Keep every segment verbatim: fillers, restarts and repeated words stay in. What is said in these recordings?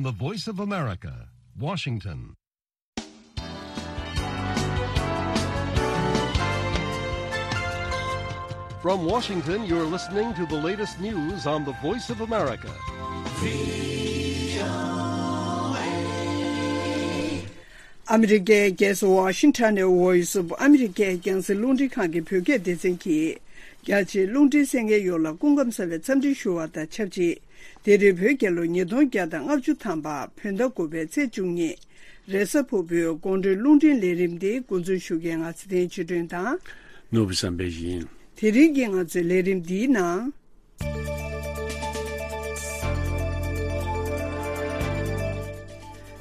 The Voice of America, Washington. From Washington, you're listening to the latest news on the Voice of America. ཨ་མི་རི་ཀའི་རྒྱལ་ས་ཝ་ཤིང་ཊོན་ནས་Voice of America རྒྱང་སྲིང་རླུང་འཕྲིན་ཁང་གི་བོད་སྐད་སྡེ་ཚན་གྱིས། རྒྱ་ཆེའི་རླུང་འཕྲིན་གསན་མཁན་ཡོངས་ལ་སྐུ་ཁམས་བཟང་བའི་འཚམས་འདྲི་ཞུ་བ་དང་ཆབས་ཅིག་དེ་རིང་བོད་རྒྱལ་ལོ་ཉིས་སྟོང་བརྒྱ་དང་ལྔ་བཅུ་ཐམ་པ་བོད་ཟླ་དགུ་པའི་ཚེས་བཅུ་གཉིས། རེས་གཟའ་ཕུར་བུའི་དགོང་དྲོའི་རླུང་འཕྲིན་ལས་རིམ་འདི་འགོ་འཛུགས་ཞུ་མཁན་ང་ཚེ་བརྟན་ཆོས་སྒྲོན་དང་། ནོར་བུ་བསམ་འཕེལ་ཡིན། དེ་རིང་གི་ང་ཚོའི་ལས་རིམ་འདིའི་ནང་།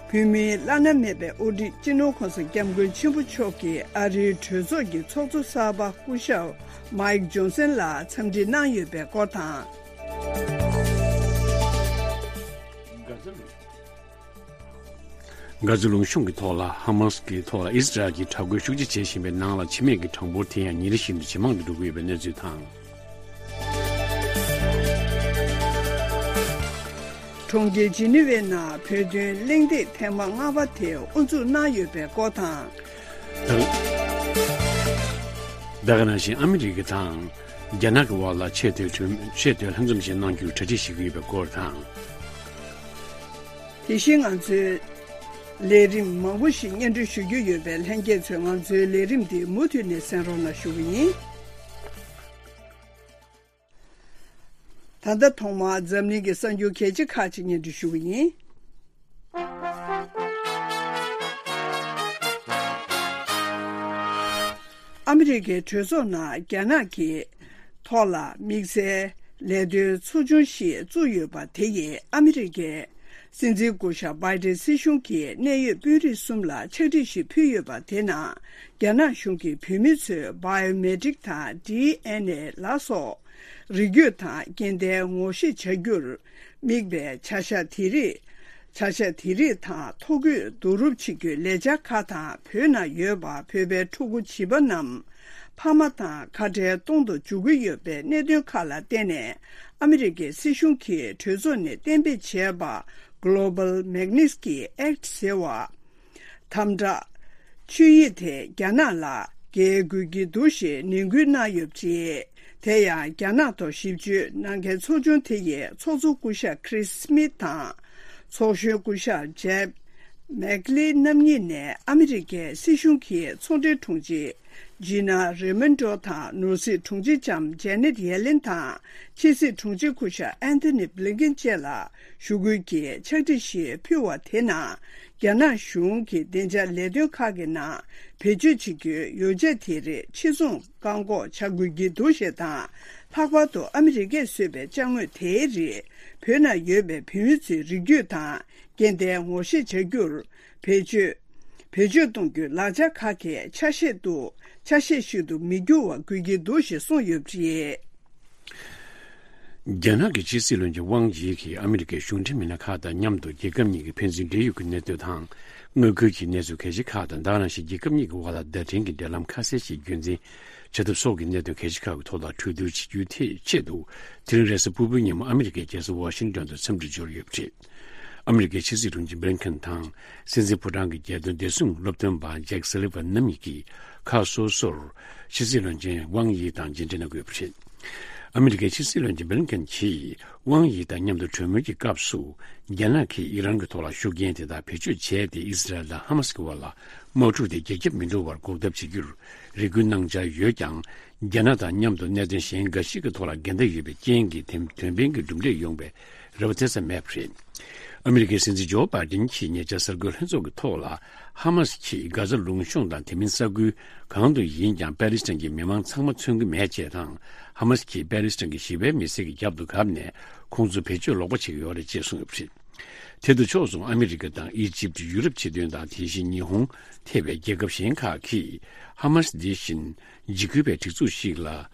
བོད་མིའི་བླ་ན་མེད་པའི་དབུ་ཁྲིད་སྤྱི་ནོར་༸གོང་ས་༸སྐྱབས་མགོན་ཆེན་པོ་མཆོག་གིས་ཨ་རིའི་གྲོས་ཚོགས་ཀྱི་ཚོགས་གཙོ་གསར་པ་སྐུ་ཞབས་མའིག་ཇོན་སན་ལ་འཚམས་འདྲི་གནང་ཡོད་པའི་སྐོར་དང་། གྷ་ཛ་ལུང་གཤོང་གི་ཐོག་ལ་ཧ་མ་སི་གི་ཐོག་ལ་ཨིས་ར་ཨེལ་གྱིས་དྲག་རྒོལ་ཤུགས་ཆེ་བྱེད་བཞིན་པའི་ནང་ལ་འཆི་རྨས་ཀྱི་གྲངས་འབོར་དེ་ཡང་ཉིན་རེ་བཞིན་དུ་ཇེ་མང་དུ་འགྲོ་གི་ཡོད་པའི་གནས་ཚུལ་དང་། གྲོང་ཁྱེར་ཇི་ནི་ཝའི་ནང་བོད་དོན་གླེང་སྟེགས་ཐེངས་མ་ལྔ་པ་དེ་དབུ་འཛུགས་གནང་ཡོད་པའི་སྐོར་དང་། ད་ག་ནང་བཞིན་ཨ་མི་རི་ཀ་དང་རྒྱ་ནག་གི་དབར་ལ་ཆེས་མཐོའི་གྲོས་ཆེས་མཐོའི་ལྷན་འཛོམས་ཤིག་གནང་རྒྱུའི་གྲ་སྒྲིག་བྱེད་ཀྱི་ཡོད་པའི་སྐོར་དང་། དེ་བཞིན་ང་ཚོའི་ལས་རིམ་མང་པོ་ཞིག་སྙན་སྒྲོན་ཞུ་རྒྱུ་ཡོད་པས་ལྷན་རྒྱས་ཚོས་ང་ཚོའི་ལས་རིམ་འདི་མུ་མཐུད་ནས་གསན་རོགས་གནང་ཞུ་གི་ཡིན། ད་ལྟ་ཐོག་མར་འཛམ་གླིང་གི་གསར་འགྱུར་གལ་ཆེ་ཁག་ཅིག་སྙན་སྒྲོན་ཞུ་གི་ཡིན། ཨ་མི་རི་ཀའི་གྲོས་ཚོགས་ནང་རྒྱ་ནག་གི་ཐོག་ལ་དམིགས་བསལ་ལས་དོན་ཚོ་ཆུང་ཞིག་བཙུགས་ཡོད་པ་དེ་ཡིས་ཨ་མི་རི་ཀའི་སྲིད་འཛིན་སྐུ་ཞབས་བྷའི་ཏིན་སྲིད་གཞུང་གིས་གནད་ཡོད་དཔོན་རིགས་གསུམ་ལ་ཕྱག་བྲིས་ཤིག་ཕུལ་ཡོད་པ་དེ་ནང་རྒྱ་ནག་གཞུང་གིས་བོད་མི་ཚོའི་བྷའི་ཡོ་མེ་ཊིག་དང་ཌི་ཨེན་ཨེ་ལ་སོགས། རིགས་རྒྱུད་དང་སྐྱེ་ལྡན་ངོ་ཤེས་བྱ་རྒྱུར་དམིགས་པའི་བྱ་གཞག་དེ་རིགས། བྱ་གཞག་དེ་རིགས་དང་ཐོ་འགོད་བསྡུ་རུབ་བྱེད་རྒྱུའི་ལས་འཆར་ཁག་དང་བོད་ནང་ཡོད་པ་བོད་པའི་ཕྲུ་གུ་བྱིས་པ་རྣམས་ཕ་མ་དང་ཁ་བྲལ་གཏོང་དུ་འཇུག་གི་ཡོད་པའི་གནད་དོན་ཁག་ལ་བརྟེན་ནས་ཨ་མི་རི་ཀའི་སྲིད་གཞུང་གིས་གྲོས་ཚོགས་ནས་གཏན་འབེབས་བྱས་པ་Global Magnitsky Act ཟེར་བ། དམ་དྲག་ཆོད་ཡིག་དེ་རྒྱ་ནག་ལ་འགེལ་དགོས་ཀྱི་འདུག་ཞེས་ནན་སྐུལ་གནང་ཡོད་པ་རེད། དེ་ཡང་རྒྱ་ནག་ཐོག་ཞིབ་དཔྱོད་གནང་མཁན་ཚོགས་ཆུང་དེ་ཡི་ཚོགས་གཙོ་སྐུ་ཞབས་Chris Smith དང་། ཚོགས་གཞོན་སྐུ་ཞབས་Jeff Merkley རྣམ་གཉིས་ནས་ཨ་མི་རི་ཀའི་སྲིད་གཞུང་གི་ཚོང་འབྲེལ་དྲུང་ཆེ་Gina Raimondo དང་ནོར་སྲིད་དྲུང་ཆེ་ལྕམ་Janet Yellen དང་ཕྱི་སྲིད་དྲུང་ཆེ་སྐུ་ཞབས་Antony Blinken བཅས་ལ་ཞུ་སྐུལ་གྱིས་ཕྱག་བྲིས་ཤིག་ཕུལ་བ་དེ་ནང་། རྒྱ་ནག་གཞུང་གི་བདེ་འཇགས་ལས་དོན་ཁག་གི་ནང་བེད་སྤྱོད་བྱེད་རྒྱུའི་ཡོ་བྱད་དེ་རིགས་ཕྱིར་ཚོང་བཀག་འགོག་བྱ་དགོས་ཀྱི་འདུག་ཞེས་དང་། ལྷག་པར་དུ་ཨ་མི་རི་ཀས་བཟོས་པའི་ཅ་དངོས་དེའི་རིགས་བོད་ནང་ཡོད་པའི་བོད་མི་ཚོའི་རིགས་རྒྱུད་དང་སྐྱེ་ལྡན་ངོ་ཤེས་བྱ་རྒྱུར་བེད་སྤྱོད་བེད་སྤྱོད་གཏོང་རྒྱུའི་ལག་ཆ་ཁག་གི་ཆ་ཤས་དུ་ཆ་ཤས་ཤིག་ཏུ་མི་འགྱུར་བ་དགོས་ཀྱི་འདུག་ཞེས་གསུངས་ཡོད་པ་རེད། རྒྱ་ནག་གི་ཕྱི་སྲིད་བློན་ཆེན་ཝང་ཡི་གིས་ཨ་མི་རི་ཀའི་གཞུང་འབྲེལ་མི་སྣ་ཁག་དང་མཉམ་དུ་རྒྱལ་ཁབ་གཉིས་ཀྱི་ཕན་ཚུན་འབྲེལ་ཡོད་ཀྱི་གནད་དོན་དང་། མངའ་ཁུལ་གྱི་གནས་ཚུལ་གལ་ཆེ་ཁག་དང་། ད་ག་ནང་བཞིན་རྒྱལ་ཁབ་གཉིས་ཀྱི་དབར་ལ་བརྡ་འཕྲིན་གྱི་འབྲེལ་ལམ་ཁ་གསལ་ཞིག་རྒྱུན་འཛིན་བྱ་ཐབས་སོགས་ཀྱི་གནད་དོན་གལ་ཆེ་ཁག་གི་ཐོག་ལ་གྲོས་བསྡུར་བྱེད་རྒྱུའི་ཐད་ཆེད་དུ། དེ་རིང་རེས་གཟའ་ཕུར་བུའི་ཉིན་མོ་ཨ་མི་རི་ཀའི་རྒྱལ་ས་ཝ་ཤིང་ཏོན་དུ་འཚམས་འདྲིར་འབྱོར་ཡོད་པ་རེད། ཨ་མི་རི་ཀའི་ཕྱི་སྲིད་དྲུང་ཆེ་བྷི་ལིན་ཁེན་དང་། སྲིད་འཛིན་ཕོ་བྲང་གི་རྒྱལ་དོན་བདེ་སྲུང་སློབ་སྟོན་པ་ཇེག་སུ་ལི་ཝན་རྣམ་གཉིས་ཀྱིས་ཁག་སོ་སོར་ཕྱི་སྲིད་བློན་ཆེན་ཝང་ཡི་དང་མཇལ་འཕྲད་གནང་དགོས་པ་རེད། ཨ་མི་རི་ཀའི་ཕྱི་སྲིད་བློན་ཆེན་བྷི་ལིན་ཁེན་གྱིས་ཝང་ཡི་དང་མཉམ་དུ་གྲོས་མོལ་གྱི་སྐབས་སུ། རྒྱ་ནག་གིས་ཨི་རན་གྱི་ཐོག་ལ་ཤུགས་རྐྱེན་དེ་དག་བེད་སྤྱོད་བྱས་ཏེ། ཨི་སི་རལ་དང་ཧ་མ་སི་གི་དབར་ལ་དམག་འཁྲུག་དེ་རྒྱ་ཁྱབ་མི་འགྲོ་བར་འགོག་ཐབས་བྱེད་རྒྱུར་རེ་སྐུལ་གནང་འཆར་ཡོད་ཀྱང་། རྒྱ་ནག་དང་མཉམ་དུ་གནད་དོན་གཞན་འགའ་ཞིག་གི་ཐོག་ལ་འགལ་ཟླ་ཡོད་པའི་རྐྱེན་གྱིས། དེ་དོན་ཕན་གྱི་གྲུབ་འབྲས་ཡོང་བའི་རེ་བ་དེ་ཙམ་མེད་པ་རེད། ཨ་མི་རི་ཀའི་སྲིད་འཛིན་ཇོ་བྷའི་ཌེན་གྱིས་ཉེ་ཆར་གསར་འགོད་ལྷན་ཚོགས་ཀྱི་ཐོག་ལ། ཧ་མ་སི་གིས་གྷ་ཛ་ལུང་གཤོང་དང་དེ་མིན་ས་ཁུལ་གང་དུ་ཡིན་ཀྱང་པ་ལི་སི་ཐན་གྱི་མི་མང་ཚང་མ་མཚོན་གྱི་མེད་ཅེས་དང་། ཧ་མ་སི་གིས་པ་ལི་སི་ཐན་གྱི་ཞི་བའི་མི་སེར་གྱི་རྒྱབ་ཏུ་བཀབ་ནས་ཁོང་ཚོ་བེད་སྤྱོད་ལོག་པ་བྱེད་ཀྱི་ཡོད་རེད་ཅེས་གསུངས་ཡོད་པ་རེད། དེ་དང་ཕྱོགས་མཚུངས་ཨ་མི་རི་ཀ་དང་ཨི་ཇིབ། ཡུ་རོབ་སྤྱི་མཐུན་དང་། དེ་བཞིན་ཉི་ཧོང་ཐེ་བའི་རྒྱལ་ཁབ་གཞན་ཁག་གིས་ཧ་མ་སི་འདི་བཞིན་འཇིགས་སྐུལ་བའི་སྒྲིག་འཛུགས་ཤིག་ལ་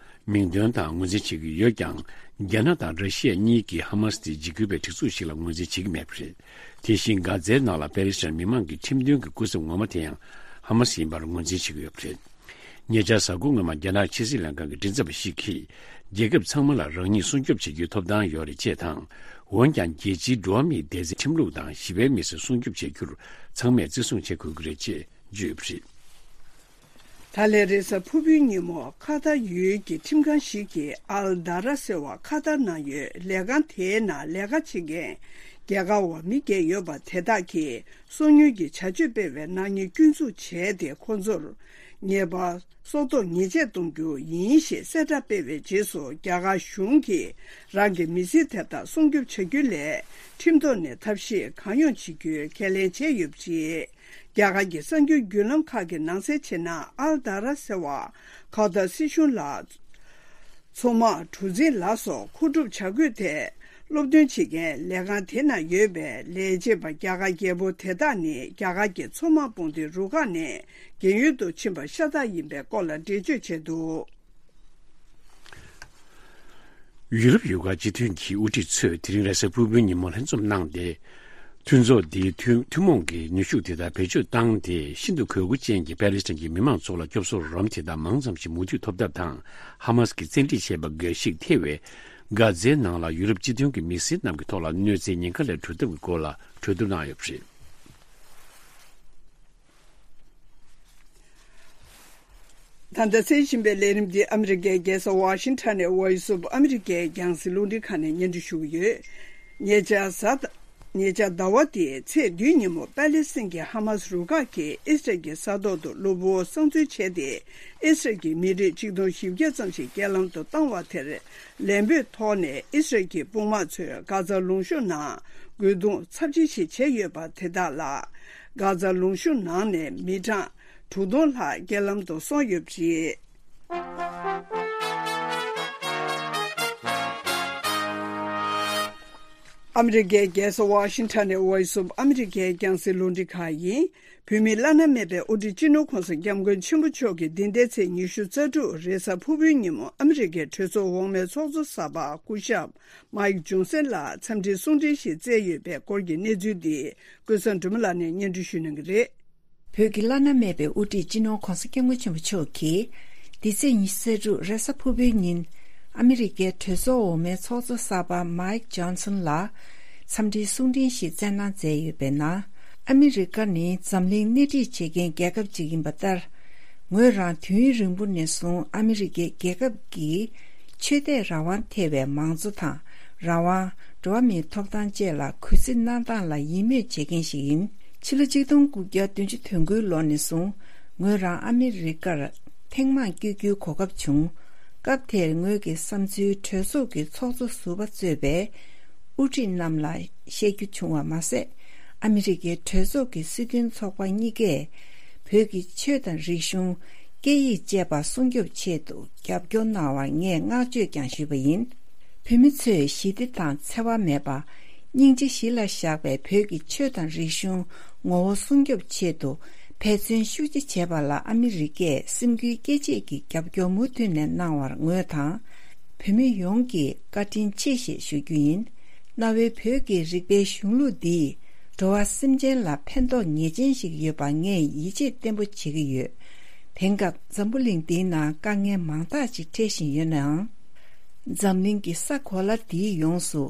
མིང་འདོན་དང་ངོས་འཛིན་བྱེད་ཀྱི་ཡོད་ཀྱང་། རྒྱ་ནག་དང་ར་ཤི་ཡ་གཉིས་ཀྱིས་ཧ་མ་སི་དེ་འཇིགས་སྐུལ་བའི་སྒྲིག་འཛུགས་ཤིག་ལ་ངོས་འཛིན་བྱེད་ཀྱི་མེད་པ་རེད། དེ་བཞིན་གྷ་ཛའི་ནང་ལ་པེ་ལི་སི་ཐན་མི་མང་གི་ཁྲིམས་མཐུན་གྱི་སྐུ་ཚབ་ངོ་མ་དེ་ཡང་ཧ་མ་སི་ཡིན་པར་ངོས་འཛིན་བྱེད་ཀྱི་ཡོད་པ་རེད། ཉེ་ཆར་གཟའ་འཁོར་སྔོན་མ་རྒྱ་ནག་ཕྱི་སྲིད་ལྷན་ཁང་གི་མགྲིན་ཚབ་པ་ཞིག་གིས། རྒྱལ་ཁབ་ཚང་མ་ལ་རང་ཉིད་སྲུང་སྐྱོབ་བྱེད་རྒྱུའི་ཐོབ་ཐང་ཡོད་རེད་ཅེས་དང་། འོན་ཀྱང་རྒྱལ་སྤྱིའི་འགྲོ་བ་མིའི་བདེ་རྩའི་ཁྲིམས་ལུགས་དང་ཞི་བའི་མི་སེར་སྲུང་སྐྱོབ་བྱ་རྒྱུར་ཚང་མས་བརྩི་སྲུང་བྱེད་དགོས་ཀྱི་རེད་ཅེས་བརྗོད་ཡོད་པ་རེད། ད་ལན་རེས་གཟའ་ཕུར་བུའི་ཉིན་མོ་ཁ་ཐར་ཡུལ་གྱི་ཁྲིམས་ཁང་ཞིག་གིས་ཨལ་དཱ་ར་ཟེར་བ་ཁ་ཐར་ནང་ཡོད་ལས་ཁང་དེའི་ནང་ལས་ཀ་བྱེད་མཁན་རྒྱ་གར་བ་མི་བརྒྱད་ཡོད་པ་དེ་དག་གིས་སོ་ཉུལ་གྱི་བྱ་སྤྱོད་སྤེལ་བའི་ནག་ཉེས་སྐྱོན་འཛུགས་བྱས་ཏེ། ཁོ་ཚོར་ཉེས་པ་སྲོག་ཐོག་ཉེས་ཆད་གཏོང་རྒྱུ་ཡིན་ཞེས་གསལ་བསྒྲགས་སྤེལ་བའི་རྗེས་སུ། རྒྱ་གར་གཞུང་གིས་རང་གི་མི་སེར་དེ་དག་སྲུང་སྐྱོབ་བྱ་རྒྱུ་ལས་ཁྲིམས་ཐོག་ནས་ཐབས་ཤེས་གང་ཡོང་བྱེད་རྒྱུའི་ཁས་ལེན་བྱས་ཡོད་པ་རེད། རྒྱ་གར་གྱི་གསར་འགྱུར་བརྒྱུད་ལམ་ཁག་གིས་ནང་གསལ་བྱས་ན། ཨལ་དཱ་ར་ཟེར་བ་ཁ་ཐར་སྲིད་གཞུང་ལ་མཚོ་དམག་གྲུ་གཟིངས་ལ་སོགས་མཁོ་སྒྲུབ་བྱ་དགོས་ཏེ། སློབ་སྟོན་བྱེད་མཁན་ལས་ཁང་དེ་ན་ཡོད་པའི་ལས་བྱེད་པ་རྒྱ་གར་རྒྱལ་པོ་དེ་དག་ནི་རྒྱ་གར་གྱི་མཚོ་དམག་དཔུང་སྡེའི་རུ་ཁག་ནས་རྒན་ཡོལ་དུ་ཕྱིན་པ་ཤ་སྟག་ཡིན་པའི་སྐོར་ལ་འགྲེལ་བརྗོད་བྱས་འདུག། ཡུ་རོབ་ཡུལ་ཁག་སྤྱི་མཐུན་གྱི་དབུ་ཁྲིད་ཚོས་དེ་རིང་རེས་གཟའ་ཕུར་བུའི་ཉིན་མོ་ལྷན་འཛོམས་གནང་སྟེ། མཐུན་ཚོགས་འདིའི་ཐུན་ཐུན་མོང་གི་ནུས་ཤུགས་དེ་དག་བེད་སྤྱོད་བཏང་སྟེ། ཤིན་ཏུ་གུས་བཀུར་ཅན་གྱི་པེ་ལི་སི་ཐན་གྱི་མི་མང་ཚོ་ལ་སྐྱོབ་གསོ་རོགས་རམ་དེ་དག་མང་ཙམ་ཞིག་མུ་མཐུད་ཐོབ་ཐབས་དང་། ཧ་མ་སི་གིས་བཙན་ཁྲིད་བྱས་པ་འགའ་ཞིག་ཐེ་བའི་གྷ་ཛའི་ནང་ལ་ཡུ་རོབ་སྤྱི་མཐུན་གྱི་མི་སེར་རྣམས་ཀྱི་ཐོག་ལ་གནོད་འཚེ་ཉེན་ཁ་ལས་གྲོལ་ཐབས་ཀྱི་སྐོར་ལ་གྲོས་བསྡུར་གནང་ཡོད་པ་རེད། ད་ལྟ་གསན་བཞིན་པའི་ལས་རིམ་འདི་ཨ་མི་རི་ཀའི་རྒྱལ་ས་ཝ་ཤིང་ཊོན་ནས་Voice of America རྒྱང་སྲིང་རླུང་འཕྲིན་ཁང་ནས་སྙན་སྒྲོན་ཞུ་གི་ཡོད། ཉེ་ཆར་གཟའ་ཉེ་ཆར་ཟླ་བ་འདིའི་ཚེས་བདུན་ཉིན་མོ་པེ་ལི་སི་ཐན་གྱི་ཧ་མ་སི་རུ་ཁག་གིས་ཨི་སི་རལ་གྱི་ས་ཐོག་ཏུ་གློ་བུར་བསང་མཛོད་བྱས་ཏེ། ཨི་སི་རལ་གྱི་མི་རིགས་ཆིག་སྟོང་བཞི་བརྒྱ་ཙམ་ཞིག་རྐྱེན་ལམ་དུ་བཏང་བ་དེར། ལན་སྤོས་ཐོག་ནས་ཨི་སི་རལ་གྱི་དཔུང་དམག་ཚོས་གྷ་ཛ་ལུང་གཤོང་ནང་རྒོལ་རྡུང་ཚབས་ཆེ་ཞིག་བྱས་ཡོད་པ་དེ་དག་ལ། གྷ་ཛ་ལུང་གཤོང་ནང་ནས་མི་གྲངས་དྲུག་སྟོང་ལྷག་རྐྱེན་ལམ་དུ་སོང་ཡོད་པ་རེད། ཨ་མི་རི་ཀའི་རྒྱལ་ས་ཝ་ཤིང་ཊོན་ནས་Voice of America རྒྱང་སྲིང་རླུང་འཕྲིན་ཁང་ཡིན། བོད་མིའི་བླ་ན་མེད་པའི་དབུ་ཁྲིད་སྤྱི་ནོར་༸གོང་ས་༸སྐྱབས་མགོན་ཆེན་པོ་མཆོག་གིས་འདི་ཟླའི་ཚེས་ཉི་ཤུ་རྩ་དྲུག་རེས་གཟའ་ཕུར་བུའི་ཉིན་མོ་ཨ་མི་རི་ཀའི་གྲོས་ཚོགས་འོག་མའི་ཚོགས་གཙོ་གསར་པ་སྐུ་ཞབས་མའིག་ཇོན་སན་ལ་འཚམས་འདྲིའི་གསུང་འཕྲིན་ཞིག་བསྩལ་ཡོད་པའི་སྐོར་གྱི་གནས་ཚུལ་འདི་ཀུན་བཟང་སྒྲོལ་མ་ལགས་ནས་སྙན་སྒྲོན་ཞུ་གནང་གི་རེད། བོད་ཀྱི་བླ་ན་མེད་པའི་དབུ་ཁྲིད་སྤྱི་ནོར་༸གོང་ས་༸སྐྱབས་མགོན་ཆེན་པོ་མཆོག་གིས། འདི་ཚེས་ཉི་ཤུ་རྩ་དྲུག་རེས་གཟའ་ཕུར་བུའི་ཉིན། ཨ་མི་རི་ཀའི་གྲོས་ཚོགས་འོག་མའི་ཚོགས་གཙོ་གསར་པ་མའིག་ཇོན་སན་ལ། འཚམས་འདྲིའི་གསུང་འཕྲིན་ཞིག་བསྩལ་གནང་མཛད་ཡོད་པའི་ནང་། ཨ་མི་རི་ཀ་ནི་འཛམ་གླིང་སྣེ་ཁྲིད་བྱེད་མཁན་རྒྱལ་ཁབ་ཅིག་ཡིན་པ་ལྟར། ངོས་རང་དུས་ཡུན་རིང་པོ་ནས་བཟུང་ཨ་མི་རི་ཀའི་རྒྱལ་ཁབ་ཀྱི་ཆོས་དད་རང་དབང་ཐེ་བའི་མང་གཙོ་དང་། རང་དབང་། འགྲོ་བ་མིའི་ཐོབ་ཐང་བཅས་ལ་གུས་བརྩི་གནང་སྟངས་ལ་ཡིད་མོས་བྱེད་མཁན་ཞིག་ཡིན། ཕྱི་ལོ་ཆིག་སྟོང་དགུ་བརྒྱ་བདུན་ཅུ་དོན་དགུའི་ལོ་ནས་བཟུང་ངོས་རང་ཨ་མི་རི་ཀར་ཐེངས་མང་བསྐྱོད་རྒྱུའི་གོ་སྐབས་བྱུང་། སྐབས་དེར་ངོས་ཀྱི་བསམ་ཚུལ་གྲོས་ཚོགས་ཀྱི་ཚོགས་གཙོ་ཟུར་པ་གཙོས་པའི་དབུ་ཁྲིད་རྣམས་ལ་བཤད་རྒྱུ་བྱུང་བ་མ་ཟད། ཨ་མི་རི་ཀའི་གྲོས་ཚོགས་ཀྱི་སྲིད་དོན་ཚོགས་པ་གཉིས་ཀས་བོད་ཀྱི་ཆོས་དང་རིག་གཞུང་། སྐད་ཡིག་བཅས་པ་སྲུང་སྐྱོབ་ཆེད་དུ་རྒྱབ་སྐྱོར་གནང་བར་ངས་བསྔགས་བརྗོད་ཀྱང་ཞུས་པ་ཡིན། བོད་མི་ཚོས་ཞི་བདེ་དང་འཚེ་བ་མེད་པ། སྙིང་རྗེ་གཞི་ལ་བཞག་པའི་བོད་ཀྱི་ཆོས་དང་རིག་གཞུང་ངོ་བོ་སྲུང་སྐྱོབ་ཆེད་དུ་འབད་བརྩོན་ཤུགས་ཆེ་བྱས་པ་ལ་ཨ་མི་རི་ཀས་སེམས་འགུལ་སྐྱེད་བྱེད་ཀྱི་རྒྱབ་སྐྱོར་མུ་མཐུད་ནས་གནང་བར་ངོས་དང་། བོད་མི་ཡོངས་ཀྱིས་བཀའ་དྲིན་ཆེ་ཞེས་ཞུ་རྒྱུ་ཡིན། གནའ་བོའི་བོད་ཀྱི་རིག་པའི་གཞུང་ལུགས་འདིས་འགྲོ་བ་སེམས་ཅན་ལ་ཕན་ཐོགས་ངེས་ཅན་ཞིག་ཡོད་པ་ངས་ཡིད་ཆེས་བརྟན་པོ་བྱེད་ཀྱི་ཡོད། དེང་སྐབས་འཛམ་བུ་གླིང་འདིའི་ནང་དཀའ་ངལ་མང་དག་ཅིག་འཕྲད་བཞིན་ཡོད་ནའང་། འཛམ་གླིང་གི་ས་གོ་ལ་འདིའི་ཡོངས་སུ་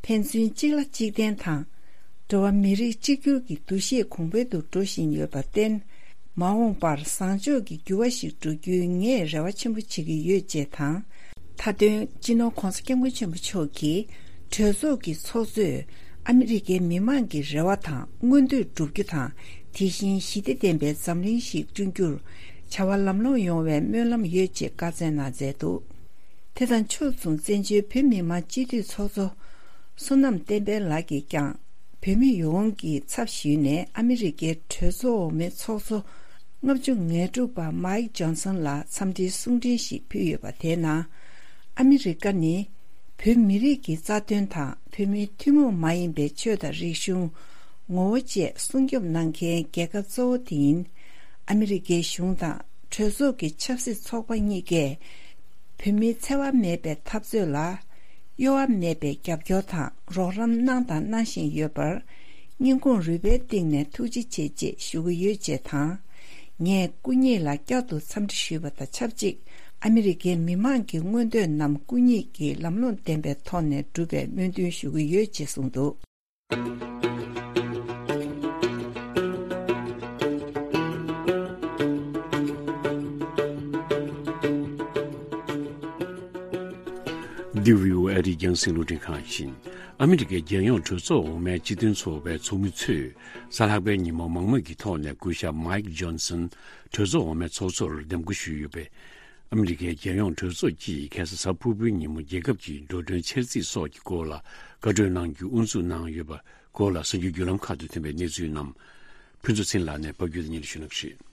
ཕན་ཚུན་གཅིག་ལ་གཅིག་བརྟེན་དང་། འགྲོ་བ་མི་རིགས་གཅིག་གྱུར་གྱི་འདུ་ཤེས་གོང་འཕེལ་དུ་འགྲོ་བཞིན་ཡོད་པར་བརྟེན། མ་འོངས་པར་བཟང་ཕྱོགས་ཀྱི་འགྱུར་བ་ཞིག་འགྲོ་རྒྱུའི་ངས་རེ་བ་ཆེན་པོ་བྱེད་ཀྱི་ཡོད་ཅེས་དང་། མཐའ་དོན། སྤྱི་ནོར་༸གོང་ས་༸སྐྱབས་མགོན་ཆེན་པོ་མཆོག་གིས་གྲོས་ཚོགས་ཀྱི་ཚོགས་གཙོས་ཨ་མི་རི་ཀའི་མི་མང་གི་རེ་བ་དང་མངོན་འདོད་བསྒྲུབ་རྒྱུ་དང་། དེ་བཞིན་ཞི་བདེ་ལྡན་པའི་འཛམ་གླིང་ཞིག་བསྐྲུན་རྒྱུར་བྱ་བ་ལམ་ལྷོང་ཡོང་བའི་སྨོན་ལམ་ཡོད་ཅེས་བཀའ་སྩལ་གནང་མཛད་འདུག། དེ་དང་ཕྱོགས་མཚུངས་བཙན་བྱོལ་བོད་མི་མང་སྤྱི་འཐུས་ཚོགས་གཙོ་བསོད་ནམས་བསྟན་འཕེལ་ལགས་ཀྱིས་ཀྱང་། བོད་མི་ཡོངས་ཀྱི་ཚབ་ཞུས་ནས་ཨ་མི་རི་ཀའི་གྲོས་ཚོགས་འོག་མའི་ཚོགས་གཙོ་ལྔ་བཅུ་ང་དྲུག་པ་མའིག་ཇོན་སན་ལ་འཚམས་འདྲིའི་གསུང་འཕྲིན་ཞིག་ཕུལ་ཡོད་པ་དེའི་ནང་། ཨ་མི་རི་ཀ་ནི་བོད་མི་རིགས་ཀྱི་རྩ་དོན་དང་བོད་མིའི་ཐུན་མོང་མ་ཡིན་པའི་ཆོས་དང་རིག་གཞུང་། ངོ་བོ་བཅས་སྲུང་སྐྱོབ་གནང་མཁན་རྒྱལ་ཁབ་གཙོ་བོ་དེ་ཡིན། ཨ་མི་རི་ཀའི་གཞུང་དང་གྲོས་ཚོགས་ཀྱི་ཆབ་སྲིད་ཚོགས་པ་གཉིས་ཀས། བོད་མིའི་འཚེ་བ་མེད་པའི་འཐབ་རྩོད་ལ་གཡོ་བ་མེད་པའི་རྒྱབ་སྐྱོར་དང་རོགས་རམ་གནང་དང་གནང་བཞིན་ཡོད་པར་སྙིང་ཁོང་རུས་པའི་གཏིང་ནས་ཐུགས་རྗེ་ཆེ་ཅེས་ཞུ་གི་ཡོད་ཅེས་དང་། ངས་སྐུ་ཉིད་ལ་བསྐྱར་དུ་འཚམས་འདྲི་ཞུས་པ་དང་ཆབས་ཅིག་ཨ་མི་རི་ཀའི་མི་མང་གི་མངོན་འདོད་རྣམས་སྐུ་ཉིད་ཀྱིས་ལམ་ལྷོང་ལྡན་པའི་ཐོག་ནས་འགྲུབ་པའི་སྨོན་འདུན་ཞུ་གི་ཡོད་ཅེས་གསུངས་འདུག། འདི་བྷི་ཨོ་ཨེ་རིགས་རྒྱང་སྲིང་རླུང་འཕྲིན་ཁང་ཡིན། ཨ་མི་རི་ཀའི་རྒྱལ་ཡོངས་གྲོས་ཚོགས་འོག་མའི་སྤྱི་མཐུན་ཚོགས་པའི་ཚོགས་མི་ཚོས་གཟའ་ལྷག་པའི་ཉིན་མོ་མང་མོས་ཀྱི་ཐོག་ནས་སྐུ་ཞབས་མའིག་ཇོན་སན་གྲོས་ཚོགས་འོག་མའི་ཚོགས་གཙོར་འདེམས་བསྐོ་ཞུས་ཡོད་པས། ཨ་མི་རི་ཀའི་རྒྱལ་ཡོངས་གྲོས་ཚོགས་ཀྱིས་ཁ་སང་གཟའ་ཕུར་བུའི་ཉིན་མོ་རྒྱལ་ཁབ་ཀྱི་འགྲོ་གྲོན་འཆར་རྩིས་སོགས་ཀྱི་སྐོར་ལ་བཀའ་གྲོས་གནང་རྒྱུ་དབུ་འཛུགས་གནང་ཡོད་པ་སྐོར་ལ་གསར་འགྱུར་བརྒྱུད་ལམ་ཁག་ཏུ་ཐོན་པའི་གནས་ཚུལ་རྣམས་ཕུན་ཚོགས་ཚེ་རིང་ལགས་ནས་ཕབ་སྒྱུར་དང་སྙན་སྒྲོན་ཞུ་གནང་གི་རེད།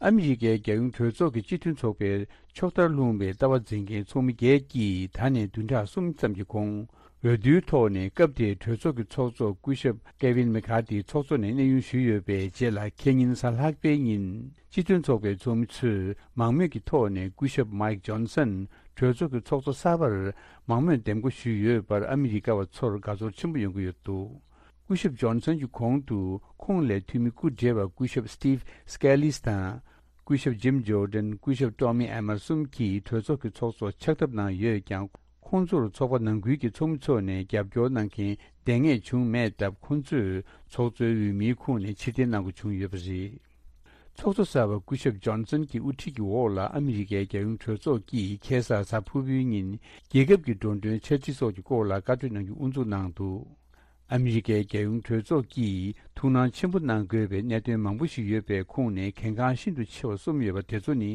ཨ་མི་རི་ཀའི་རྒྱལ་ཡོངས་གྲོས་ཚོགས་ཀྱི་སྤྱི་མཐུན་ཚོགས་པའི་ཕྱོགས་མཐར་ལྷུང་བའི་ལྟ་བ་འཛིན་མཁན་ཚོགས་མི་བརྒྱད་ཀྱིས་ད་ནས་བདུན་ཕྲག་གསུམ་ཙམ་གྱི་གོང་། འོས་བསྡུའི་ཐོག་ནས་སྐབས་དེའི་གྲོས་ཚོགས་ཀྱི་ཚོགས་གཙོ་སྐུ་ཞབས་ཀེ་ཝིན་མེ་ཁ་ཏི་ཚོགས་གཙོ་ནས་གནས་དབྱུང་ཞུས་ཡོད་པའི་རྗེས་ལ། ཁེ་ཉིན་གཟའ་ལྷག་པའི་ཉིན་སྤྱི་མཐུན་ཚོགས་པའི་ཚོགས་མི་ཚོས་མང་མོས་ཀྱི་ཐོག་ནས་སྐུ་ཞབས་མའིག་ཇོན་སན་གྲོས་ཚོགས་ཀྱི་ཚོགས་གཙོ་གསར་པར་མང་མོས་འདེམས་བསྐོ་ཞུས་ཡོད་པར་ཨ་མི་རི་ཀ་བ་ཚོར་དགའ་ཚོར་ཆེན་པོ་ཡོང་གི་ཡོད་འདུག། སྐུ་ཞབས་ཇོན་སན་གྱི་གོང་དུ་ཁོང་ལས་འཐུས་མི་སྐུ་བགྲེས་པ་སྐུ་ཞབས་སི་ཊིབ་སི་ཀེ་ལིས་དང་། སྐུ་ཞབས་ཇིམ་ཇོར་ཌན། སྐུ་ཞབས་ཊོ་མི་ཨེ་མར་གསུམ་གྱིས་གྲོས་ཚོགས་ཀྱི་ཚོགས་གཙོ་ཕྱག་ཐབས་གནང་ཡོད་ཀྱང་། ཁོང་ཚོར་ཚོགས་པ་ནང་ཁུལ་གྱི་ཚོགས་མི་ཚོ་ནས་རྒྱབ་སྐྱོར་གནང་མཁན་ལྡང་ངེས་བྱུང་མེད་སྟབས། ཁོང་ཚོས་ཚོགས་གཙོའི་འོས་མིའི་ཁོངས་ནས་ཕྱིར་འཐེན་གནང་དགོས་བྱུང་ཡོད་པ་རེད། ཚོགས་གཙོ་གསར་པ་སྐུ་ཞབས་ཇོན་སན་གྱི་དབུ་ཁྲིད་ཀྱི་འོག་ལ་ཨ་མི་རི་ཀའི་རྒྱལ་ཡོངས་གྲོས་ཚོགས་ཀྱིས་ཁ་སང་གཟའ་ཕུར་བུའི་ཉིན་རྒྱལ་ཁབ་ཀྱི་འགྲོ་གྲོན་འཆར་རྩིས་སོགས་ཀྱི་སྐོར་ལ་བཀའ་གྲོས་གནང་རྒྱུ་དབུ་འཛུགས་གནང་འདུག། ཨ་མི་རི་ཀའི་རྒྱལ་ཡོངས་གྲོས་ཚོགས་ཀྱིས་ཐུགས་སྣང་ཆེན་པོ་གནང་དགོས་པའི་གནད་དོན་མང་པོ་ཞིག་ཡོད་པའི་ཁོངས་ནས་གལ་འགངས་ཤིན་ཏུ་ཆེ་བ་གསུམ་ཡོད་པ་དེ་ཚོ་ནི།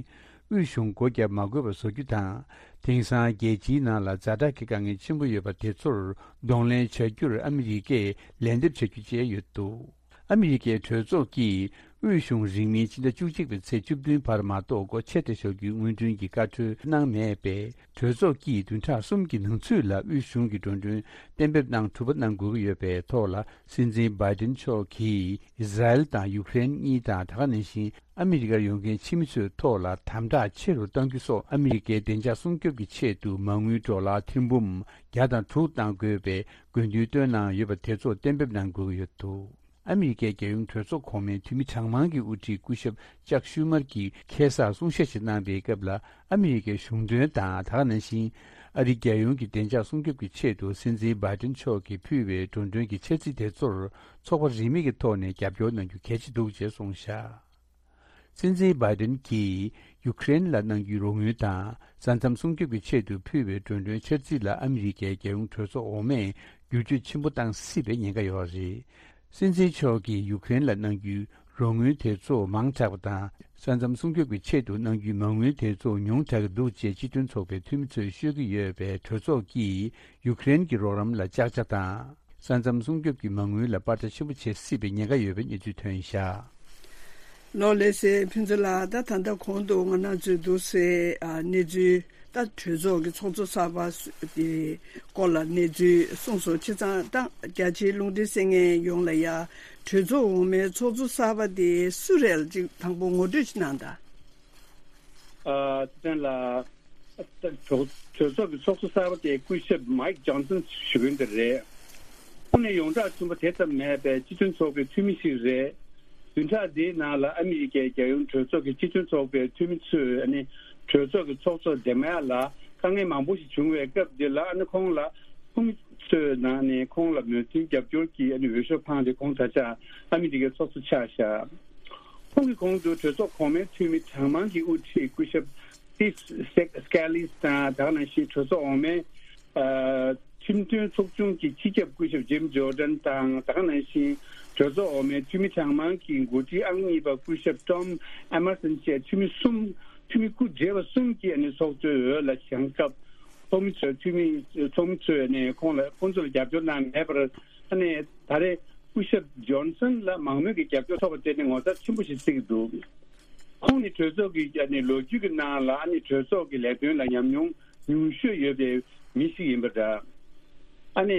དབུས་གཞུང་སྒོ་བརྒྱབ་མ་དགོས་པ་བཟོ་རྒྱུ་དང་། དེང་སང་རྒྱལ་སྤྱིའི་ནང་ལ་ཛ་དྲག་གི་དཀའ་ངལ་ཆེན་པོ་ཡོད་པ་དེ་ཚོར་གདོང་ལེན་བྱ་རྒྱུར་ཨ་མི་རི་ཀས་ལན་འདེབས་བྱ་རྒྱུ་བཅས་ཡོད་འདུག། ཨ་མི་རི་ཀའི་གྲོས་ཚོགས་ཀྱིས་དབུས་གཞུང་རིང་མིན་ཕྱི་ཟླ་བཅུ་གཅིག་པའི་ཚེས་བཅུ་བདུན་བར་མ་གཏོགས་སྒོ་ཕྱེ་སྟེ་བཞག་རྒྱུའི་སྔོན་ཐོན་གྱི་བཀའ་འཁྲོལ་གནང་མེད་པས། གྲོས་ཚོགས་ཀྱིས་བདུན་ཕྲག་གསུམ་གྱི་ནང་ཚུད་ལ་དབུས་གཞུང་གི་འགྲོ་གྲོན་གཏན་འབེབས་གནང་གྲུབ་པ་གནང་དགོས་ཀྱི་ཡོད་པའི་ཐོག་ལ། སྲིད་འཛིན་བྷའི་ཏིན་མཆོག་གིས་ཨི་ཟ་རེལ་དང་ཡུཀ་རེན་གཉིས་དང་། ད་ག་ནང་བཞིན་ཨ་མི་རི་ཀར་ཡོང་མཁན་ཕྱི་མི་ཚོའི་ཐོག་ལ་དམ་དྲག་ཆེ་རུ་གཏང་རྒྱུ་སོགས། ཨ་མི་རི་ཀའི་བདེ་འཇགས་སྲུང་སྐྱོབ་ཀྱི་ཆེད་དུ་མ་དངུལ་ཌོ་ལར་ཐེར་འབུམ་བརྒྱ་དང་དྲུག་གཏང་དགོས་པའི་དགོས་འདུན་བཏོན་གནང་ཡོད་པ་དེ་ཚོ་གཏན་འབེབས་གནང་དགོས་ཀྱི་ཡོད་འདུག། ཨ་མི་རི་ཀའི་རྒྱལ་ཡོངས་གྲོས་ཚོགས་གོང་མའི་འཐུས་མི་གྲངས་མང་གི་དབུ་ཁྲིད་སྐུ་ཞབས་ཅག་ཤུ་མར་གྱིས་ཁ་སང་གསུང་བཤད་ཅིག་གནང་པའི་སྐབས་ལ། ཨ་མི་རི་ཀའི་གཞུང་དོན་དང་། ད་ག་ནང་བཞིན་ཨ་རིའི་རྒྱལ་ཡོངས་ཀྱི་བདེ་འཇགས་སྲུང་སྐྱོབ་ཀྱི་ཆེད་དུ་སྲིད་འཛིན་བྷའི་ཏིན་མཆོག་གིས་ཕུལ་བའི་འགྲོ་གྲོན་གྱི་འཆར་རྩིས་དེ་ཚོར་ཚོགས་པ་རིས་མེད་ཀྱི་ཐོག་ནས་རྒྱབ་སྐྱོར་གནང་རྒྱུ་གལ་ཆེ་འདུག་ཅེས་གསུངས་བཞག། སྲིད་འཛིན་བྷའི་ཏིན་གྱིས་ཡུཀ་རེན་ལ་གནང་རྒྱུའི་རོགས་དངུལ་དང་། ས་མཚམས་སྲུང་སྐྱོབ་ཀྱི་ཆེད་དུ་ཕུལ་བའི་འགྲོ་གྲོན་འཆར་རྩིས་ལ་ཨ་མི་རི་ཀའི་རྒྱལ་ཡོངས་གྲོས་ཚོགས་འོག་མས་བསྒྱུར་བཅོས་ཆེན་པོ་གཏང་སྲིད་པའི་ཉེན་ཁ་ཡོད་རེད། སྲིད་འཛིན་མཆོག་གིས་ཡུཀ་རེན་ལ་གནང་རྒྱུའི་རོགས་དངུལ་དེ་ཚོ་མང་དྲགས་པ་དང་། ས་མཚམས་སྲུང་སྐྱོབ་ཀྱི་ཆེད་དུ་གནང་རྒྱུའི་མ་དངུལ་དེ་ཚོ་ཉུང་དྲགས་ཀྱི་འདུག་ཅེས་སྤྱི་མཐུན་ཚོགས་པའི་འཐུས་མི་ཚོས་ཤོད་ཀྱི་ཡོད་པས། གྲོས་ཚོགས་ཀྱིས་ཡུཀ་རེན་གྱི་རོགས་རམ་ལ་ཅག་ཅག་དང་། ས་མཚམས་སྲུང་སྐྱོབ་ཀྱི་མ་དངུལ་ལ་པར་ཆ་ཆེན་པོ་བྱེད་སྲིད་པའི་ཉེན་ཁ་ཡོད་པའི་གནས་ཚུལ་ཐོན་བཞག། ལོ་ལེགས་སེ་ཕུན་ཚོགས་ལགས། ད་ད་ལྟ་གོང་དུ་ང་རང་ཚོས་འདུག་སེ་ཨ་གནས་ཚུལ། ད་གྲོས་ཚོགས་ཀྱི་ཚོགས་གཙོ་གསར་པ་སུ་དེ་སྐོར་ལ་གནས་ཚུལ་གསུངས་སོང་། བྱས་ཙང་ད་རྒྱ་ཆེའི་རླུང་འཕྲིན་གསན་མཁན་ཡོངས་ལ་ཡ། གྲོས་ཚོགས་འོག་མའི་ཚོགས་གཙོ་གསར་པ་དེ་སུ་རེད་ཅིག་དང་པོ་ངོ་སྤྲོད་ཅིག་གནང་དང་། ཨ་ཚེ་བརྟན་ལགས། གྲོས་གྲོས་ཚོགས་ཀྱི་ཚོགས་གཙོ་གསར་པ་དེ་སྐུ་ཞབས་མའིག་ཇོན་སན་ཞུ་མཁན་དེ་རེད། ཁོང་ནི་ཡོངས་གྲགས་ཆེན་པོ་དེ་ཙམ་མེད་པའི་སྤྱི་མཐུན་ཚོགས་པའི་འཐུས་མི་ཞིག་རེད། བདུན་ཕྲག་འདིའི་ནང་ལ་ཨ་མི་རི་ཀའི་རྒྱལ་ཡོངས་གྲོས་ཚོགས་ཀྱི་སྤྱི་མཐུན་ཚོགས་པའི་འཐུས་མི་ཚོས་ཨ་ནི་གྲོས་ཚོགས་ཀྱི་ཚོགས་གཙོ་འདེམས་ཡག་ལ་དཀའ་ངལ་མང་པོ་ཞིག་བྱུང་བའི་སྐབས་འདི་ལ། ཨ་ནི་ཁོང་ལ་ཚོགས་མི་ཚོའི་ནང་ནས་ཁོང་ལ་མོས་མཐུན་རྒྱབ་སྐྱོར་གྱི་ཨ་ནི་འོས་ཤོག་འཕངས་ཏེ། ཁོང་ད་ཆ་ཨ་མི་རི་ཀའི་ཚོགས་གཙོ་ཆགས་བཞག། ཁོང་གི་གོང་དུ་གྲོས་ཚོགས་གོང་མའི་འཐུས་མི་གྲངས་མང་གི་དབུ་ཁྲིད་སྐུ་ཞབས་སི་ཊིབ་སི་ཀེ་ལིས་དང་། ད་ག་ནང་བཞིན་གྲོས་ཚོགས་འོག་མའི་ཨ་ཁྲིམས་དོན་ཚོགས་ཆུང་གི་སྤྱི་ཁྱབ་སྐུ་ཞབས་ཇིམ་ཇོར་ཌན་དང་། ད་ག་ནང་བཞིན་གྲོས་ཚོགས་འོག་མའི་འཐུས་མི་གྲངས་མང་གི་འགོ་ཁྲིད་ཨང་གཉིས་པ་སྐུ་ཞབས་ཊོམ་ཨེ་མར་སན་བཅས་འཐུས་མི་གསུམ། འཐུས་མི་སྐུ་བགྲེས་པ་གསུམ་གྱིས་ཨ་ནི་ཚོགས་གཙོའི་འོས་ལ་བཞེངས་སྐབས། ཚོགས་མི་ཚོས་འཐུས་མི་ཚོགས་མི་ཚོས་ནས་ཁོང་ལ་ཁོང་ཚོར་རྒྱབ་སྐྱོར་གནང་མེད་པར། ཨ་ནི་ད་རེས་སྐུ་ཞབས་ཇོན་སན་ལ་མང་མོས་ཀྱི་རྒྱབ་སྐྱོར་ཐོབ་པ་དེ་ནི་ངོ་མཚར་ཆེན་པོ་ཞིག་བརྩི་གི་འདུག། ཁོང་ནི་གྲོས་ཚོགས་ཀྱི་ཨ་ནི་ལོ་རྒྱུས་ཀྱི་ནང་ལ་ཨ་ནི་གྲོས་ཚོགས་ཀྱི་ལས་དོན་ལ་ཉམས་མྱོང་ཉུང་ཤོས་ཡོད་པའི་མི་ཞིག་ཡིན་པ་འདྲ། ཨ་ནི་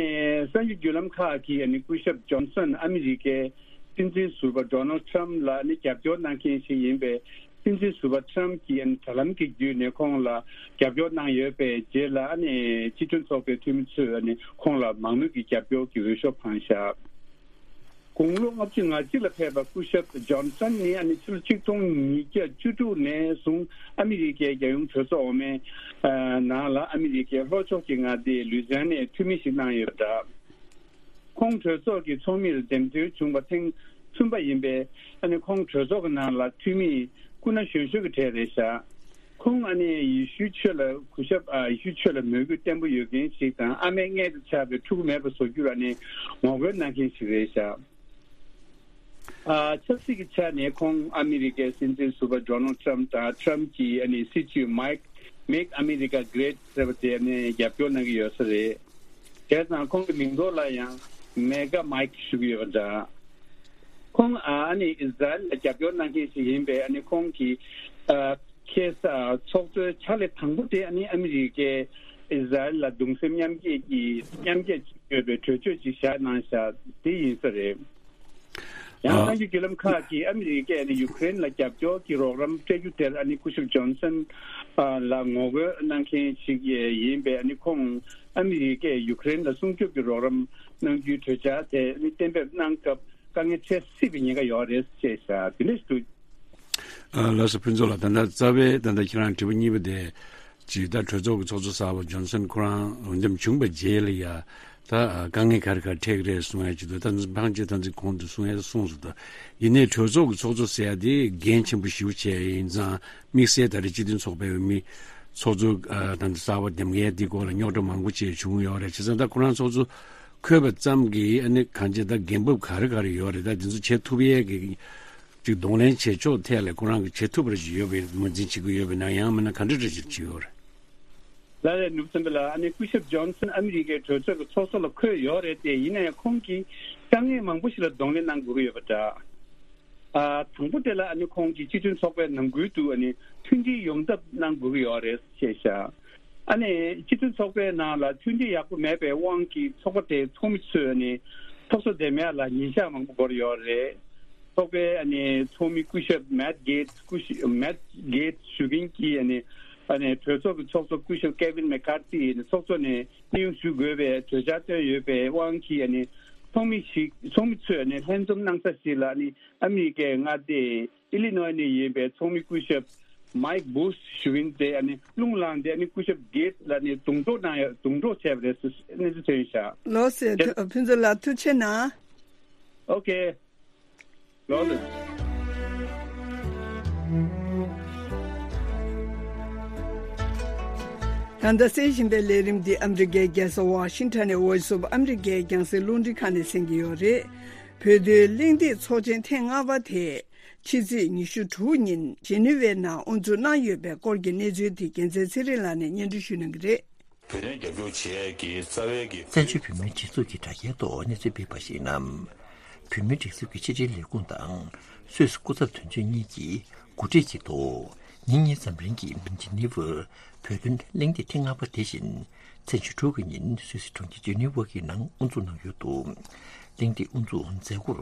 གསར་འགྱུར་བརྒྱུད་ལམ་ཁག་གིས་ཨ་ནི་སྐུ་ཞབས་ཇོན་སན་ཨ་མི་རི་ཀའི་སྲིད་འཛིན་ཟུར་པ་ཌོ་ནལ་ཊམ་ལ་ཨ་ནི་རྒྱབ་སྐྱོར་གནང་མཁན་ཞིག་ཡིན་པས། སྲིད་འཛིན་ཟུར་པ་ཊམ་གྱིས་ཨ་ནི་དྲ་ལམ་གྱི་བརྒྱུད་ནས་ཁོང་ལ་རྒྱབ་སྐྱོར་གནང་ཡོད་པའི་རྗེས་ལ། ཨ་ནི་སྤྱི་མཐུན་ཚོགས་པའི་འཐུས་མི་ཚོས་ཨ་ནི་ཁོང་ལ་མང་མོས་ཀྱི་རྒྱབ་སྐྱོར་གྱི་འོས་ཤོག་འཕངས་བཞག། དགུང་ལོ་ལྔ་བཅུ་ང་གཅིག་ལ་ཕེབས་པ་སྐུ་ཞབས་ཇོན་སན་ནི་ཨ་ནི་ཕྱི་ལོ་ཆིག་སྟོང་ཉིས་བརྒྱ་བཅུ་དྲུག་ནས་བཟུང་ཨ་མི་རི་ཀའི་རྒྱལ་ཡོངས་གྲོས་ཚོགས་འོག་མའི་ནང་ལ་ཨ་མི་རི་ཀའི་ལྷོ་ཕྱོགས་ཀྱི་མངའ་སྡེའི་ལུའི་ཛི་ཡ་ནའི་འཐུས་མི་ཞིག་གནང་ཡོད་པ་འདྲ། ཁོང་གྲོས་ཚོགས་ཀྱི་ཚོགས་མིར་འདེམས་ཐོན་བྱུང་བ་ཐེངས་གསུམ་པ་ཡིན་པས་ཨ་ནི་ཁོང་གྲོས་ཚོགས་ཀྱི་ནང་ལ་འཐུས་མི་སྐུ་ན་གཞོན་ཤོས་ཀྱི་གྲས་རེད་ཤག་ཁོང་ཨ་ནི་ཡེ་ཤུའི་ཆོས་ལ་གུས་ཞབས་ཨ་ཡེ་ཤུའི་ཆོས་ལ་མོས་གུས་བརྟན་པོ་ཡོད་མཁན་ཞིག་དང་ཨ་མའི་མངལ་དུ་ཆགས་པའི་ཕྲུ་གུ་མེད་པ་བཟོ་རྒྱུར་ཨ་ནི་ངོ་རྒོལ་གནང་མཁན་ཞིག་རེད་ཤག་ཨ་ཆབ་སྲིད་ཀྱི་ཆ་ནས་ཁོང་ཨ་མི་རི་ཀའི་སྲིད་འཛིན་ཟུར་པ་ཌོ་ནལ་ཊམ་དང་ཊམ་གྱི་ཨ་ནི་སྲིད་བྱུས་མེག་མེག་ཨ་མི་རི་ཀ་གྷི་རེ་ཊི་ཟེར་བ་དེ་ཨ་ནི་རྒྱབ་སྐྱོར་གནང་གི་ཡོད་ས་རེད། བྱས་ཙང་ཁོང་གི་མིང་ཐོག་ལ་ཡང་མེ་གྷ་མེག་ཞུ་གི་ཡོད་པ་འདྲ། ཁོང་ཨ་ནི་ཨི་ཟ་རེལ་ལ་རྒྱབ་སྐྱོར་གནང་མཁན་ཞིག་ཡིན་པས་ཨ་ནི་ཁོང་གིས་ཨ་ཁ་སང་ཚོགས་གཙོའི་ཕྱག་ལས་དང་པོ་དེ་ཨ་ནི་ཨ་མི་རི་ཀས་ཨི་ཟ་རེལ་ལ་གདུང་སེམས་མཉམ་སྐྱེད་ཀྱི་མཉམ་སྐྱེད་བྱེད་དགོས་པའི་གྲོས་ཆོད་ཅིག་བཞག་གནང་བཞག་དེ་ཡིན་ས་རེད། ཡང་ཨ་གསར་འགྱུར་བརྒྱུད་ལམ་ཁག་གིས་ཨ་མི་རི་ཀས་ཨ་ནི་ཡུ་ཀེ་རེན་ལ་རྒྱབ་སྐྱོར་གྱི་རོགས་རམ་སྤྲད་རྒྱུ་དེར་ཨ་ནི་སྐུ་ཞབས་ཇོན་སན་ཨ་ལ་ངོ་རྒོལ་གནང་མཁན་ཞིག་ཡིན་པས་ཨ་ནི་ཁོང་ཨ་མི་རི་ཀས་ཡུ་ཀེ་རེན་ལ་སྲུང་སྐྱོབ་ཀྱི་རོགས་རམ་གནང་རྒྱུའི་གྲོས་འཆར་དེ་ཨ་ནི་གཏན་འབེབས་གནང་སྐབས་དཀའ་ངལ་འཕྲད་སྲིད་པའི་ཉེན་ཁ་ཡོད་རེད་ཅེས་བཤད་དེ་འདྲ་ཞིག་འདུག་ཨ་ལགས་སོ། ཕུན་ཚོགས་ལགས། ད་ལྟ་རྩ་བའི་ད་ལྟ་ཁྱེད་རང་དྲི་བ་གཉིས་པ་དེ་ཅིག་ད་གྲོས་ཚོགས་ཀྱི་ཚོགས་གཙོ་གསར་པ་ཇོན་སན་ཁོ་རང་འོས་འདེམས་བྱུང་བའི་རྗེས་ལ་ཡ་ད་དཀའ་ངལ་ག་རེ་ག་རེ་འཕྲད་ཀྱི་རེད་གསུང་ཡ་ཅིག་འདུག་ད་ཕལ་ཆེར་ད་ཚིག་གོང་དུ་གསུང་ཡ་གསུངས་སོང་། ད་ཡིན་ནའི་གྲོས་ཚོགས་ཀྱི་ཚོགས་གཙོ་ཟེར་ཡ་དེ་འགན་ཆེན་པོ་ཞེ་པོ་ཅིག་ཡིན་ཙང་དམིགས་བསལ་ད་རེས་སྤྱི་མཐུན་ཚོགས་པའི་འོས་མི་ཚོགས་གཙོ་ད་ལྟ་གསར་པ་འདེམས་མཁན་དེ་སྐོར་ལ་རྙོག་དྲ་མང་པོ་ཅིག་བྱུང་ཡོད་རེད། བྱས་ཙང་ད་ཁོ་རང་ཚོགས་གཙོ་འཁོད་པ་ཙམ་གྱིས་ཨ་ནི་གང་ཅི་ད་འགན་འབབ་ག་རེ་ག་རེ་ཡོད་རེད། ད་དེ་ཚོ་བྱེད་ཐུབ་ཡས་ཀྱི་ཅིག་གདོང་ལེན་བྱེད་ཕྱོགས་ཐད་ལ་ཁོ་རང་གིས་བྱེད་ཐུབ་པ་ཞིག་ཡོད་པའི་ངོས་འཛིན་བྱེད་ཀྱི་ཡོད་པས་ན། ཡང་མིན་ན་ག་འདྲ་འདྲ་ཞིག་བྱེད་ཡོད་རེད། ལགས་རེད། ནོར་བུ་བསམ་འཕེལ་ལགས། ཨ་ནི་སྐུ་ཞབས་ཇོན་སན་ཨ་མི་རི་ཀའི་གྲོས་ཚོགས་ཀྱི་ཚོགས་གཙོ་ལ་འཁོད་ཡོད་རེད་དེ། ཡིན་ན་ཡང་ཁོང་གིས་དཀའ་ངལ་མང་པོ་ཞིག་ལ་གདོང་ལེན་གནང་དགོས་ཀྱི་ཡོད་པ་འདྲ། ཨ་དང་པོ་དེ་ལ་ཨ་ནི་ཁོང་གིས་སྤྱི་མཐུན་ཚོགས་པའི་ནང་ཁུལ་དུ་ཨ་ནི་མཐུན་སྒྲིལ་ཡོང་ཐབས་གནང་དགོས་ཀྱི་ཡོད་རེད་ཅེས་བཤད། ཨ་ནི་སྤྱི་མཐུན་ཚོགས་པའི་ནང་ལ་མཐུན་སྒྲིལ་ཡག་པོ་མེད་པའི་དབང་གིས་ཚོགས་པ་དེའི་ཚོགས་མི་ཚོས་ཨ་ནི་ཚོགས་གཙོ་འདེམས་ཡག་ལ་ཉིན་ཞག་མང་པོ་འགོར་ཡོད་རེད། ཚོགས་པའི་ཨ་ནི་ཚོགས་མི་སྐུ་ཞབས་མེད་གེ་ཊི་སི། སྐུ་ཞབས་མེད་གེ་ཊི་སི་ཞུ་མཁན་གྱིས་ཨ་ནི་ཨ་ནི་གྲོས་ཚོགས་ཀྱི་ཚོགས་གཙོ་སྐུ་ཞབས་ཀེ་ཝིན་མེ་ཀར་ཐི་ཨ་ནི་ཚོགས་གཙོ་ནས་གནས་དབྱུང་ཞུ་དགོས་པའི་གྲོས་འཆར་བཏོན་ཡོད་པའི་དབང་གིས་ཨ་ནི་ཚོགས་མི་ཞིག་ཚོགས་མི་ཚོས་ཨ་ནི་ལྷན་འཛོམས་གནང་ས་ཞིག་ལ་ཨ་ནི་ཨ་མི་རི་ཀའི་མངའ་སྡེ་ཨི་ལི་ནོའི་ནས་ཡིན་པའི་ཚོགས་མི་སྐུ་ཞབས་མེག་བྷུ་ཤི་ཞུ་མཁན་དེ་ཨ་ནི་རླུང་ལངས་ཏེ་ཨ་ནི་སྐུ་ཞབས་གེ་ཊི་ལ་ཨ་ནི་རྡུང་གྲོགས་གནང་ཡ་རྡུང་གྲོགས་བྱས་པ་རེད་ཟེར་གནས་ཚུལ་ཐོན་ཤག་ལགས་སོ། ཕུན་ཚོགས་ལགས་ཐུགས་རྗེ་གནང་། ཨོ་ཁེ། ལགས་ལགས། ད་ལྟ་གསན་བཞིན་པའི་ལས་རིམ་འདི་ཨ་མི་རི་ཀའི་རྒྱལ་ས་ཝ་ཤིང་ཊོན་ནས་Voice of America རྒྱང་སྲིང་རླུང་འཕྲིན་ཁང་ནས་གསན་གྱི་ཡོད་རེད། བོད་དོན་གླེང་སྟེགས་ཚོགས་ཆེན་ཐེངས་ལྔ་པ་དེ་ཕྱི་ཚེས་ཉི་ཤུ་དྲུག་ཉིན་ཇི་ནི་ཝའི་ནང་དབུ་འཛུགས་གནང་ཡོད་པའི་སྐོར་གྱི་གནས་ཚུལ་དེ་རྒྱལ་མཚན་ཚེ་རིང་ལགས་ནས་སྙན་སྒྲོན་ཞུ་གནང་གི་རེད། བོད་དོན་རྒྱབ་སྐྱོར་བྱེད་ཡས་ཀྱི་རྩ་བའི་གི་བཙན་བྱོལ་བོད་མིའི་སྒྲིག་འཛུགས་ཀྱི་དྲ་རྒྱའི་ཐོག་གནས་ཚུལ་སྤེལ་བ་ཞིག་ནང་། བོད་མིའི་སྒྲིག་འཛུགས་ཀྱི་ཕྱི་དྲིལ་ལས་ཁུངས་དང་སུད་སི་སྐུ་ཚབ་དོན་གཅོད་གཉིས་ཀྱིས་གོ་སྒྲིག་གི་ཐོག་ཉིན་གཉིས་ཙམ་རིང་གི་ཇི་ནི་ཝར་བོད་དོན་གླེང་སྟེགས་ཐེངས་ལྔ་པ་དེ་བཞིན་ཚེས་ཉི་ཤུ་དྲུག་གི་ཉིན་སུད་སི་གྲོང་ཁྱེར་ཇི་ནི་ཝར་གྱི་ནང་དབུ་འཛུགས་གནང་ཡོད་འདུག་གླེང་སྟེགས་དབུ་འཛུགས་མཛད་སྒོར་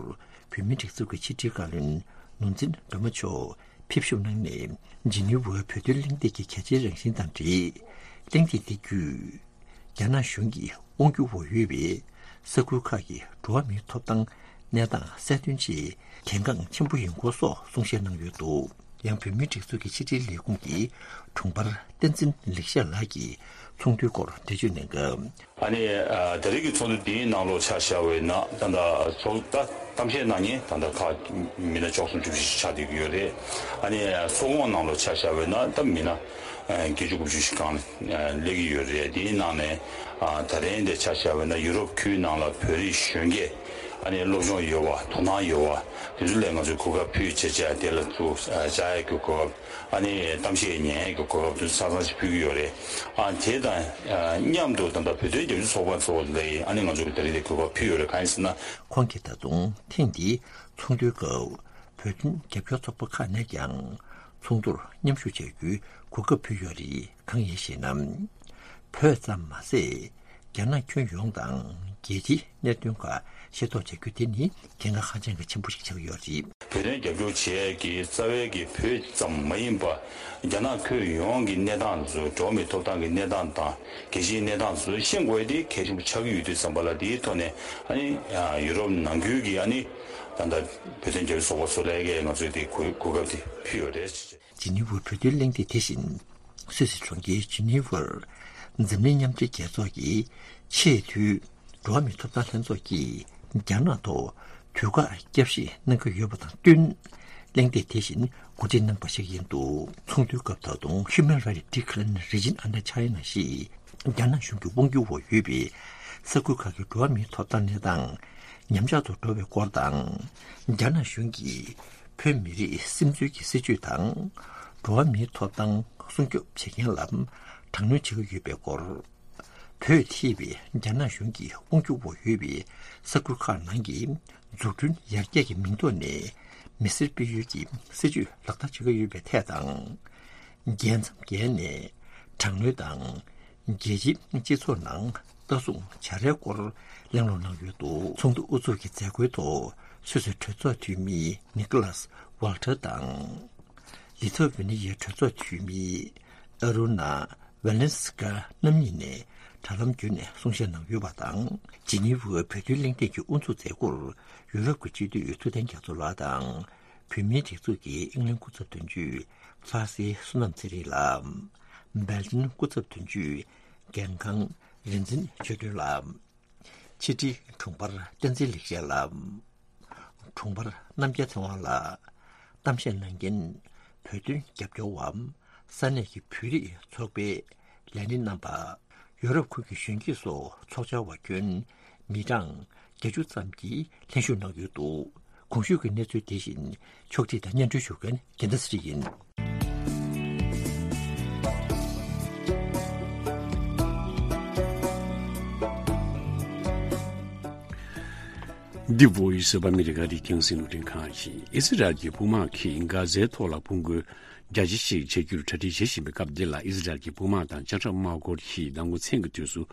བོད་མིའི་སྒྲིག་འཛུགས་ཀྱི་ཕྱི་དྲིལ་བཀའ་བློན་ནོར་འཛིན་སྒྲོལ་མ་མཆོག་ཕེབས་ཞུགས་གནང་ནས་ཇི་ནི་ཝར་བོད་དོན་གླེང་སྟེགས་ཀྱི་གལ་ཆེའི་རང་བཞིན་དང་འབྲེལ། གླེང་སྟེགས་དེ་བརྒྱུད། རྒྱ་ནག་གཞུང་གི་དབང་སྒྱུར་འོག་ཡོད་པའི་ས་ཁུལ་ཁག་གི་འགྲོ་བ་མིའི་ཐོབ་ཐང་གནས་སྟངས་གསལ་སྟོན་ཆེད་གལ་འགངས་ཆེན་པོ་ཡིན་སྐོར་སོགས་གསུང་བཤད་གནང་ཡོད་འདུག་ཡང་བོད་མིའི་སྒྲིག་འཛུགས་ཀྱི་ཕྱི་དྲིལ་ལས་ཁུངས་ཀྱི་དྲུང་འཕར་བསྟན་འཛིན་ལེགས་བཤད་ལགས་ཀྱིས་ཚོགས་འདུའི་སྐོར་འགྲེལ་བརྗོད་གནང་སྐབས། ཨ་ནི་ཨ་ད་རེས་ཀྱི་ཚོགས་འདུ་འདིའི་ནང་ལོགས་ཆ་བཞག་པ་ཡིན་ན་ད་ལྟ་ཚོགས་ད་གཏམ་བཤད་གནང་མཁན་ད་ལྟ་ཁག་མི་སྣ་བཅུ་གསུམ་བཅུ་བཞི་ཞིག་ཆགས་བསྡད་ཀྱི་ཡོད་རེད། ཨ་ནི་ཚོགས་ཁོངས་ནང་ལོགས་ཆ་བཞག་པ་ཡིན་ན་ད་མི་སྣ་ཨ་བརྒྱད་ཅུ་དགུ་བཅུ་ཞིག་སྒང་ལ་སླེབས་ཀྱི་ཡོད་རེད། དེའི་ནང་ནས་ཨ་ད་རིང་འདི་ཆ་བཞག་པ་ཡིན་ན་ཡུ་རོབ་ཁུལ་ནང་ལ་བོད་རིགས་གཞོན་སྐྱེས་ཨ་ནི་སློབ་སྦྱོང་ཡོད་པ་དོ་སྣང་ཡོད་པ་དེ་ཚོ་ལ་ང་ཚོས་གོ་སྐབས་ཕུལ་བྱས་བྱས་དེ་ལ་ཚུར་བཅར་ཡག་གི་གོ་སྐབས། ཨ་ནི་གཏམ་བཤད་ཉན་ཡས་ཀྱི་གོ་སྐབས་དེ་ཚོ་ཆ་ཚང་ཞིག་ཕུལ་གྱི་ཡོད་རེད། ཨ་དེ་དང་མཉམ་དུ་ད་ལྟ་བོད་དོན་རྒྱབ་སྐྱོར་ཚོགས་པ་ཚོ་ལ་ཨ་ནི་ང་ཚོ་གི་ད་རེས་དེ་གོ་སྐབས་ཕུལ་ཡོད་རེད། གང་ཡིན་ཟེར་ན། ཁོང་གིས་ད་དུང་ཐེངས་འདིའི་ཚོགས་འདུའི་སྐབས་བོད་དོན་རྒྱབ་སྐྱོར་ཚོགས་པ་ཁག་ནས་ཀྱང་ཚོགས་འདུར་མཉམ་ཞུགས་བྱ་རྒྱུའི་གོ་སྐབས་ཕུལ་ཡོད་རེད། གང་ཡིན་ཞེ་ན། བོད་ཙམ་མ་ཟད། རྒྱ་ནག་ཁྱོན་ཡོངས་དང་རྒྱལ་སྤྱིའི་གནད་དོན་ཁག་ ཤེས་རྟོགས་བྱ་རྒྱུ་དེ་ནི་གལ་འགངས་ཧ་ཅང་གི་ཆེན་པོ་ཞིག་ཆགས་ཀྱི་ཡོད་རེད། བོད་དོན་རྒྱབ་སྐྱོར་བྱེད་ཡས་ཀྱི་རྩ་བའི་གི་བོད་ཙམ་མ་ཡིན་པ། རྒྱ་ནག་ཁུལ་ཡོངས་ཀྱི་གནས་སྟངས་དེ་ཚོ། འགྲོ་བ་མིའི་ཐོབ་ཐང་གི་གནས་སྟངས་དང་། རྒྱལ་སྤྱིའི་གནས་སྟངས་དེ་ཚོ་ཤེས་དགོས་ཡས་དེ་གལ་ཆེན་པོ་ཆགས་ཀྱི་ཡོད་དུས་ཙམ་པ་ལ། དེའི་ཐོག་ནས་ཨ་ནི་ཡུ་རོབ་ནང་ཁུལ་གྱི་ཨ་ནི་ད་ལྟ་བོད་དོན་རྒྱབ་སྐྱོར་ཚོགས་པ་ཚོ་ལ་ཡ་གི་ང་ཚོས་དེ་གོ་གོ་སྐབས་དེ་ཕུལ་ཡོད་རེད། ཇི་ནི་ཝར་བོད་དོན་གླེང་སྟེགས། དེ་བཞིན་སུད་སི་གྲོང་ཁྱེར་ཇི་ནི་ཝར་འཛམ་གླིང་མཉམ་འབྲེལ་རྒྱལ་ཚོགས་ཀྱི་ཆེས་མཐོའི་འགྲོ་བ་མིའི་ཐོབ་ཐང་ལྷན་ཚོགས་ཀྱིས་རྒྱ་ནག་ཐོག་དུས་བཀག་བསྐྱར་ཞིབ་གནང་གི་ཡོད་པ་དང་བསྟུན། གླེང་སྟེགས་དེ་བཞིན་གོ་སྒྲིག་གནང་བ་ཞིག་ཡིན་འདུག་ཚོགས་འདུའི་སྐབས་ད་དུང་Human Rights Declaration Regina Anna China ཞེས་རྒྱ་ནག་གཞུང་གི་དབང་སྒྱུར་འོག་ཡོད་པའི་ས་ཁུལ་ཁག་གི་འགྲོ་བ་མིའི་ཐོབ་ཐང་གནས་སྟངས་ཉམས་ཆག་ཏུ་འགྲོ་བའི་སྐོར་དང་། རྒྱ་ནག་གཞུང་གིས་བོད་མི་རིགས་སིམ་འཛུལ་གྱི་སྲིད་བྱུས་དང་། འགྲོ་བ་མིའི་ཐོབ་ཐང་སྲུང་སྐྱོབ་བྱེད་མཁན་ལ་དྲག་གནོན་བྱེད་ཀྱི་ཡོད་པའི་སྐོར། བོད་ཐེ་བའི་རྒྱ་ནག་གཞུང་གི་དབང་སྒྱུར་འོག་ཡོད་པའི་ས་ཁུལ་ཁག་ནང་གི་འཛུགས་སྐྲུན་ཡར་རྒྱས་ཀྱི་མིང་ཐོག་ནས་མི་སེར་སྤེལ་ཡུལ་གྱི་སྲིད་བྱུས་ལག་བསྟར་བྱེད་ཀྱི་ཡོད་པའི་ཐད་དང་། རྒྱལ་མཚམས་བརྒལ་ནས་དྲག་གནོན་དང་། རྒྱལ་སྤྱིའི་སྤྱི་ཚོགས་ནང་ལྟ་སྲུང་བྱ་རའི་སྐོར་གླེང་སློང་གནང་ཡོད་འདུག་ཚོགས་འདུ་དབུ་འཛུགས་ཀྱི་མཛད་སྒོའི་ཐོག་སུད་སི་གྲོས་ཚོགས་འཐུས་མི་ནི་ཀོ་ལཱས་ཝལ་ཊར་དང་། ལི་ཐོ་ཝེ་ནི་ཡའི་གྲོས་ཚོགས་འཐུས་མི་ཨ་རུ་ན་ཝེ་ལན་སི་ཀ་རྣམ་གཉིས་ནས་དྲ་ལམ་བརྒྱུད་ནས་གསུང་བཤད་གནང་ཡོད་པ་དང་། ཇི་ནི་ཝའི་བོད་དོན་གླེང་སྟེགས་ཀྱི་དབུ་འཛུགས་མཛད་སྒོར་ཡུ་རོབ་ཀྱི་སྤྱི་འཐུས་ཐུབ་བསྟན་རྒྱ་མཚོ་ལགས་དང་། བོད་མིའི་སྒྲིག་འཛུགས་ཀྱི་ཨིང་ལན་སྐུ་ཚབ་དོན་གཅོད་ཕ་སི་བསོད་ནམས་ཚེ་རིང་ལགས། སྦེལ་ཇམ་སྐུ་ཚབ་དོན་གཅོད་རྒན་ཁང་རིག་འཛིན་ཆོས་སྒྲོན་ལགས། ཕྱི་དྲིལ་དྲུང་འཕར་བསྟན་འཛིན་ལེགས་བཤད་ལགས། དྲུང་འཕར་རྣམ་རྒྱལ་ཚེ་དབང་ལགས། གཏམ་བཤད་གནང་མཁན་བོད་དོན་རྒྱབ་སྐྱོར་བ། ས་གནས་ཀྱི་བོད་རིགས་ཚོགས་པའི་ལས་སྣེ་རྣམ་པ། ཡོ་རོབ་ཁུལ་གྱི་གཞོན་སྐྱེས་སོགས་ཚོགས་བཅར་བ་ཁྱོན་མི་གྲངས་བརྒྱད་ཅུ་ཙམ་གྱིས་ལྷན་ཞུགས་གནང་ཡོད་འདུག་གོང་ཞུས་ཀྱི་གནས་ཚུལ་དེ་བཞིན་ཕྱོགས་སྒྲིག་དང་སྙན་སྒྲོན་ཞུ་མཁན་རྒྱལ་མཚན་ཚེ་རིང་ཡིན། འདི་བོད་ཡིག་གསར་པ་ཨ་མི་རི་ཀ་རིགས་རྒྱང་སྲིང་རླུང་འཕྲིན་ཁང་ཡིན། ཨི་སི་རལ་གྱི་དཔུང་དམག་གིས་གྷ་ཛའི་ཐོག་ལ་དཔུང་རྒོལ་རྒྱ་ཆེ་ཞིག་བྱ་རྒྱུར་གྲ་སྒྲིག་བྱེད་བཞིན་པའི་སྐབས་འདི་ལ། ཨི་སི་རལ་གྱི་དཔུང་དམག་དང་ལྕགས་ཁྲབ་དམག་སྐོར་གྱིས་མདང་དགོང་མཚན་གྱི་དུས་སུ་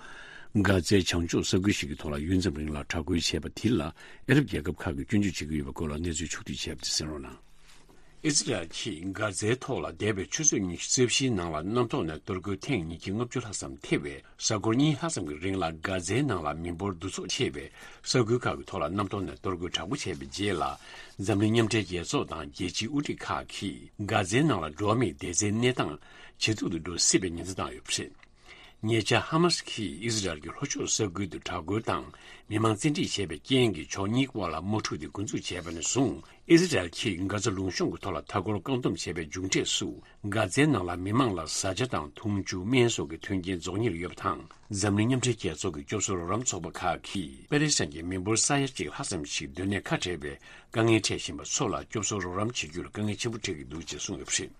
གྷ་ཛའི་བྱང་ཕྱོགས་ས་ཁུལ་ཞིག་གི་ཐོག་ལ་ཡུད་ཙམ་རིང་ལ་དྲག་རྒོལ་བྱས་པ་དེ་ལ་ཨ་རབ་རྒྱལ་ཁབ་ཁག་གིས་སྐྱོན་བརྗོད་བྱེད་ཀྱི་ཡོད་པའི་སྐོར་ལ་གནས་ཚུལ་ཕྱོགས་བསྒྲིགས་བྱས་པ་དེ་གསན་རོགས་གནང་། ཨི་སི་རལ་གྱིས་གྷ་ཛའི་ཐོག་ལ་འདས་པའི་ཆུ་ཚོད་ཉི་ཤུ་རྩ་བཞིའི་ནང་ལ་གནམ་ཐོག་ནས་གཏོར་རྒོལ་ཐེངས་ཉིས་བརྒྱ་ལྔ་བཅུ་ལྷག་ཙམ་ཐེ་བའི་གཟའ་འཁོར་གཉིས་ལྷག་ཙམ་གྱི་རིང་ལ། གྷ་ཛའི་ནང་ལ་མི་འབོར་འདུ་ཚོགས་ཆེ་བའི་ས་ཁུལ་ཁག་གི་ཐོག་ལ་གནམ་ཐོག་ནས་གཏོར་རྒོལ་དྲག་པོ་བྱས་པའི་རྗེས་ལ། འཛམ་གླིང་མཉམ་འབྲེལ་རྒྱལ་ཚོགས་དང་རྒྱལ་སྤྱིའི་དབུ་ཁྲིད་ཁག་གིས་གྷ་ཛའི་ནང་ལ་འགྲོ་བ་མིའི་བདེ་རྩའི་གནས་སྟངས་ཇེ་སྡུག་ཏུ་འགྲོ་སྲིད་པའི་ཉེན་ཚ་བཏང་ཡོད་པ་རེད། ཉེ་ཆར་ཧ་མ་སི་ཁིས་ཨི་སི་རལ་གྱི་ལྷོ་ཕྱོགས་ས་ཁུལ་དུ་དྲག་རྒོལ་དང་མི་མང་བཙན་ཁྲིད་བྱས་པའི་རྐྱེན་གྱིས་ཕྱོགས་གཉིས་བར་ལ་དམག་འཁྲུག་དེ་འགོ་འཛུགས་བྱས་པ་ནས་བཟུང་། ཨི་སི་རལ་གྱིས་གྷ་ཛ་ལུང་གཤོང་གི་ཐོག་ལ་མཐའ་འཁོར་བཀག་སྡོམ་བྱས་པའི་མཇུག་འབྲས་སུ། གྷ་ཛའི་ནང་ལ་མི་མང་ལ་བཟའ་བཅའ་དང་འཐུང་ཆུ། སྨན་སོགས་ཀྱི་མཐུན་རྐྱེན་རྫོགས་ཉེར་ཡོད་པ་དང་། འཛམ་གླིང་མཉམ་འབྲེལ་རྒྱལ་ཚོགས་ཀྱི་སྐྱོབ་གསོ་རོགས་རམ་ཚོགས་པ་ཁག་གིས་པེ་ལེ་སི་ཐན་གྱི་མི་འབོར་ས་ཡ་གཅིག་ལྷག་ཙམ་ཞིག་སྡོད་གནས་ཁ་བྲལ་བའི་དཀའ་ངལ་འཕྲད་བཞིན་པ་ཚོ་ལ་སྐྱོབ་གསོ་རོགས་རམ་བྱེད་རྒྱུར་དཀའ་ངལ་ཆེན་པོ་འཕྲད་ཀྱི་འདུག་ཅེས་གསུངས་ཡོད་པ་རེད།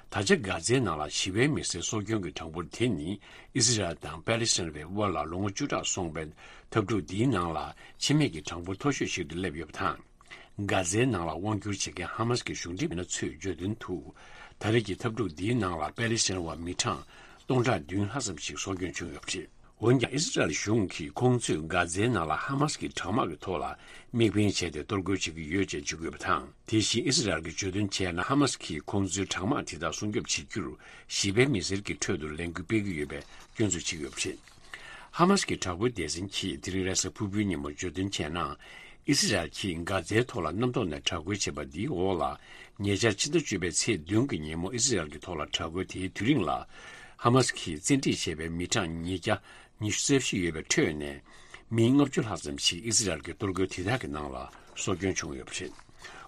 ད་ཆ་གྷ་ཛའི་ནང་ལ་ཞི་བའི་མི་སེར་གསོ་སྐྱོང་གི་གྲངས་འབོར་དེ་ནི་ཨི་སི་རལ་དང་པེ་ལེ་སི་ཐན་བའི་དབར་ལ་ལོ་ངོ་བཅུ་ཕྲག་སོང་པའི་འཐབ་འཁྲུག་འདིའི་ནང་ལ་འཆི་རྨས་ཀྱི་གྲངས་འབོར་མཐོ་ཤོས་ཤིག་ཏུ་སླེབས་ཡོད་པ་དང་། གྷ་ཛའི་ནང་ལ་དབང་བསྒྱུར་བྱེད་མཁན་ཧ་མ་སི་གི་གཞུང་འབྲེལ་མི་སྣ་ཚོས་བརྗོད་དོན་དུ། ད་རེས་ཀྱི་འཐབ་འཁྲུག་འདིའི་ནང་ལ་པེ་ལེ་སི་ཐན་བ་མི་གྲངས་སྟོང་ཕྲག་བདུན་ལྷག་ཙམ་ཞིག་སྲོག་སྐྱོན་བྱུང་ཡོད་པ་རེད། འོན་ཀྱང་ཨི་སི་རལ་གཞུང་གིས་ཁོང་ཚོས་གྷ་ཛའི་ནང་ལ་ཧ་མ་སི་གི་དྲག་དམག་གི་ཐོག་ལ་དམིགས་འབེན་བྱས་ཏེ་གཏོར་རྒོལ་བྱེད་ཀྱི་ཡོད་ཅེས་བརྗོད་ཀྱི་ཡོད་པ་དང་། དེ་བཞིན་ཨི་སི་རལ་གྱིས་བརྗོད་དོན་བྱས་ན། ཧ་མ་སི་གིས་ཁོང་ཚོའི་དྲག་དམག་དེ་དག་སྲུང་སྐྱོབ་བྱེད་རྒྱུར་ཞི་བའི་མི་སེར་གྱི་ཁྲོད་དུ་ལས་འགུལ་སྤེལ་གྱི་ཡོད་པའི་སྐྱོན་འཛུགས་བྱེད་ཀྱི་ཡོད་པ་རེད། ཧ་མ་སི་གི་དྲག་པོའི་སྡེ་ཚན་གྱིས་དེ་རིང་རེས་གཟའ་ཕུར་བུའི་ཉིན་མོ་བརྗོད་དོན་བྱས་ན། ཨི་སི་རལ་གྱིས་གྷ་ཛའི་ཐོག་ལ་གནམ་ཐོག་ནས་དྲག་རྒོལ་བྱས་པ་འདིའི་འོག་ལ། ཉེ་ཆར་ཕྱི་ཟླ་བཅུ་པའི་ཚེས་བདུན་གྱི་ཉིན་མོ་ཨི་སི་རལ་གྱི་ཐོག་ལ་དྲག་རྒོལ་དེའི་དུས་རིང་ལ། ཧ་མ་སི་གིས་བཙན་ཁྲིད་བྱས་པའི་མི་གྲངས་ཉིས་བརྒྱ་ཉི་ཤུ་རྩ་བཞི་ཡོད་པའི་ཁྲོད་ནས། མི་ལྔ་བཅུ་ལྷག་ཙམ་ཞིག་ཨི་སི་རལ་གྱི་གཏོར་རྒོལ་དེ་དག་གི་ནང་ལ་སྲོག་སྐྱོན་བྱུང་ཡོད་པ་རེད།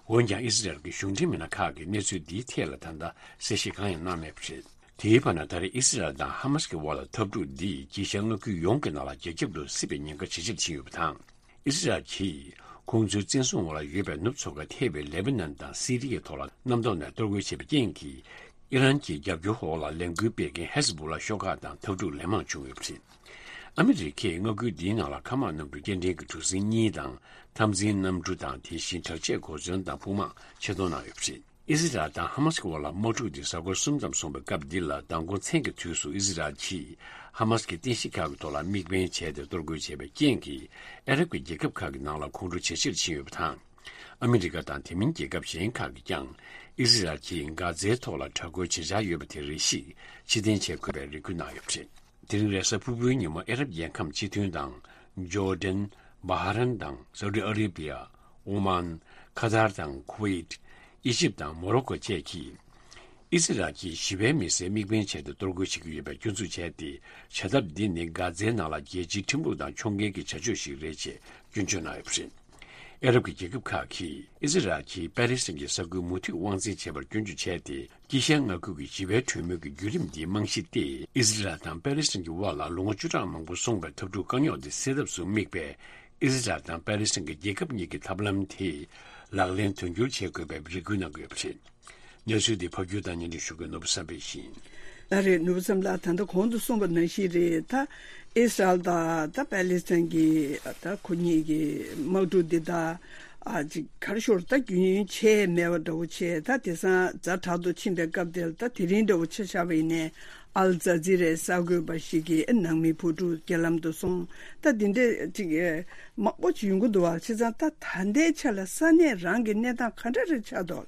འོན་ཀྱང་ཨི་སི་རལ་གྱི་གཞུང་འབྲེལ་མི་སྣ་ཁག་གིས་གནས་ཚུལ་འདིའི་ཐད་ལ་ད་ལྟ་གསལ་བཤད་གང་ཡང་གནང་མེད་པ་རེད། དེའི་བར་ན་ད་རེས་ཨི་སི་རལ་དང་ཧ་མ་སི་གི་དབར་ལ་འཐབ་འཁྲུག་འདིས་དཀྱིལ་ཤར་མངའ་ཁུལ་ཡོངས་ཀྱི་ནང་ལ་རྒྱ་ཁྱབ་ཏུ་སྲིད་པའི་ཉེན་ཁ་ཇེ་ཆེར་ཕྱིན་ཡོད་པ་དང་། ཨི་སི་རལ་གྱིས་ཁོང་ཚོའི་བཙན་བཟུང་འོག་ལ་ཡོད་པའི་ནུབ་མཚོ་ཁ་ཐེ་བའི་ལེ་བྷ་ནན་དང་སི་རི་ཡའི་ཐོག་ལ་གནམ་ཐོག་ནས་གཏོར་རྒོལ་བྱས་པའི་རྐྱེན་གྱིས། ཨི་རན་གྱི་རྒྱབ་སྐྱོར་འོག་ལ་ལས་འགུལ་སྤེལ་མཁན་ཧེ་ཟི་བྷུ་ལ་ཤོག་ཁག་དང་འཐབ་འཁྲུག་ལན་མང་བྱུང་ཡོད་པ་རེད། ཨ་མི་རི་ཀས་མངའ་ཁུལ་འདིའི་ནང་ལ་མཁའ་དམག་གནམ་གྲུ་སྐྱེལ་འདྲེན་གྱི་གྲུ་གཟིངས་གཉིས་དང་། འཐབ་འཛིང་གནམ་གྲུ་དང་། དེ་བཞིན་དྲག་ཆས་གོ་མཚོན་དང་དཔུང་དམག་ཆེད་གཏོང་གནང་ཡོད་པ་རེད། ཨི་ཟི་རལ་དང་ཧ་མ་སི་གི་དབར་ལ་དམག་འཁྲུག་འདི་གཟའ་འཁོར་གསུམ་ཙམ་སོང་བའི་སྐབས་འདི་ལ། མདང་དགོང་མཚན་གྱི་དུས་སུ་ཨི་ཟི་རལ་གྱིས་ཧ་མ་སི་གི་རྟེན་གཞི་ཁག་གི་ཐོག་ལ་དམིགས་འབེན་བྱས་ཏེ་གཏོར་རྒོལ་བྱས་པའི་རྐྱེན་གྱིས། ཨ་རབ་ཀྱི་རྒྱལ་ཁབ་ཁག་གི་ནང་ལ་ཁོང་ཁྲོ་ཇེ་ཆེར་ཕྱིན་ཡོད་པ་དང་། ཨ་མི་རི་ཀ་དང་དེ་མིན་རྒྱལ་ཁབ་གཞན་ཁག་གིས་ཀྱང་ཨི་ཟི་རལ་གྱིས་གྷ་ཛའི་ཐོག་ལ་དྲག་རྒོལ་བྱེད་འཆར་ཡོད་པ་དེ་རེ་ཞིག་ཕྱིར་འཐེན་བྱེད་དགོས་པའི་རེ་སྐུལ་གནང་ཡོད་པ་རེད། དེ་རིང་རེས་གཟའ་ཕུར་བུའི་ཉིན་མོ་ཨ་རབ་རྒྱལ་ཁམས་སྤྱི་མཐུན་དང་། ཇོར་ཌན། བྷ་ཧ་རན་དང་སའུ་ཏི་ཨ་རེ་བྷི་ཡ། ཨོ་མཱན། ཁ་ཐར་དང་ཁུ་ཝེད། ཨི་ཇིབ་དང་མོ་རོ་ཀོ་བཅས་ཀྱིས། ཨི་ཟི་རལ་གྱིས་ཞི་བའི་མི་སེར་དམིགས་འབེན་བྱས་ཏེ་གཏོར་རྒོལ་བྱེད་ཀྱི་ཡོད་པའི་སྐྱོན་འཛུགས་བྱས་ཏེ། བྱ་ཐབས་འདི་ནི་གྷ་ཛའི་ནང་ལ་རྒྱལ་སྤྱིའི་ཁྲིམས་ལུགས་དང་ཕྱོགས་འགལ་གྱི་བྱ་སྤྱོད་ཞིག་རེད་ཅེས་སྐྱོན་བརྗོད་གནང་ཡོད་པ་རེད། ཨ་རབ་ཀྱི་རྒྱལ་ཁབ་ཁག་གིས་ཨི་ཟི་རལ་གྱིས་པེ་ལེ་སི་ཐན་གྱི་ས་ཁུལ་མུ་མཐུད་དབང་འཛིན་བྱས་པར་སྐྱོན་བརྗོད་བྱས་ཏེ། དཀྱིལ་ཤར་མངའ་ཁུལ་གྱི་ཞི་བའི་གྲོས་མོལ་གྱི་བརྒྱུད་རིམ་འདིའི་རྨང་གཞི་སྟེ། ཨི་ཟི་རལ་དང་པེ་ལེ་སི་ཐན་གྱི་དབར་ལ་ལོ་ངོ་བཅུ་ཕྲག་མང་པོ་སོང་བའི་འཐབ་འཁྲུག་དཀའ་རྙོག་དེ་སེལ་ཐབས་སུ་དམིགས་པའི་ཨི་ཟི་རལ་དང་པེ་ལེ་སི་ཐན་གྱི་རྒྱལ་ཁབ་གཉིས་ཀྱི་ཐབས་ལམ་དེ་ལག་ལེན་དོན་འཁྱོལ་བྱེད་དགོས་པའི་རེ་སྐུལ་གནང་གི་ཡོད་པ་རེད། གནས་ཚུལ་འདི་ཕབ་སྒྱུར་དང་སྙན་སྒྲོན་ཞུ་མཁན་ནོར་བུ་བསམ་འཕེལ་ཡིན། ལགས་རེད། ནོར་བུ་བསམ་ལགས། ད་ལྟ་གོང་དུ་གསུངས་པ་ནང་བཞིན་རེད། ད་ཨི་སི་རལ་དང་ད་པེ་ལི་སི་ཐན་གྱི་ད་ཁོ་གཉིས་ཀྱི་དམག་འཁྲུག་འདི་ད་ཨ་ཅིག་ག་རེ་ཞུ། ད་རྒྱུན་ཆད་མེད་པ་འདྲ་བོ་བྱས། ད་དེང་སང་ཛ་དྲག་ཏུ་ཕྱིན་པའི་སྐབས་དེར། ད་དེ་རིང་འདྲ་བོ་ཆ་བཞག་པ་ཡིན་ནའི་ཨལ་ཛ་ཛི་རའི་གསར་འགོད་པ་ཞིག་གིས་ནང་མི་བུ་ཕྲུག་རྒྱ་ལམ་དུ་སོང་། ད་འདི་འདྲས་ཅིག་མང་པོ་ཅིག་ཡོང་གི་འདུག་བ། བྱས་ཙང་ད་ད་ལྟའི་ཆ་ལ་ས་གནས་རང་གི་གནས་སྟངས་ག་འདྲ་རེ་ཆགས་འདུག་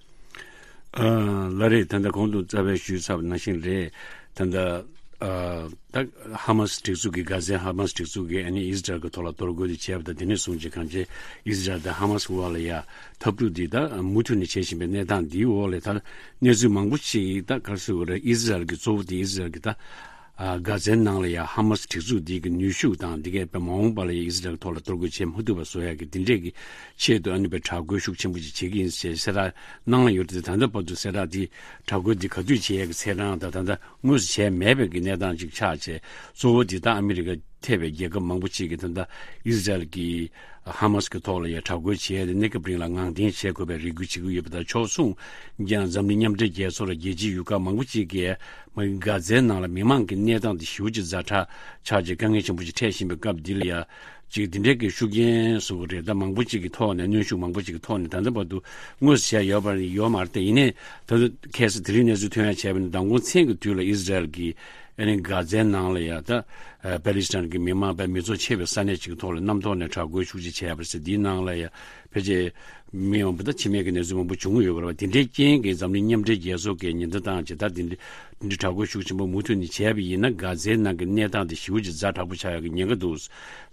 ཨ། ལགས་རེད། ད་ལྟ་གོང་དུ་རྩ་བའི་ཞུས་ཚར་བ་ནང་བཞིན་རེད། ད་ལྟ་ཨ། ད་ཧ་མ་སི་སྒྲིག་འཛུགས་ཀྱིས། གྷ་ཛའི་ཧ་མ་སི་སྒྲིག་འཛུགས་ཀྱིས་ཨ་ནི་ཨི་ཟི་རལ་གྱི་ཐོག་ལ་གཏོར་རྒོལ་དེ་བྱས་པ་དང་། དེ་ནས་བཟུང་བྱས་གང་ཅི་ཨི་ཟི་རལ་དང་ཧ་མ་སི་དབར་ལ་ཡ་འཐབ་འཁྲུག་འདི་ད་མུ་མཐུད་ནས་བྱེད་བཞིན་པའི་གནས་སྟངས་འདིའི་འོག་ལ། ད་གནས་ཚུལ་མང་པོ་ཞིག་ད་ག་རེ་ཟེར་དགོས་རེད། ཨི་ཟི་རལ་གྱི་གཙོ་བོ་དེ་ཨི་ཟི་རལ་གྱི་ད་ཨ། གྷ་ཛའི་ནང་ལ་ཡ་ཧ་མ་སི་སྒྲིག་འཛུགས་འདི་གི་ནུས་ཤུགས་དང་། འདི་གས་དཔེ་མ་འོངས་པ་ལ་ཡ་ཨི་ཟི་རལ་གྱི་ཐོག་ལ་གཏོར་རྒོལ་བྱེད་མ་ཐུབ་པ་བཟོ་ཡ་གི་འདི་འདྲས་ཀྱི་ཆེད་དུ་ཨ་ནི་དཔེ་དྲག་རྒོལ་ཤུགས་ཆེན་པོ་ཅིག་བྱེད་ཀྱི་ཡིན་ཞེས་གསལ་བསྒྲགས་གནང་ཡོད་རེད། ད་ལྟ་བར་དུ་གསལ་བསྒྲགས་འདི་དྲག་རྒོལ་འདི་ག་དུས་བྱེད་ཡ་གི་ཚད་གྲངས་དང་། ད་ལྟ་དངོས་སུ་བྱས་མེད་པའི་གི་གནས་སྟངས་ཅིག་ཆགས་བྱས། གཙོ་བོ་འདི་ད་ཨ་མི་རི་ཀ་ཐེ་བའི་རྒྱལ་ཁབ་མང་པོ་ཅིག་གིས་ད་ལྟ་ཨི་ཟི་རལ་གྱི་ཧ་མ་སི་གི་ཐོག་ལ་ཡ་དྲག་རྒོལ་བྱས་ཏེ་གནས་སྐབས་རིང་ལ་ངང་འཐེན་བྱེད་དགོས་པའི་རེ་སྐུལ་བྱེད་ཀྱི་ཡོད་པ་དང་། ཕྱོགས་མཚུངས་ཀྱང་འཛམ་གླིང་མཉམ་འབྲེལ་རྒྱལ་ཚོགས་ལ་རྒྱལ་སྤྱིའི་ཡུལ་ཁག་མང་པོ་ཅིག་གིས་མ་གྷ་ཛའི་ནང་ལ་མི་མང་གི་གནས་སྟངས་དེ་ཞེ་པོ་ཅིག་ཛ་དྲག་ཆགས་བྱས་དཀའ་ངལ་ཆེན་པོ་ཅིག་འཕྲད་བཞིན་པའི་སྐབས་འདི་ལ་ཡ། ཅིག་འདི་འདྲའི་གི་ཤུགས་རྐྱེན་བཟོ་གི་རེད། ད་མང་པོ་ཅིག་གི་ཐོག་ནས། གནོན་ཤུགས་མང་པོ་ཅིག་གི་ཐོག་ནས། ད་ལྟ་བར་དུ་དངོས་སུ་བྱས་ཡོད་པ་ཡོད་མ་རེད་དེ། ཡིན་ནའི་ད་ལྟ་ཁ་སང་དེ་རིང་གནས་ཚུལ་ཐོན་ཡ་བྱས་པ་ཡིན་ན། མདང་དགོང་མཚན་གྱི་དུས་ལ་ཨི་ཟི་རལ་གྱིས་ཨ་ནི་གྷ་ཛའི་ནང་ལ་ཡ་ད་ཨ། པེ་ལི་སི་ཐན་གྱི་མི་མང་དཔེ་མི་ཚོགས་ཆེ་བའི་ས་གནས་ཅིག་གི་ཐོག་ལ་གནམ་ཐོག་ནས་དྲག་རྒོལ་ཤུགས་ཆེ་བྱས་པ་རེད་ཟེར། འདིའི་ནང་ལ་ཡ་ཕལ་ཆེར་མི་མང་པོ་དང་འཆི་རྨས་ཀྱི་གནས་ཚུལ་མང་པོ་བྱུང་ཡོད་པ་རེད་བ། དེ་འདྲའི་རྐྱེན་གྱིས་འཛམ་གླིང་མཉམ་འབྲེལ་རྒྱལ་ཚོགས་ཀྱིས་ཉེན་བརྡ་བཏང་བྱས། ད་དེ་འདྲ་དེ་འདྲའི་དྲག་རྒོལ་ཤུགས་ཆེན་པོ་མུ་མཐུད་ནས་བྱས་པ་ཡིན་ན། གྷ་ཛའི་ནང་གི་གནས་སྟངས་དེ་ཞེ་པོ་ཅིག་ཛ་དྲག་པོ་ཆགས་ཡག་གི་ཉེན་ཁ་འདུག་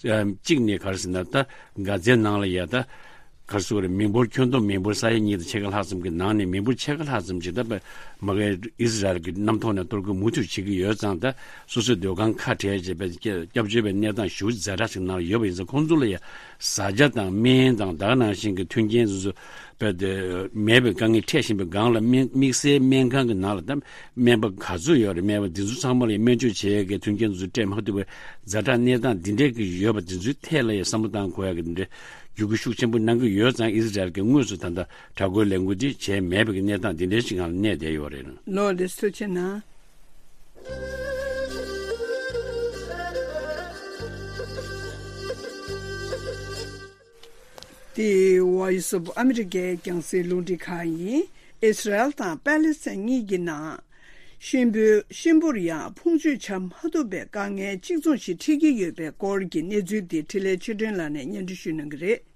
ཨམ། གཅིག་ནས་ག་རེ་ཟེར་ན། ད་གྷ་ཛའི་ནང་ལ་ཡ་ད་ག་རེ་ཟེར་དགོས་རེད། མི་འབོར་ཁྱོན་བསྡོམས་མི་འབོར་ས་ཡ་གཉིས་དང་ཕྱེད་ཀ་ལྷག་ཙམ་གྱི་ནང་ནས། མི་འབོར་ཕྱེད་ཀ་ལྷག་ཙམ་ཅིག་ད་དཔེ་མ་གི་ཨི་ཟི་རལ་གྱིས་གནམ་ཐོག་ནས་གཏོར་རྒོལ་མུ་མཐུད་བྱེད་ཀྱི་ཡོད་ཙང་། ད་སོ་སོའི་སྡོད་ཁང་ཁ་བྲལ་བྱས་པའི་སྐྱབས་བཅོལ་བའི་གནས་སྟངས་ཞེ་པོ་ཛ་དྲག་ཅིག་ནང་ལ་ཡོད་པ་ཡིན་ཙང་། ཁོང་ཚོ་ལ་ཡ་བཟའ་བཅའ་དང་སྨན་དང་། ད་ག་ནང་བཞིན་གྱི་མཐུན་རྐྱེན་སོ་སོ་དཔེ་དེ་མེད་པའི་དཀའ་ངལ་འཕྲད་བཞིན་པའི་སྒང་ལ། དམིགས་བསལ་སྨན་ཁང་གི་ནང་ལ་ད་སྨན་པ་ག་ཚོད་ཡོད་རེད། སྨན་པ་འདི་ཚོ་ཚང་མ་ལ་སྨན་བཅོས་བྱེད་ཡས་ཀྱི་མཐུན་རྐྱེན་དེ་ཚོ་སྤྲད་མ་ཐུབ་པའི་ཛ་དྲག་གནས་སྟངས་འདི་འདྲའི་གི་ཡོད་པ་དེ་ཚོའི་ཐད་ལ་ཡང་བསམ་བློ་བཏང་དགོས་ཡ་གི་འདི་འདྲའི་བརྒྱུད་སྐུལ་ཤུགས་ཆེན་པོ་གནང་གི་ཡོད་ཙང་། ཨི་ཟི་རལ་གྱིས་དངོས་སུ་ད་ལྟ་དྲག་རྒོལ་ལས་འགུལ་འདི་བྱས་མེད་པའི་གི་གནས་སྟངས་འདི་འདྲའི་ཞིག་སྒང་ལ་གནས་བསྡད་ཡོད་རེད། ལགས་རེད། ཐུགས་རྗེ་གནང་། འདི་Voice of America རྒྱང་སྲིང་རླུང་འཕྲིན་ཁང་ཡིན། ཨི་སི་རལ་དང་པེ་ལི་སི་ཐན་གཉིས་ཀྱི་ནང་གཤིན་པོའི་གཤིན་པོར་ཡང་ཕུང་མཆོད་བྱ་མ་ཐུབ་པའི་དཀའ་ངལ་གཅིག་མཚུངས་ཤིག་འཕྲད་ཀྱི་ཡོད་པའི་སྐོར་གྱི་གནས་ཚུལ་འདི་འཕྲིན་ལས་ཆོས་སྒྲོན་ལགས་ནས་སྙན་སྒྲོན་ཞུ་གནང་གི་རེད།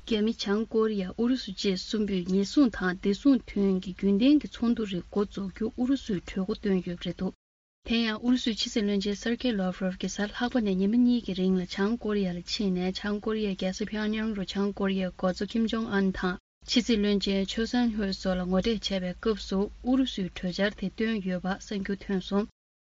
རྒྱ་མི་བྱང་ཀོ་རི་ཡ་ཨུ་རུ་སུ་བཅས་གསུམ་པོས་ཉེན་སྲུང་དང་བདེ་སྲུང་དོན་གྱི་རྒྱུན་ལྡན་གྱི་ཚོགས་འདུ་རེ་འགོ་འཛུགས་རྒྱུ་ཨུ་རུ་སུས་གྲོས་འགོ་བཏོན་ཡོད་པ་རེད་འདུག་དེ་ཡང་ཨུ་རུ་སུའི་ཕྱི་སྲིད་བློན་ཆེན་སར་ཀེ་ལོབ་རོབ་ཀྱིས་གཟའ་ལྷག་པ་ནས་ཉི་མ་གཉིས་ཀྱི་རིང་ལ་བྱང་ཀོ་རི་ཡ་ལ་ཕྱིན་ནས། བྱང་ཀོ་རི་ཡའི་རྒྱལ་ས་ཕྱོགས་གཉིས་རུ་བྱང་ཀོ་རི་ཡའི་འགོ་གཙོ་ཀིམ་ཇོང་ཨན་དང་ཕྱི་སྲིད་བློན་ཆེན་ཆོ་སན་ཧོས་སོགས་ལ་ངོ་འཕྲད་བྱས་པའི་སྐབས་སུ། ཨུ་རུ་སུས་གྲོས་འཆར་དེ་བཏོན་ཡོད་པ་གསར་འགྱུར་ཐོན་སོང་།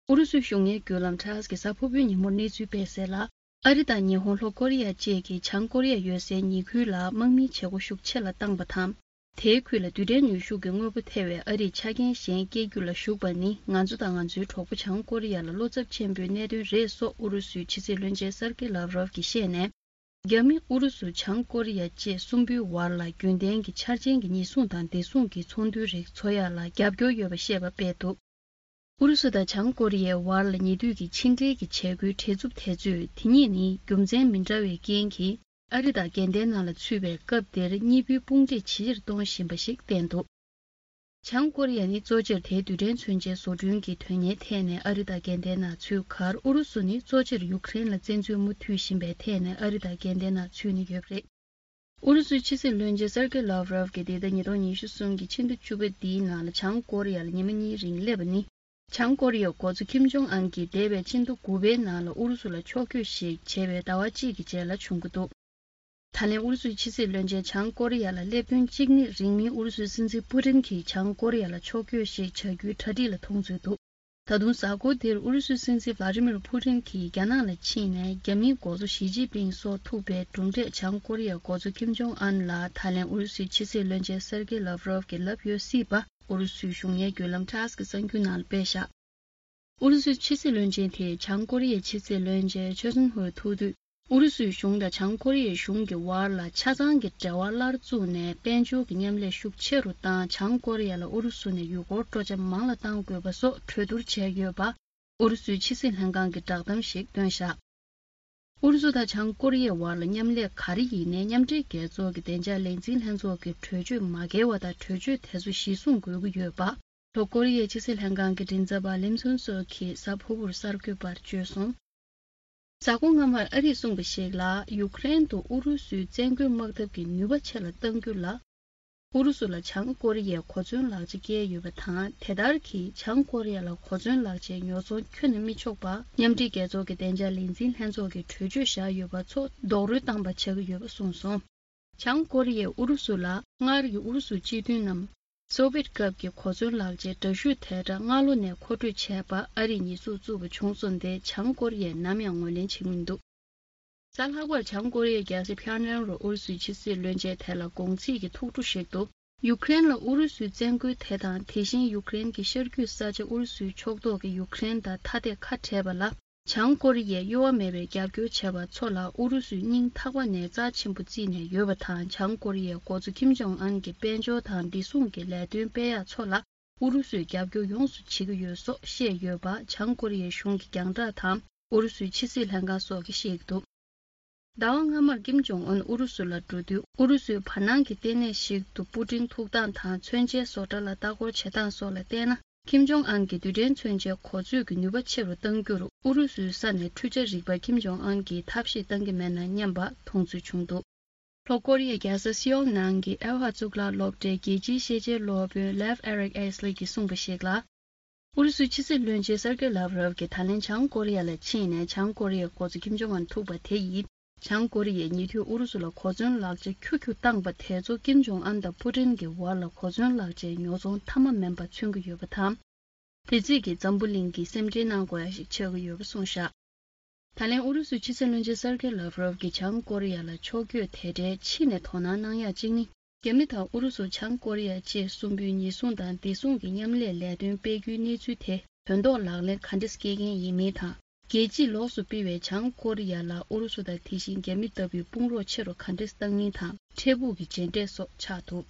ཨུ་རུ་སུའི་གཞུང་གཉེར་བརྒྱུད་ལམ་ཊཱས་ཀྱིས་གཟའ་ཕུར་བུའི་ཉིན་མོར་གནས་ཚུལ་སྤེལ་གསལ་ལ། ཨ་རི་དང་ཉི་ཧོང་། ལྷོ་ཀོ་རི་ཡ་བཅས་ཀྱིས་བྱང་ཀོ་རི་ཡ་ཡོད་སའི་ཉེ་ཁུལ་ལ་དམག་མིའི་བྱེད་སྒོ་ཤུགས་ཆེ་ལ་བཏང་པ་དང་། དེའི་ཁུལ་ལ་རྡུལ་ཕྲན་ནུས་ཤུགས་ཀྱི་དངོས་པོ་ཐེ་བའི་ཨ་རིས་ཆ་རྐྱེན་གཞན་སྐྱེལ་རྒྱུ་ལ་ཞུགས་པ་ནི། ང་ཚོ་དང་ང་ཚོའི་གྲོགས་པོ་བྱང་ཀོ་རི་ཡ་ལ་བློ་འཚབ་ཆེན་པོའི་གནད་དོན་རེད། སོགས་ཨུ་རུ་སུའི་ཕྱི་སྲིད་བློན་ཆེན་སར་ཀེ་ལབ་རོབ་ཀྱིས་བཤད་ནས། རྒྱ་མི་ཨུ་རུ་སུ་བྱང་ཀོ་རི་ཡ་བཅས་གསུམ་པོའི་བར་ལ་རྒྱུན་ལྡན་གྱི་འཆར་ཅན་གྱི་ཉེན་སྲུང་དང་བདེ་སྲུང་གི་ཚོགས་འདུ་རིགས་འཚོགས་ཡ་ལ་རྒྱབ་སྐྱོར་ཡོད་པ་བཤད་པ་སྤེལ་འདུག་ཨུ་རུ་སུ་དང་བྱང་ཀོ་རི་ཡའི་བར་ལ་ཉེ་དུས་ཀྱི་ཕྱི་འབྲེལ་གྱི་བྱེད་སྒོའི་བྲེལ་འཚུབ་དེ་ཚོས། དེ་གཉིས་ནི་རྒྱུ་མཚན་མི་འདྲ་བའི་རྐྱེན་གྱིས་ཨ་རི་དང་འགལ་ཟླའི་ནང་ལ་ཚུད་པའི་སྐབས་དེར་གཉིས་པོའི་དཔུང་སྒྲིག་ཇེ་ཆེར་གཏོང་བཞིན་པ་ཞིག་བསྟན་འདུག་བྱང་ཀོ་རི་ཡ་ནི་གཙོ་ཆེར་དེའི་རྡུལ་ཕྲན་མཚོན་ཆའི་བཟོ་སྐྲུན་གྱི་དོན་གཉེར་ཐད་ནས་ཨ་རི་དང་དགལ་ལྡན་ནང་ཚུད་ཁར། ཨུ་རུ་སུ་ནི་གཙོ་ཆེར་ཡུཀ་རེན་ལ་བཙན་འཛུལ་མུ་མཐུད་བཞིན་པའི་ཐད་ནས་ཨ་རི་དང་དགལ་ལྡན་ནང་ཚུད་ནས་ཡོད་པ་རེད། ཨུ་རུ་སུའི་ཕྱི་སྲིད་བློན་ཆེན་སེར་ཀེ་ལཱབ་རོབ་ཀྱིས་འདི་ཟླ་ཉིས་སྟོང་ཉི་ཤུ་གསུམ་གྱི་ཕྱི་ཟླ་བཅུ་པ་འདིའི་ནང་ལ་བྱང་ཀོ་རི་ཡ་ལ་ཉི་མ་གཉིས་རིང་སླེབས་པ་ནི། བྱང་ཀོ་རི་ཡའི་འགོ་གཙོ་ཁིམ་ཇོང་ཨན་གྱིས་འདས་པའི་ཕྱི་ཟླ་དགུ་པའི་ནང་ལ་ཨུ་རུ་སུ་ལ་ཕྱོགས་བསྐྱོད་ཞིག་བྱས་པའི་ཟླ་བ་གཅིག་གི་རྗེས་ལ་བྱུང་གི་འདུག། ད་ལན་ཨུ་རུ་སུའི་ཕྱི་སྲིད་བློན་ཆེན་བྱང་ཀོ་རི་ཡ་ལ་སླེབས་ཐུན་གཅིག་ནི། རིང་མིན་ཨུ་རུ་སུའི་སྲིད་འཛིན་པུ་ཏིན་གྱིས་བྱང་ཀོ་རི་ཡ་ལ་ཕྱོགས་བསྐྱོད་ཞིག་བྱ་རྒྱུའི་གྲ་སྒྲིག་ལ་མཐོང་ཚུལ་འདུག། ད་དུང་གཟའ་འཁོར་འདིར་ཨུ་རུ་སུའི་སྲིད་འཛིན་ཝླ་ཏི་མིར་པུ་ཏིན་གྱིས་རྒྱ་ནག་ལ་ཕྱིན་ནས། རྒྱ་མིའི་འགོ་གཙོ་ཞི་ཅིན་ཕིང་སོགས་ཐུག་པའི་གྲུབ་འབྲས་བྱང་ཀོ་རི་ཡའི་འགོ་གཙོ་ཁིམ་ཇོང་ཨན་ལ་ད་ལན་ཨུ་རུ་སུའི་ཕྱི་སྲིད་བློན་ཆེན་སེར་ཀེ་ལཱབ་རོབ་ཀྱིས་ལབ་ཡོད་སྲིད་པ། ཨུ་རུ་སུའི་གཞུང་གཉེར་བརྒྱུད་ལམ་ཊཱས་ཀྱི་གསར་འགྱུར་ནང་ལ་སྤེལ་བཞག། ཨུ་རུ་སུའི་ཕྱི་སྲིད་བློན་ཆེན་དེས་བྱང་ཀོ་རི་ཡའི་ཕྱི་སྲིད་བློན་ཆེན་ཆོ་སུན་ཧུར་ཐུག་དུས། ཨུ་རུ་སུའི་གཞུང་དང་བྱང་ཀོ་རི་ཡའི་གཞུང་གི་བར་ལ་ཆ་ཚང་གི་འབྲེལ་བ་སླར་བཙུགས་ནས། དཔལ་འབྱོར་གྱི་མཉམ་ལས་ཤུགས་ཆེ་རུ་བཏང་། བྱང་ཀོ་རི་ཡ་ལ་ཨུ་རུ་སུ་ནས་ཡུལ་སྐོར་སྤྲོ་འཆམ་མང་ལ་གཏང་དགོས་པ་སོགས་གྲོས་བསྡུར་བྱས་ཡོད་པ། ཨུ་རུ་སུའི་ཕྱི་སྲིད་ལྷན་ཁང་གིས་བསྒྲགས་གཏམ་ཞིག་བཏོན་བཞག། ཨུ་རུ་སུ་དང་བྱང་ཀོ་རི་ཡའི་བར་ལ་མཉམ་ལས་ག་རེ་ཡིན་ནའི། མཉམ་འབྲེལ་རྒྱལ་ཚོགས་ཀྱི་བདེ་འཇགས་ལས་འཛིན་ལྷན་ཚོགས་ཀྱི་གྲོས་ཆོད་མ་འགལ་བ་དང་། གྲོས་ཆོད་དེ་ཚོ་གཞིར་བཟུང་དགོས་ཀྱི་ཡོད་པ། ལྷོ་ཀོ་རི་ཡའི་ཕྱི་སྲིད་ལྷན་ཁང་གི་མགྲིན་ཚབ་པ་ལིམ་སུན་སོག་གིས་གཟའ་ཕུར་བུར་གསར་འགོད་པར་བརྗོད་སོང་། གཟའ་འཁོར་སྔ་མར་ཨ་རིས་གསུངས་པ་ཞིག་ལ། ཡུཀ་རེན་དུ་ཨུ་རུ་སུའི་བཙན་རྒོལ་དམག་འཐབ་ཀྱི་ནུས་པ་ཆེ་ལ་གཏང་རྒྱུ་ལ། ཨུ་རུ་སུ་ལ་བྱང་ཀོ་རི་ཡས་གོ་མཚོན་ལག་ཆ་བཀལ་ཡོད་པ་དང་། དེ་ལྟར་གྱིས་བྱང་ཀོ་རི་ཡ་ལ་གོ་མཚོན་ལག་ཆའི་ཉོ་ཚོང་ཁྱོན་ནས་མི་ཆོག་པ། མཉམ་འབྲེལ་རྒྱལ་ཚོགས་ཀྱི་བདེ་འཇགས་ལས་འཛིན་ལྷན་ཚོགས་ཀྱིས་གྲོས་ཆོད་བཞག་ཡོད་པ་ཚོ་རྡོག་རོལ་བཏང་པ་ཆགས་ཀྱི་ཡོད་པ་གསུངས་སོང་། བྱང་ཀོ་རི་ཡས་ཨུ་རུ་སུ་ལ་སྔར་གྱི་ཨུ་རུ་སུ་སྤྱི་མཐུན་ནམ། སོ་བེད་སྐབས་ཀྱི་གོ་མཚོན་ལག་ཆའི་འདྲ་བཤུས་དེ་འདྲ་སྔ་ལོ་ནས་མཁོ་སྤྲོད་བྱས་པ། ཨ་རིས་ཉེས་འཛུགས་བཙུགས་པ་བྱུང་སོང་སྟེ། བྱང་ཀོ་རི་ཡས་ནམ་ཡང་ངོས་ལེན་བྱེད་ཀྱི་མི་འདུག། གཟའ་ལྷག་པར་བྱང་ཀོ་རི་ཡའི་རྒྱལ་ས་ཕྱག་ནན་རུ་ཨུ་རུ་སུའི་ཕྱི་སྲིད་བློན་ཆེན་དེ་ལ་དགོངས་ཚིག་གི་ཐུགས་སྤྲོ་ཞིག་ཏུ། ཡུཀ་རེན་ལ་ཨུ་རུ་སུའི་བཙན་རྒོལ་དེ་དང་། དེ་བཞིན་ཡུཀ་རེན་གྱི་ཤར་རྒྱུད་ས་ཆ་ཨུ་རུ་སུའི་ཕྱོགས་གཏོགས་ཀྱི་ཡུཀ་རེན་དང་ཐ་དད་ཁ་བྲལ་བ་ལ། བྱང་ཀོ་རི་ཡས་གཡོ་བ་མེད་པའི་རྒྱབ་སྐྱོར་བྱས་པ་ཚོ་ལ་ཨུ་རུ་སུས་སྙིང་ཐག་པ་ནས་རྩ་ཆེན་པོ་བརྩིས་ནས་ཡོད་པ་དང་། བྱང་ཀོ་རི་ཡའི་འགོ་གཙོ་ཁིམ་ཇོང་ཨན་གྱི་དཔལ་འབྱོར་དང་བདེ་སྲུང་གི་ལས་དོན་སྤེལ་ཡག་ཚོ་ལ་ཨུ་རུ་སུས་རྒྱབ་སྐྱོར་ཡོངས་སུ་བྱེད་ཀྱི་ཡོད་སོགས་བཤད་ཡོད་པ། བྱང་ཀོ་རི་ཡའི་གཞུང་གི་རྒྱང་བསྒྲགས་དང་ཨུ་རུ་སུའི་ཕྱི་སྲིད་ལྷན་ཁང་སོགས་ཀྱིས་བཤད་ཀྱི་འདུག། ཟླ་བ་སྔ་མར་ཀིམ་ཇོང་ཨུན་ཨུ་རུ་སུ་ལ་འགྲོ་དུས། ཨུ་རུ་སུའི་བར་སྣང་གི་ལྟེ་གནས་ཤིག་ཏུ་པུ་ཏིན་ཐུག་སྟངས་དང་མཚོན་ཆའི་བཟོ་གྲྭ་ལ་ལྟ་སྐོར་བྱེད་སྟངས་སོགས་ལ་བལྟས་ན། ཁིམ་ཇོང་ཨན་གྱི་རྡུལ་ཕྲན་མཚོན་ཆའི་གོ་ཚོད་ཀྱི་ནུས་པ་ཆེ་རུ་གཏང་རྒྱུར་ཨུ་རུ་སུའི་ས་ནས་འཕྲུལ་ཆས་རིག་པ་ཁིམ་ཇོང་ཨན་གྱིས་ཐབས་ཤེས་གཏང་གི་མེད་ན་སྙམ་པ་མཐོང་ཚུལ་བྱུང་འདུག། ལྷོ་ཀོ་རི་ཡའི་རྒྱལ་ས་སེའོལ་ནང་གི་ཨེལ་ཧ་གཙུག་ལག་སློབ་གྲྭའི་རྒྱལ་སྤྱིའི་ཤེས་བྱའི་སློབ་དཔོན་ལེབ་ཨེ་རིག་ཨེས་ལི་གིས་གསུངས་པ་ཞིག་ལ། ཨུ་རུ་སུའི་ཕྱི་སྲིད་བློན་ཆེན་སེར་ཀེ་ལཱབ་རོབ་ཀྱིས་ད་ལན་བྱང་ཀོ་རི་ཡ་ལ་ཕྱིན་ནས། བྱང་ཀོ་རི་ཡའི་འགོ་གཙོ་ཁིམ་ཇོང་ཨན་ཐུག་པ་དེ་ཡིས། བྱང་ཀོ་རི་ཡས་ཉེ་དུས་ཨུ་རུ་སུ་ལ་གོ་མཚོན་ལག་ཆ་ཁྱུ་ཁྱུ་བཏང་པ་དེ་ཚོ་ཀིམ་ཇོང་ཨན་དང་པུ་ཏིན་གྱི་བར་ལ་གོ་མཚོན་ལག་ཆའི་ཉོ་ཚོང་མཐའ་མ་མིན་པ་མཚོན་གྱི་ཡོད་པ་དང་། དེ་རྩིས་ཀྱིས་འཛམ་བུ་གླིང་གིས་སེམས་ཁྲལ་གནང་དགོས་ཡ་ཞིག་ཆགས་ཀྱི་ཡོད་པ་གསུངས་བཞག། ད་ལན་ཨུ་རུ་སུའི་ཕྱི་སྲིད་བློན་ཆེན་སེར་ཀེ་ལཱབ་རོབ་ཀྱིས་བྱང་ཀོ་རི་ཡ་ལ་ཕྱོགས་བསྐྱོད་དེ་འདྲའི་ཕྱི་ནས་དོ་སྣང་གནང་ཡག་གཅིག་ནི། རྒྱ་མི་དང་ཨུ་རུ་སུ། བྱང་ཀོ་རི་ཡ་བཅས་གསུམ་པོའི་ཉེན་སྲུང་དང་བདེ་སྲུང་གི་མཉམ་ལས་ལས་དོན་སྤེལ་རྒྱུའི་གནས་ཚུལ་དེ་དོན་ཐོག་ལག་ལེན་ག་འདྲས་སྐྱེལ་མཁན་ཡིན་མིན་དང་། རྒྱལ་སྤྱིས་ལོགས་སུ་སྤེལ་བའི་བྱང་ཀོ་རི་ཡ་ལ་ཨུ་རུ་སུ་དང་དེ་བཞིན་རྒྱ་མི་ལྟ་བུའི་དཔུང་རོགས་ཆེ་རུ་ག་འདྲས་བཏང་མིན་དང་། འཕྲལ་ཕུགས་ཀྱི་མཇལ་འཕྲད་སོགས་ཆགས་འདུག།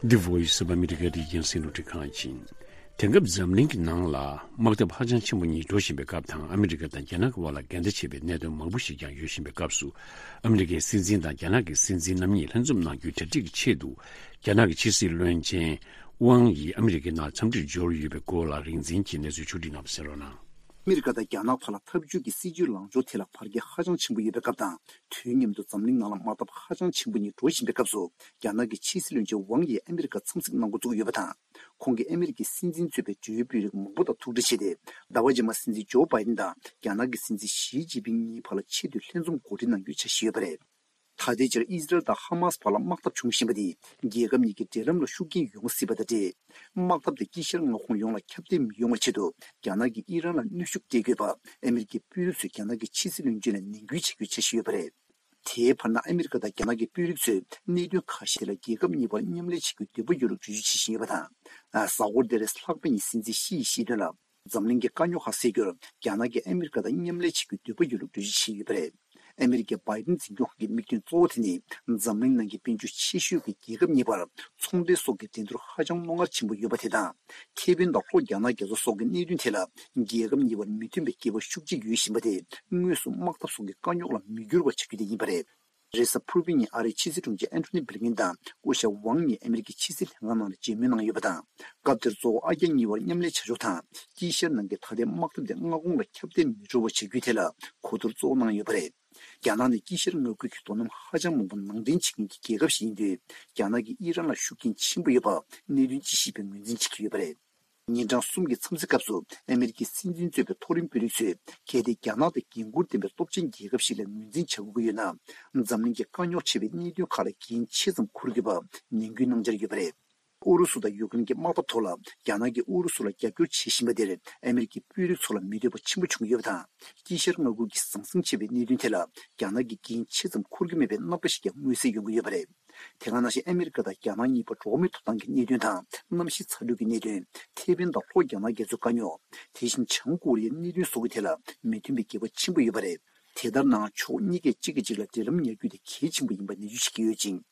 The Voice of America རིགས་རྒྱང་སྲིང་རླུང་འཕྲིན་ཁང་ཡིན། དེང་སྐབས་འཛམ་གླིང་གི་ནང་ལ་དམག་འཐབ་ཧ་ཅང་ཆེན་པོ་གཉིས་འགྲོ་བཞིན་པའི་སྐབས་དང་། ཨ་མི་རི་ཀ་དང་རྒྱ་ནག་གི་དབར་ལ་འགལ་ཟླ་ཆེ་བའི་གནད་དོན་མང་པོ་ཞིག་ཀྱང་ཡོད་བཞིན་པའི་སྐབས་སུ། ཨ་མི་རི་ཀའི་སྲིད་འཛིན་དང་རྒྱ་ནག་གི་སྲིད་འཛིན་རྣམ་གཉིས་ལྷན་འཛོམས་གནང་རྒྱུའི་གྲ་སྒྲིག་གི་ཆེད་དུ། རྒྱ་ནག་གི་ཕྱི་སྲིད་བློན་ཆེན་ཝང་ཡི་ཨ་མི་རི་ཀའི་ནང་འཚམས་འདྲིར་འབྱོར་ཡོད་པའི་སྐོར་ལ། རིག་འཛིན་གྱིས་གནས་ཚུལ་ཕྱོགས་སྒྲིག་གནང་བ་གསན་རོགས་གནང་། ཨ་མི་རི་ཀ་དང་རྒྱ་ནག་བར་ལ་འཐབ་ཇུས་ཀྱི་སྲིད་ཇུས་ལངས་ཕྱོགས་ཐད་ལ་བར་ཁྱད་ཧ་ཅང་ཆེན་པོ་ཡོད་པའི་སྐབས་དང་། དུས་མཉམ་དུ་འཛམ་གླིང་ནང་ལ་དམག་འཐབ་ཧ་ཅང་ཆེན་པོ་གཉིས་འགྲོ་བཞིན་པའི་སྐབས་སུ། རྒྱ་ནག་གི་ཕྱི་སྲིད་བློན་ཆེན་ཝང་ཡིས་ཨ་མི་རི་ཀར་འཚམས་གཟིགས་གནང་འགོ་བཙུགས་ཡོད་པ་དང་། ཁོང་གིས་ཨ་མི་རི་ཀའི་སྲིད་འཛིན་གཙོས་པའི་འབྲེལ་ཡོད་དཔོན་རིགས་མང་པོ་དང་ཐུག་འཕྲད་བྱས་ཏེ། ཟླ་བ་རྗེས་མར་སྲིད་འཛིན་ཇོ་བྷའི་ཏིན་དང་རྒྱ་ནག་གི་སྲིད་འཛིན་ཞི་ཅིན་ཕིང་གཉིས་བར་ལ་ཆེས་མཐོའི་ལྷན་འཛོམས་གོ་སྒྲིག་གནང་རྒྱུའི་འཆར་གཞི་ཡོད་པ་རེད། ད་ལྟའི་ཆར་ཨི་ཟི་རལ་དང་ཧ་མཱས་བར་ལ་དམག་འཐབ་བྱུང་བཞིན་པ་འདིས། རྒྱལ་ཁབ་གཉིས་ཀྱི་འབྲེལ་ལམ་ལ་ཤུགས་རྐྱེན་ཡོང་སྲིད་པ་དང་འབྲེལ། དམག་འཐབ་དེ་དཀྱིལ་ཤར་མངའ་ཁོངས་ཡོངས་ལ་ཁྱབ་གདལ་མི་ཡོང་བའི་ཆེད་དུ། རྒྱ་ནག་གིས་ཨི་རན་ལ་གནོན་ཤུགས་སྤྲད་དགོས་པ། ཨ་མི་རི་ཀའི་དཔོན་རིགས་ཚོས་རྒྱ་ནག་གི་ཕྱི་སྲིད་བློན་ཆེན་ལ་ནན་སྐུལ་བྱེད་རྒྱུའི་འཆར་གཞི་ཡོད་པ་རེད། དེའི་བར་ན། ཨ་མི་རི་ཀ་དང་རྒྱ་ནག་གི་དཔོན་རིགས་ཚོས་གནད་དོན་ཁ་ཤས་ཐད་ལ་རྒྱལ་ཁབ་གཉིས་བར་མཉམ་ལས་བྱེད་རྒྱུའི་འདོད་པ་ཡོད་ལུགས་འགྲེལ་བརྗོད་བྱེད་བཞིན་ཡོད་པ་དང་། གཟའ་འཁོར་འདིར་ལྷག་པ་ཡིས་སྲིད་འཛིན་ཞི་ཡིས་བཤད་དོན་ལ། འཛམ་གླིང་གི་དཀའ་རྙོག་ཁག་སེལ་རྒྱུར་རྒྱ་ནག་གིས་ཨ་མི་རི་ཀ་དང་མཉམ་ལས་བྱེད་རྒྱུའི་འདོད་པ་ཡོད་ལུགས་འགྲེལ་བརྗོད་བྱས་ཡོད་པ་རེད། ཨ་མི་རི་ཀའི་བྷའི་ཏིན་འཛིན་སྐྱོང་ཁང་གི་དམིགས་དོན་གཙོ་བོ་དེ་ནི། འཛམ་གླིང་ནང་གི་དཔལ་འབྱོར་ཆེ་ཤོས་ཀྱི་རྒྱལ་ཁབ་གཉིས་བར་ཚོང་འབྲེལ་སོགས་ཀྱི་འགྲན་བསྡུར་ཧ་ཅང་རྣོ་ངར་ཆེན་པོ་ཡོད་པ་དེ་དང་། ཁེ་ཕན་དང་ལྷོ་རྒྱ་ནག་རྒྱ་མཚོ་སོགས་ཀྱི་གནད་དོན་ཐད་ལ། རྒྱལ་ཁབ་གཉིས་བར་མི་མཐུན་པའི་འགལ་བ་ཤུགས་ཆེ་ཡོད་བཞིན་པ་དེ། དངོས་སུ་དམག་འཐབ་སོགས་ཀྱི་དཀའ་རྙོག་ལ་མི་འགྱུར་བ་བྱ་རྒྱུ་དེ་ཡིན་པ་རེད། རེས་གཟའ་ཕུར་བུའི་ཉིན་ཨ་རིའི་ཕྱི་སྲིད་དྲུང་ཆེ་ཨན་ཐོ་ནི་བྷི་ལིན་ཀིན་དང་སྐུ་ཞབས་ཝང་གཉིས་ཨ་མི་རི་ཀའི་ཕྱི་སྲིད་ལྷན་ཁང་ནང་ལ་མཇལ་མོལ་གནང་ཡོད་པ་དང་། སྐབས་དེར་གཙོ་བོ་ཨ་རྒྱ་གཉིས་བར་མཉམ་ལས་བྱ་ཕྱོགས་དང་། དཀྱིལ་ཤར་ནང་གི་ད་ལྟའི་དམག་འཐབ་དེ་མངའ་ཁོངས་ལ་ཁྱབ་གདལ་མི་འགྲོ་བ་བྱ་རྒྱུའི་ཐད་ལ་གོ་བསྡུར་གཙོ་བོ་གནང་ཡོད་པ་རེད། རྒྱ་ནག་ནི་དཀྱིལ་ཤར་མངའ་ཁུལ་གྱི་མདོ་ནམ་ཧ་ཅང་མང་པོ་ནང་འདྲེན་བྱེད་མཁན་གྱི་རྒྱལ་ཁབ་ཞིག་ཡིན་དུས། རྒྱ་ནག་གིས་ཨི་རན་ལ་ཤུགས་རྐྱེན་ཆེན་པོ་ཡོད་པ་གནད་དོན་དཔྱད་ཞིབ་པས་ངོས་འཛིན་བྱེད་ཀྱི་ཡོད་པ་རེད། ཉིན་གྲངས་གསུམ་གྱི་འཚམས་གཟིགས་སྐབས་སུ་ཨ་མི་རི་ཀའི་སྲིད་འཛིན་གཙོས་པའི་མཐོ་རིམ་དཔོན་རིགས་ཚོས། གལ་ཏེ་རྒྱ་ནག་དང་འགན་འཁུར་ལྡན་པའི་སྟོབས་ཆེན་རྒྱལ་ཁབ་ཞིག་ལ་ངོས་འཛིན་བྱ་དགོས་ཀྱི་ཡོད་ན། འཛམ་གླིང་གི་དཀའ་རྙོག་ཆེ་བའི་གནད་དོན་ཁག་ལ་འགན་ཆེ་ཙམ་འཁུར་དགོས་པ་ནན་སྐུལ་གནང་འཆར་ཡོད་པ་རེད། ཨུ་རུ་སུ་དང་ཡུཀ་རེན་གྱི་དམག་འཐབ་ཐོག་ལ། རྒྱ་ནག་གིས་ཨུ་རུ་སུ་ལ་རྒྱབ་སྐྱོར་བྱེད་བཞིན་པ་དེར་ཨ་མི་རི་ཀའི་དཔོན་རིགས་ཚོ་ལ་མི་འདོད་པ་ཆེན་པོ་བྱུང་ཡོད་པ་དང་། དཀྱིལ་ཤར་མངའ་ཁུལ་གྱི་ཟང་ཟིང་ཆེ་བའི་གནད་དོན་ཐད་ལ། རྒྱ་ནག་གིས་འགན་ཆེ་ཙམ་འཁུར་གྱི་མེད་པའི་རྣམ་པ་ཞིག་ཀྱང་མངོན་གསལ་ཡོང་གི་ཡོད་པ་རེད། དེ་ག་ནང་བཞིན་ཨ་མི་རི་ཀ་དང་རྒྱ་ནག་གཉིས་བར་འགྲོ་བ་མིའི་ཐོབ་ཐང་གི་གནད་དོན་དང་། གནམ་གཤིས་ཚ་དྲོད་ཀྱི་གནད་དོན། ཁེ་ཕན་དང་ལྷོ་རྒྱ་ནག་རྒྱ་མཚོའི་དཀའ་རྙོག་དེ་བཞིན་བྱང་ཀོ་རི་ཡའི་གནད་དོན་སོགས་ཀྱི་ཐད་ལ་མི་མཐུན་པའི་འགལ་བ་ཆེན་པོ་ཡོད་པ་རེད། དེ་ལྟར་ན་ཕྱོགས་གཉིས་ཀས་གཅིག་གིས་གཅིག་ལ་འབྲེལ་ལམ་ཉར་རྒྱུ་དེ་གལ་ཆེན་པོ་ཡིན་པ་ནན་བརྗོད་བྱེད་ཀྱི་ཡོད་ཅིང་།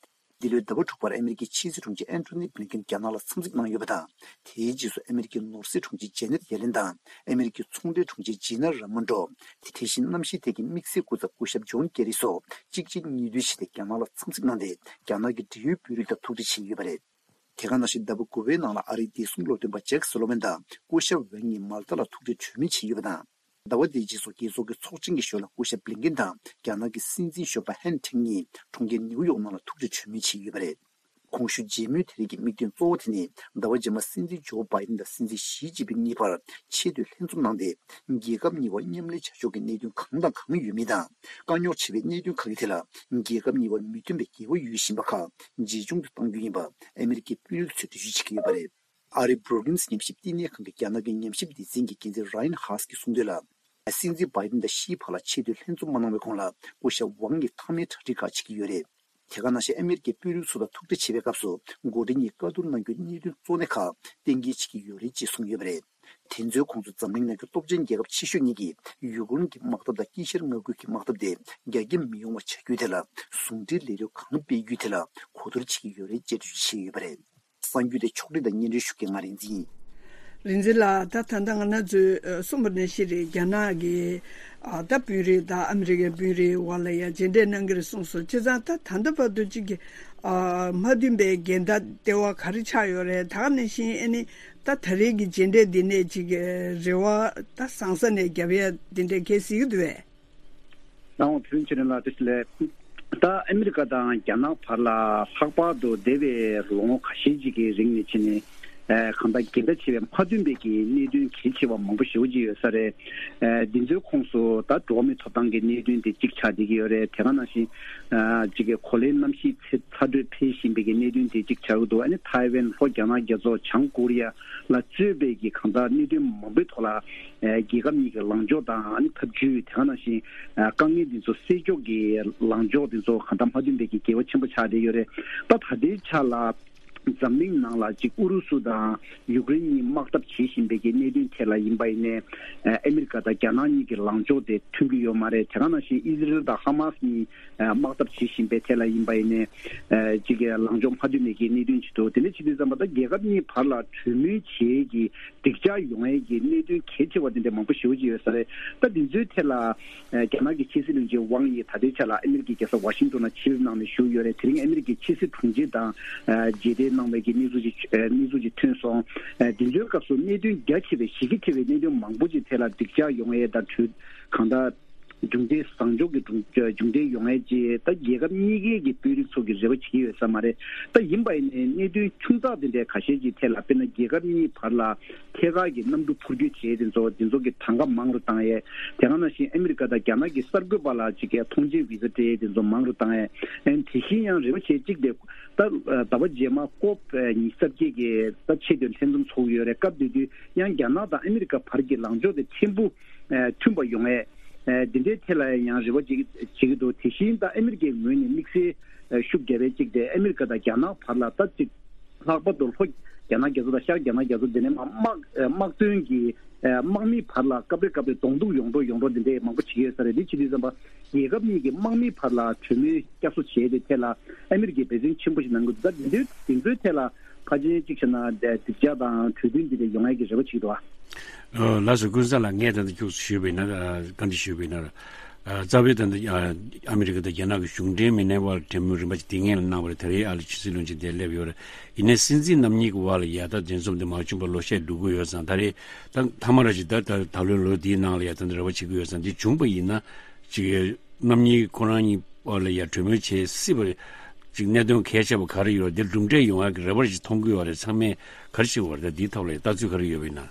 འདི་ལོའི་ཟླ་བ་དྲུག་པར་ཨ་མི་རི་ཀའི་ཕྱི་སྲིད་དྲུང་ཆེ་ཨན་ཐོ་ནི་བྷི་ལིན་ཀིན་རྒྱ་ནག་ལ་འཚམས་གཟིགས་གནང་ཡོད་པ་དང་། དེའི་རྗེས་སུ་ཨ་མི་རི་ཀའི་ནོར་སྲིད་དྲུང་ཆེ་ཇེ་ནེད་ཡེ་ལེན་དང་ཨ་མི་རི་ཀའི་ཚོང་འབྲེལ་དྲུང་ཆེ་ཇི་ན་ར་མོན་རོ། དེ་བཞིན་གནམ་གཤིས་ཐད་ཀྱི་དམིགས་བསལ་སྐུ་ཚབ་སྐུ་ཞབས་ཇོན་ཀེ་རི་སོགས་གཅིག་རྗེས་གཉིས་མཐུད་བྱས་ཏེ་རྒྱ་ནག་ལ་འཚམས་གཟིགས་གནང་སྟེ། རྒྱ་ནག་གི་འབྲེལ་ཡོད་དཔོན་རིགས་དང་ཐུག་འཕྲད་བྱས་ཡོད་པ་རེད། དེ་ག་ནང་བཞིན་ཟླ་བ་དགུ་པའི་ནང་ལ་ཨ་རིའི་བདེ་སྲུང་བློ་འདོན་པ་ཇེག་སུ་ལོ་ཝན་དང་སྐུ་ཞབས་ཝེ་གཉིས་མལ་ཏ་ལ་ཐུག་འཕྲད་གྲོས་མོལ་བྱས་ཡོད་པ་དང་། ཟླ་བ་འདིའི་རྗེས་སུ་རྒྱལ་ཚོགས་ཀྱི་ཚོགས་ཆེན་གྱི་ཞོར་ལ་སྐུ་ཞབས་བྷི་ལིན་ཀིན་དང་རྒྱ་ནག་གི་སྲིད་འཛིན་གཞོན་པ་ཧན་ཁྲེང་གཉིས་གྲོང་ཁྱེར་ནེའུ་ཡོག་ནང་ལ་ཐུག་འཕྲད་གྲོས་མོལ་བྱས་ཡོད་པ་རེད། གོང་ཞུས་མཇལ་མོལ་དེ་རིགས་ཀྱི་དམིགས་དོན་གཙོ་བོ་དེ་ནི། ཟླ་བ་རྗེས་མ་སྲིད་འཛིན་ཇོ་བྷའི་ཏིན་དང་སྲིད་འཛིན་ཞི་ཅིན་ཕིན་གཉིས་བར་ཆེས་མཐོའི་ལྷན་འཛོམས་གནང་སྟེ། རྒྱལ་ཁབ་གཉིས་བར་མཉམ་ལས་བྱ་ཕྱོགས་ཀྱི་གནད་དོན་གང་དང་གང་ཡོད་མེད་དང་། དཀའ་རྙོག་ཆེ་བའི་གནད་དོན་ཁག་གི་ཐད་ལ་རྒྱལ་ཁབ་གཉིས་བར་མི་མཐུན་པའི་འགལ་བ་ཡོད་བཞིན་པ་ཁག་ཇེ་ཆུང་དུ་གཏང་རྒྱུ་ཡིན་པ་ཨ་མི་རི་ཀའི་དཔོན་རིགས་ཚོས་འགྲེལ་བརྗོད་བྱེད་ཀྱི་ཡོད་པ་རེད། ཨ་རིའི་Brookings་ཉམས་ཞིབ་བསྟི་གནས་ཁང་གིས་རྒྱ་ནག་གི་ཉམས་ཞིབ་སྡེ་ཚན་གྱི་འགན་འཛིན་ར་ཡན་ཧཱས་ཀྱིས་གསུངས་དོན་ལ། སྲིད་འཛིན་བྷའི་ཏིན་དང་ཤིའི་བར་ལ་ཆེས་མཐོའི་ལྷན་འཛོམས་མ་གནང་བའི་གོང་ལ་སྐུ་ཞབས་ཝང་གིས་མཐའ་མའི་གྲ་སྒྲིག་ཁག་བྱེད་ཀྱི་ཡོད་རེད། དེ་ག་ནང་བཞིན་ཨ་མི་རི་ཀའི་དཔོན་རིགས་ཚོ་དང་ཐུག་འཕྲད་བྱེད་པའི་སྐབས་སུ་འགོ་ཁྲིད་གཉིས་བཀའ་བསྡུར་གནང་རྒྱུའི་གནད་དོན་གཙོ་གནད་ཁག་གཏན་འཁེལ་བྱེད་ཀྱི་ཡོད་རེད་ཅེས་གསུངས་ཡོད་པ་རེད། དེ་ཚོའི་ཁོངས་སུ་འཛམ་གླིང་ནང་གི་སྟོབས་ཆེན་རྒྱལ་ཁབ་ཆེ་ཤོས་གཉིས་ཀྱིས་ཡུཀ་རེན་གྱི་དམག་འཐབ་དང་དཀྱིལ་ཤར་མངའ་ཁུལ་གྱི་དམག་འཐབ་དེ་རྒྱ་སྐྱེད་མི་ཡོང་བ་བྱ་རྒྱུའི་ཐད་ལ་ཟུང་འབྲེལ་ལས་རོགས་གང་སྤེལ་རྒྱུའི་ཐད་ལ་གོ་བསྡུར་བྱེད་ཀྱི་ཡོད་རེད་ཅེས་འགྲེལ་བརྗོད་བྱས་ཡོད་པ་རེད། གསར་འགྱུར་དེ་ཕྱོགས་སྒྲིག་དང་སྙན་སྒྲོན་ཞུ་མཁན་ང་རིག་འཛིན་ཡིན། རིག་འཛིན་ལགས། ད་ད་ལྟ་ང་རང་ཚོས་ཨ་གསུངས་པ་ནང་བཞིན་རེད། རྒྱ་ནག་གི་ཨ་ད་དཔོན་རིགས་དང་ཨ་མི་རི་ཀའི་དཔོན་རིགས་བར་ལ་ཡང་མཇལ་འཕྲད་གནང་གི་རེད་གསུངས་སོང་། བྱས་ཙང་ད་ད་ལྟ་བར་དུ་གཅིག་གི་ཨ་མ་བསྟུན་པའི་འགལ་ཟླ་ལྟེ་བ་ག་རེ་ཆགས་ཡོད་རེད། ད་ག་ནང་བཞིན་ཨ་ནི་ད་ད་རེས་ཀྱི་མཇལ་འཕྲད་འདི་ནས་གཅིག་གི་རེ་བ་ད་བཟང་ས་ནས་རྒྱབ་ཡ་འདི་འདྲས་གལ་སྲིད་ཀྱི་འདུག་བས། ལའོ་ཐུན་ཆེ་ལ་དེ་ལས། ད་ཨ་མི་རི་ཀ་དང་རྒྱ་ནག་བར་ལ་ལྷག་པར་དུ་འདས་པའི་ལོ་ངོ་ཁ་ཤས་ཅིག་གི་རིང་ནས་ཕྱིན་ནས། ཨ་གང་ལྟར་འགལ་ཟླ་ཆེ་བའི་མ་བསྟུན་པའི་གི་གནད་དོན་གལ་ཆེ་བ་མང་པོ་ཞེ་པོ་ཅིག་ཡོད་ས་རེད། ཨ་འདི་ཚོའི་ཁོངས་སུ་ད་འགྲོ་བ་མིའི་ཐོབ་ཐང་གི་གནད་དོན་དེ་གཅིག་ཆགས་བསྡད་ཀྱི་ཡོད་རེད། དེ་ག་ནང་བཞིན་ཨ་གཅིག་གི་གོ་ལའི་གནམ་གཤིས་ཚ་ཚ་དྲོད་འཕེལ་བཞིན་པའི་གི་གནད་དོན་དེ་གཅིག་ཆགས་ཀྱི་འདུག་ཨ་ནི་ཐའེ་ཝན་ལྷོ་རྒྱ་ནག་རྒྱ་མཚོ་བྱང་ཀོ་རི་ཡ་ལ་གཙོས་པའི་གི་གང་ལྟར་གནད་དོན་མང་པོའི་ཐོག་ལ། ཨ་རྒྱལ་ཁབ་གཉིས་ཀྱི་ལངས་ཕྱོགས་དང་ཨ་ནི་ཐབས་ཇུས། དེ་ག་ནང་བཞིན་ཨ་དཀའ་ངལ་འདི་ཚོ་སེལ་ཕྱོགས་ཀྱི་ལངས་ཕྱོགས་འདི་ཚོ་གང་ལྟར་མ་མཐུན་པའི་གི་འགལ་བ་ཆེན་པོ་ཆགས་བསྡད་ཡོད་རེད། ད་ད་ལྟའི་ཆ་ལ་འཛམ་གླིང་ནང་ལ་གཅིག་ཨུ་རུ་སུ་དང་ཡུཀ་རེན་གཉིས་དམག་འཐབ་བྱེད་བཞིན་པའི་གི་གནད་དོན་ཐད་ལ་ཡིན་པ་ཡིན་ནའི། ཨ་ཨ་མི་རི་ཀ་དང་རྒྱ་ནག་གཉིས་ཀྱི་ལངས་ཕྱོགས་དེ་མཐུན་གྱི་ཡོད་མ་རེད། དེ་ག་ནང་བཞིན་ཨི་ཟི་རེལ་དང་ཧ་མ་སི་གཉིས་ཨ་དམག་འཐབ་བྱེད་བཞིན་པའི་ཐད་ལ་ཡིན་པ་ཡིན་ནའི། ཨ་གཅིག་གི་ལངས་ཕྱོགས་མ་མཐུན་པའི་གི་གནད་དོན་ཅིག་འདུག་དེ་འདྲ་བྱེད་དུས་ཙམ་པ་ད་རྒྱལ་ཁབ་གཉིས་བར་ལ་གྲོས་མོལ་བྱེད་ཀྱི་སྒྲིག་ཆགས་ཡོང་ཡས་ཀྱི་གནད་དོན་གལ་ཆེ་བ་དེ་འདྲ་མང་པོ་ཞེ་པོ་ཅིག་ཡོད་ས་རེད། ད་འདི་ཚོའི་ཐད་ལ་ཨ་རྒྱ་ནག་གི་ཕྱི་སྲིད་བློན་ཆེན་ཝང་ཡི་ད་ལྟའི་ཆ་ལ་ཨ་མི་རི་ཀའི་རྒྱལ་ས་ཝ་ཤིང་ཏོན་ལ་ཆིབས་གནང་ནས་བཞུགས་ཡོད་རེད། དེ་རིང་ཨ་མི་རི་ཀའི་ཕྱི་སྲིད་དྲུང་ཆེ་དང་ཨ་མཇལ་འཕྲད་གནང་བའི་གི་གནས་ཚུལ་ཅིག་ཨ་གནས་ཚུལ་ཅིག་ཐོན་སོང་། ཨ་འདི་ཚོའི་སྐབས་སུ་གནད་དོན་རྒྱ་ཆེ་བའི་གཞི་རྒྱ་ཆེ་བའི་གནད་དོན་མང་པོ་ཅིག་ཐད་ལ་སྒྲིག་ཆགས་ཡོང་ཡས་དང་གྲོས་གང་ལྟར་མཇུག་འབྲས་བཟང་ཕྱོགས་ཀྱི་མཇུག་འབྲས་ཡོང་ཡས་ཅིག་ད་རྒྱལ་ཁབ་གཉིས་ཀའི་གི་དཔོན་རིགས་ཚོ་གི་རེ་བ་བྱེད་ཀྱི་ཡོད་ས་མ་རེད། ད་ཡིན་པ་ཡིན་ནའི་གནད་དོན་ཆུང་ཙག་དེ་འདྲའི་ཁ་ཤས་ཅིག་ཐད་ལ་དཔེར་ན་རྒྱལ་ཁབ་གཉིས་བར་ལ་ཐད་ཀར་གྱི་གནམ་གྲུ་འཕུར་སྐྱོད་བྱེད་དེ་ཚོ་དེ་ཚོ་གི་གྲངས་ཀ་མང་རུ་བཏང་ཡས། དེ་ག་ནང་བཞིན་ཨ་མི་རི་ཀ་དང་རྒྱ་ནག་གི་གསར་འགོད་པ་ལ་ཅིག་གི་ཐོངས་མཆན་བི་ཟ་སྤྲད་དེ་ཚོ་མང་རུ་བཏང་ཡས། ཨན་དེ་བཞིན་ཡང་རེ་བ་བྱེད་གཅིག་དེ་ད་ཟླ་བ་རྗེས་མ་ཀོབ་ཉི་ཤུ་རྩ་བརྒྱད་ཀྱི་ད་ཆེས་མཐོའི་ལྷན་འཛོམས་ཚོགས་ཀྱི་ཡོད་རེད། སྐབས་དེ་དུས་ཡང་རྒྱ་ནག་དང་ཨ་མི་རི་ཀ་བར་གྱི་ལངས་ཕྱོགས་དེ་ཕྲན་བུ་མཐུན་པ་ཡོང་ཡས། འདི་འདྲའི་ཐད་ལ་ཡང་རེ་བ་བྱེད་ཀྱི་འདུག་དེ་བཞིན་ད་ཨ་མི་རི་ཀའི་ངོས་ནས་དམིགས་བསལ་ཤུགས་བརྒྱབ་པའི་གཅིག་དེ་ཨ་མི་རི་ཀ་དང་རྒྱ་ནག་བར་ལ་ད་གཅིག་ལྷག་པར་དུ་ལྷོ་ རྒྱ་ནག་རྒྱ་མཚོ་དང་ཤར་རྒྱ་ནག་རྒྱ་མཚོ་འདི་ནས་མ་དམག་དམག་དོན་གྱི་དམག་མིའི་བར་ལ་སྐབས་རེ་སྐབས་རེ་གདོང་ཐུག་ཡོང་འགྲོ་ཡོང་འགྲོ་འདི་འདྲའི་མང་པོ་བྱེད་ཀྱི་ཡོད་ས་རེད། འདི་བྱེད་དུས་ཙམ་པ་རྒྱལ་ཁབ་གཉིས་ཀྱི་དམག་མིའི་བར་ལ་གྲོས་མོལ་བསྐྱར་གསོ་བྱས་ཏེ་ཐད་ལ་ཨ་མི་རི་ཀས་འབད་བརྩོན་ཆེན་པོ་ཞིག་གནང་གི་འདུག་ད་འདི་འདྲའི་འདི་ཚོའི་ཐད་ལ་ཕལ་ཆེར་གཅིག་བྱས་ན་གདེང་འཇོག་དང་གྲོས་མཐུན་འདི་འདྲ་ཡོང་ཡ་གི་རེ་བ་བྱེད་ཀྱི་འདུག་ཨ། ལགས་སོ། ཀུན་བཟང་ལགས། ངས་ད་ལྟ་ཁྱུག་ཙམ་ཞུས་པ་ཡིན་ན། ཨ། བཀའ་འདྲི་ཞུས་པ་ཡིན་ན། ཨ། རྩ་བའི་ད་ལྟ་ཨ་ཨ་མི་རི་ཀ་དང་རྒྱ་ནག་གི་གཞུང་འབྲེལ་མི་སྣའི་དབར་གྲོས་མོལ་རིམ་པ་ཅིག་དེ་སྔོན་ལ་གནང་བ་རེད། ད་རེས་ཨ་ལ་ཕྱི་སྲིད་བློན་ཆེན་དེ་སླེབས་ཡོད་རེད། ཡིན་ནའི་སྲིད་འཛིན་རྣམ་གཉིས་ཀྱི་དབར་ལ་ཡ་ད་འདི་ཚོ་འདི་མ་བྱུང་བར་ལོ་ཤས་འགྲོ་གི་ཡོད་ཙང་། ད་རེས་ད་མཐའ་མ་ར་ཅིག་ད་ད་ད་ལོའི་ལོ་འདིའི་ནང་ལ་ཡ་ད་འདི་རེ་བ་བྱེད་ཀྱི་ཡོད་ཙང་། འདི་བྱུང་པ་ཡིན་ན་ཅིག་རྣམ་གཉིས་ཁོ་རང་གཉིས་དབར་ལ་ཡ་གྲོས་མོལ་བྱེད་སྲིད་པ་རེད། ཅིག་གནད་དོན་གལ་ཆེ་བ་ག་རེ་ཡོད། འདིར་གྲུབ་འབྲས་ཡོང་ཡག་གི་རེ་བ་ཞིག་མཐོང་གི་ཡོད་རེད། ཚང་མས་ག་རེ་བྱེད་དགོས་རེད། ད་འདིའི་ཐོག་ལ་ལྟ་ཚུལ་ག་རེ་ཡོད་པ་ཡིན་ན།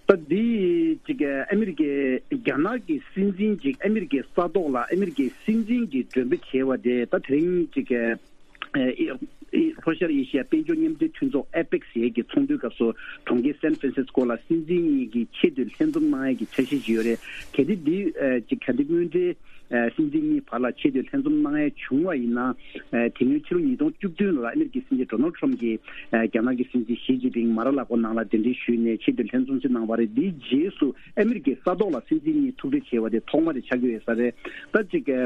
ད་འདི་ཅིག་ཨ་མི་རི་ཀའི་རྒྱ་ནག་གི་སྲིད་འཛིན་ཅིག་ཨ་མི་རི་ཀའི་ས་ཐོག་ལ་ཨ་མི་རི་ཀའི་སྲིད་འཛིན་གྱི་མགྲོན་འབོད་བྱས་པ་དེ་ད་དེ་རིང་ཅིག་ཨ་ཨ་ལྷོ་ཤར་ཨེ་ཤི་ཡ་དཔལ་འབྱོར་མཉམ་འབྲེལ་མཐུན་ཚོགས་ཨེ་པེག་ཟེར་ཡས་ཀྱི་ཚོགས་འདུའི་སྐབས་སུ་གྲོང་ཁྱེར་སན་ཧྥ་རན་སིས་ཀོ་ལ་སྲིད་འཛིན་གཉིས་ཀྱིས་ཆེས་མཐོའི་ལྷན་འཛོམས་གནང་ཡས་ཀྱི་འཆར་གཞི་ཞིག་ཡོད་རེད། གལ་ཏེ་འདི་ཨ་ཅིག་གལ་ཏེ་དངོས་འབྲེལ་ཨ་སྲིད་འཛིན་གཉིས་བར་ལ་ཆེས་མཐོའི་ལྷན་འཛོམས་གནང་ཡས་བྱུང་བ་ཡིན་ན། ཨ་དེ་སྔོན་ཕྱི་ལོ་ཉིས་སྟོང་བཅུ་བདུན་ལ་ཨ་མི་རི་ཀའི་སྲིད་འཛིན་ཌོ་ནལ་ཁྲམ་གྱིས་ཨ་རྒྱ་ནག་གི་སྲིད་འཛིན་ཞི་ཅིན་ཕིང་མ་ར་ལ་གོ་ནང་ལ་གདན་འདྲེན་ཞུས་ནས་ཆེས་མཐོའི་ལྷན་འཛོམས་ཅིག་གནང་བ་རེད། འདིའི་རྗེས་སུ་ཨ་མི་རི་ཀའི་ས་ཐོག་ལ་སྲིད་འཛིན་གཉིས་ཐུག་འཕྲད་བྱས་པ་དེ་ཐོག་མ་དེ་ཆགས་ཀྱི་ཡོད་ས་རེད། ད་ཅིག་ཨ་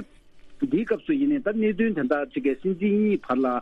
འདིའི་སྐབས་སུ་ཡིན་ནའི་ད་གནད་དོན་དེ་འདྲ་ཅིག་གི་སྲིད་འཛིན་གཉིས་བར་ལ་ཨ་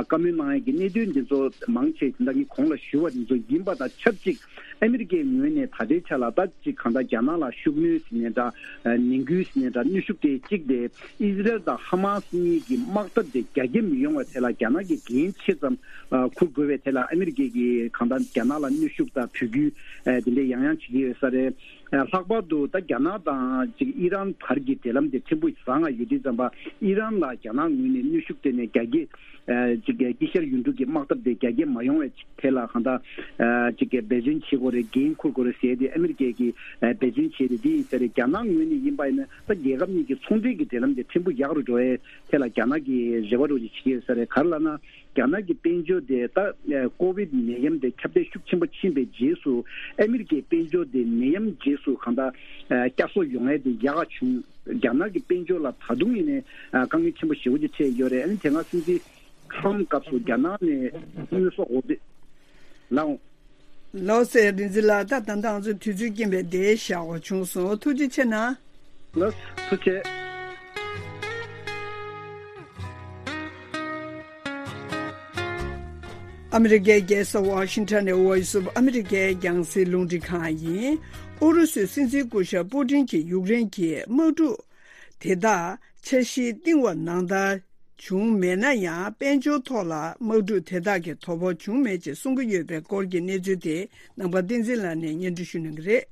བཀའ་མོལ་གནང་ཡས་ཀྱི་གནད་དོན་འདི་ཚོ་མང་ཆེ་དེ་འདྲ་གི་གོང་ལ་ཞུ་བ་འདི་ཚོ་ཡིན་པ་དང་ཆབས་ཅིག་ཨ་མི་རི་ཀའི་ངོས་ནས་ད་ལྟའི་ཆ་ལ་ད་ཅིག་གང་ལྟར་རྒྱ་ནག་ལ་ཤུགས་སྣོན་ཟེར་ནའི་འདྲ། ཨ་ནན་སྐུལ་ཟེར་ནའི་འདྲ། གནོན་ཤུགས་དེ་གཅིག་དེ་ཨི་ཟི་རལ་དང་ཧ་མ་སི་གཉིས་ཀྱི་དམག་འཐབ་དེ་རྒྱ་སྐྱེད་མི་ཡོང་བའི་ཐད་ལ་རྒྱ་ནག་གིས་འགན་ཆེ་ཙམ་ཨ་འཁུར་དགོས་པའི་ཐད་ལ་ཨ་མི་རི་ཀས་ཀྱིས་གང་ལྟར་རྒྱ་ནག་ལ་གནོན་ཤུགས་དང་འབོད་སྐུལ་ཨ་དེ་འདྲ་ཡང་ཡང་བྱེད་ཀྱི་ཡོད་ས་རེད། ཨ་ལྷག་པར་དུ་ད་རྒྱ་ནག་དང་ཅིག་ཨི་རན་བར་གྱི་འབྲེལ་ལམ་དེ་ཕྲན་བུ་བཟང་ང་ཡོད་དུས་ཙམ་པ་ཨི་རན་ལ་རྒྱ་ནག་ངོས་ནས་གནོན་ཤུགས་སྤྲད་ནས་རྒྱ་སྐྱེད་ཨ་ཅིག་དཀྱིལ་ཤར་ཡུལ་གྲུ་གི་དམག་འཐབ་དེ་རྒྱ་སྐྱེད་མ་ཡོང་བའི་ཐད་ལ་གང་ལྟར་ཨ་ཅིག་འབད་བརྩོན་བྱེད་དགོས་རེད། འགན་འཁུར་དགོས་རེད་ཟེར་ཏེ་ཨ་མི་རི་ཀས་ཀྱིས་ཨ་འབད་བརྩོན་བྱས་ཏེ་འདི་ཡིན་ས་རེད། རྒྱ་ནག་ངོས་ནས་ཡིན་པ་ཡིན་ན་ད་རྒྱལ་ཁབ་གཉིས་ཀྱི་ཚོང་འབྲེལ་གྱི་འབྲེལ་ལམ་དེ་ཕྲན་བུ་ཡག་རུ་འགྲོ་བའི་ཐད་ལ་རྒྱ་ནག་གིས་རེ་བ་རུ་ཅིག་བྱེད་ཀྱི་ཡོད་ས་རེད། ག་རེ་ལབ་ན། རྒྱ་ནག་གི་དཔལ་འབྱོར་དེ་ད་ཀོ་བིད་ནད་ཡམས་དེ་ཁྱབ་གདལ་ཤུགས་ཆེན་པོ་ཕྱིན་པའི་རྗེས་སུ་ཨ་མི་རི་ཀའི་དཔལ་འབྱོར་དེ་ནད་ཡམས་རྗེས་སུ་གང་ལྟར་བསྐྱར་གསོ་ཡོང་ཡས་དེ་ཡག་ག་བྱུང་། རྒྱ་ནག་གི་དཔལ་འབྱོར་ལ་ད་དུང་ཡིན་ནའི་དཀའ་ངལ་ཆེན་པོ་ཞེ་པོ་ཅིག་འཕྲད་ཡོད་རེད། ཨ་ནི་དེ་སྔ་སྲིད་འཛིན་ཁྲམ་སྐབས་སུ་རྒྱ་ནག་ནས་དངོས་ཟོག་འོ་དེ་ལའང་། ལགས་སོ། རིག་འཛིན་ལགས། ད་ད་ལྟ་ང་ཚོ་དུས་ཚོད་རྐྱེན་པས་འདིར་བཞག་པ་བྱུང་སོང་། ཐུགས་རྗེ་ཆེ་གནང་། ལགས་ཐུགས་རྗེ་ཆེ། ཨ་མི་རི་ཀའི་རྒྱལ་ས་ཝ་ཤིང་ཊོན་ནས་Voice of America་རྒྱང་སྲིང་རླུང་འཕྲིན་ཁང་ཡིན། ཨུ་རུ་སུའི་སྲིད་འཛིན་སྐུ་ཞབས་པུ་ཏིན་གྱིས་ཡུཀ་རེན་གྱི་དམག་འཁྲུག་དེ་དག་འཆར་གཞིར་བཏིང་བ་ནང་ལྟར་བྱུང་མེད་ན་ཡང་། དཔལ་འབྱོར་ཐོག་ལ་དམག་འཁྲུག་དེ་དག་གིས་དོ་ཕོག་བྱུང་མེད་ཅེས་གསུང་གི་ཡོད་པའི་སྐོར་གྱི་གནས་ཚུལ་དེ་ནང་པ་བསྟན་འཛིན་ལགས་ནས་སྙན་སྒྲོན་ཞུ་གནང་གི་རེད།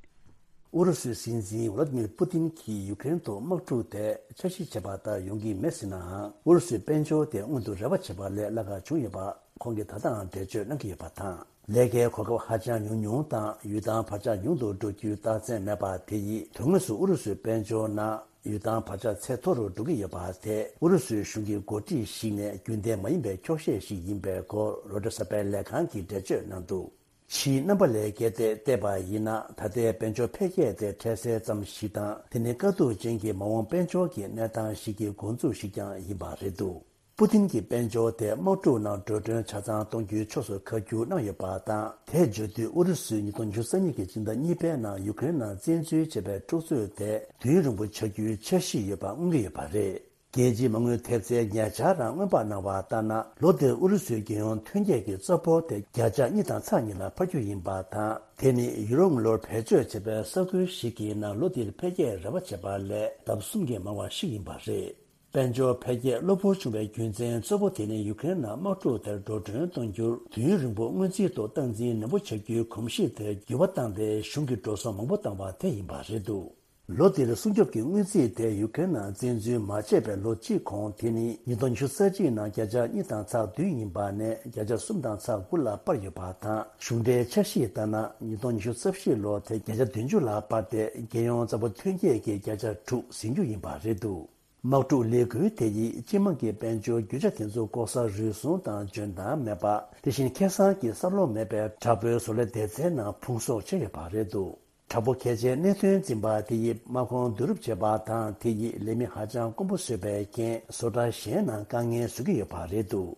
ཨུ་རུ་སུའི་སྲིད་འཛིན་ཝ་ལ་ཏི་མིར་པུ་ཏིན་གྱིས་ཡུཀ་རེན་དུ་དམག་འཁྲུག་དེ་འཆར་གཞི་བྱས་པ་ལྟར་ཡོང་གི་མེད་ཟེར་ནའང་། ཨུ་རུ་སུའི་དཔལ་འབྱོར་དེ་སྔོན་དུ་རེ་བ་བྱས་པ་ལས་བརླག་ག་བྱུང་ཡོད་པ་ཁོང་གིས་ད་ལྟའང་འགྲེལ་བརྗོད་གནང་གི་ཡོད་པ་དང་། ལས་ཀའི་གོ་སྐབས་ཧ་ཅང་ཉུང་ཉུང་དང་། ཡུལ་ཐང་བར་ཆད་ཉུང་དུ་འགྲོ་རྒྱུའི་རྟགས་མཚན་མེད་པ་དེ་ཡིས། དོན་དངོས་སུ་ཨུ་རུ་སུའི་དཔལ་འབྱོར་ནང་ཡུལ་ཐང་བར་ཆད་ཚད་མཐོ་རུ་འགྲོ་གི་ཡོད་པ་དེ། ཨུ་རུ་སུའི་གཞུང་གི་འགོ་ཁྲིད་ཞིག་ནས་རྒྱུན་ལྡན་མ་ཡིན་པའི་འཁྱོག་བཤད་ཞིག་ཡིན་པའི་སྐོར་རོའི་ཊར་གསར་པའི་ལས་ཁང་གིས་འགྲེལ་བརྗོད་གནང་འདུག་ཕྱིའི་རྣམ་པ་ལས་བརྒལ་ཏེ་བལྟས་པ་ཡིན་ན། ད་ལྟའི་དཔལ་འབྱོར་འཕེལ་རྒྱས་དེ་འཕྲལ་སེལ་ཙམ་ཞིག་དང་། དེ་ནི་དཀའ་སྡུག་ཅན་གྱི་མ་འོངས་དཔལ་འབྱོར་གྱི་གནས་སྟངས་ཤིག་གི་འགོ་འཛུགས་ཤིག་ཀྱང་ཡིན་པ་རེད་འདུག་པུ་ཏིན་གྱིས་དཔལ་འབྱོར་དེ་དམག་འཁྲུག་ནང་འགྲོ་གྲོན་ཆ་ཚང་གཏོང་རྒྱུའི་ཕྱོགས་སུ་ཁ་བསྒྱུར་གནང་ཡོད་པ་དང་། དེ་བརྗོད་དུས་ཨུ་རུ་སུས་ཉིས་སྟོང་ཉི་ཤུ་རྩ་གཉིས་ཀྱི་སྤྱི་ཟླ་གཉིས་པའི་ནང་ཡུཀ་རེན་ནང་བཙན་འཛུལ་བྱས་པའི་འཁྲུག་རྩོད་དེ་དུས་ཡུན་རིང་པོ་ཆགས་རྒྱུའི་འཆར་གཞི་ཡོད་པ་མངོན་གྱི་ཡོད་པ་རེད། རྒྱལ་སྤྱིའི་མ་དངུལ་ཐེབས་རྩའི་ཉེ་ཆར་རང་མངོན་པ་གནང་བ་ལྟར་ན། ལོ་འདིར་ཨུ་རུ་སུའི་རྒྱལ་ཡོངས་ཐོན་སྐྱེད་ཀྱི་རྩ་འབོར་དེ་བརྒྱ་ཆ་གཉིས་དང་ཚེག་གཉིས་ལ་འཕར་རྒྱུ་ཡིན་པ་དང་། དེ་ནི་ཡུ་རོབ་དངུལ་ལོར་བེད་སྤྱོད་བྱས་པའི་ས་ཁུལ་ཞིག་གི་ནང་ལོ་འདིར་འཕེལ་རྒྱས་རེ་བ་བྱས་པ་ལས་ལྡབ་གསུམ་གྱིས་མང་བ་ཞིག་ཡིན་པ་རེད། དཔལ་འབྱོར་འཕེལ་རྒྱས་གློ་བུར་བྱུང་བའི་རྒྱུ་མཚན་གཙོ་བོ་དེ་ནི་ཡུཀ་རེན་ནང་དམག་འཁྲུག་དེར་འགྲོ་གྲོན་གཏོང་རྒྱུར་དུས་ཡུན་རིང་པོ་སྔོན་རྩིས་ཐོག་སྟངས་འཛིན་ནན་པོ་བྱ་རྒྱུའི་གོམས་གཤིས་དེར་འགྱུར་བ་བཏང་སྟེ་གཞུང་གི་འགྲོ་སོང་མང་པོ་བཏང་བ་དེ་ཡིན་པ་རེད་འདུག་ལོ་འདིར་སྲུང་སྐྱོབ་ཀྱི་དངུལ་རྩིས་དེ་ཡུཀ་རེན་ནང་བཙན་འཛུལ་མ་བྱས་པའི་ལོ་གཅིག་གོང་དེ་ནི་ཉིས་སྟོང་ཉི་ཤུ་རྩ་གཅིག་ནང་བརྒྱ་ཆ་གཉིས་དང་ཚེག་བདུན་ཡིན་པ་ནས་བརྒྱ་ཆ་གསུམ་དང་ཚེག་དགུ་ལ་སྤར་ཡོད་པ་དང་། གཞུང་འབྲེལ་འཆར་གཞིའི་ལྟར་ན་ཉིས་སྟོང་ཉི་ཤུ་རྩ་བཞི་ལོར་དེ་བརྒྱ་ཆ་བདུན་ཅུ་ལ་སྤར་ཏེ་རྒྱལ་ཡོངས་རྩ་འབོར་ཐོན་སྐྱེད་ཀྱི་བརྒྱ་ཆ་དྲུག་ཟིན་རྒྱུ་ཡིན་པ་རེད་འདུག་དམག་འཁྲུག་ལས་འགུལ་དེ་ཡིས་སྤྱི་དམངས་ཀྱི་དཔལ་འབྱོར་རྒྱུ་ཆ་དེ་ཚོ་ལྐོག་ཟ་རུལ་སུངས་དང་འཇོན་ཐང་མེད་པ། དེ་བཞིན་ཁེ་བཟང་གི་བསམ་བློ་མེད་པའི་དྲག་པོའི་བཟོ་ལས་སྡེ་ཚན་ནང་ཕུང་གསོག་བྱས་ཡོད་པ་རེད་འདུག་དྲག་པོ་གལ་ཆེའི་གནད་དོན་འཛིན་པ་དེ་ཡིས་དམག་ཁོངས་བསྡུ་རུབ་བྱས་པ་དང་། དེ་ཡིས་ལས་མི་ཧ་ཅང་དཀོན་པོ་བཟོས་པའི་རྐྱེན། བཟོ་གྲྭ་གཞན་ནང་དཀའ་ངལ་བཟོ་གི་ཡོད་པ་རེད་འདུག་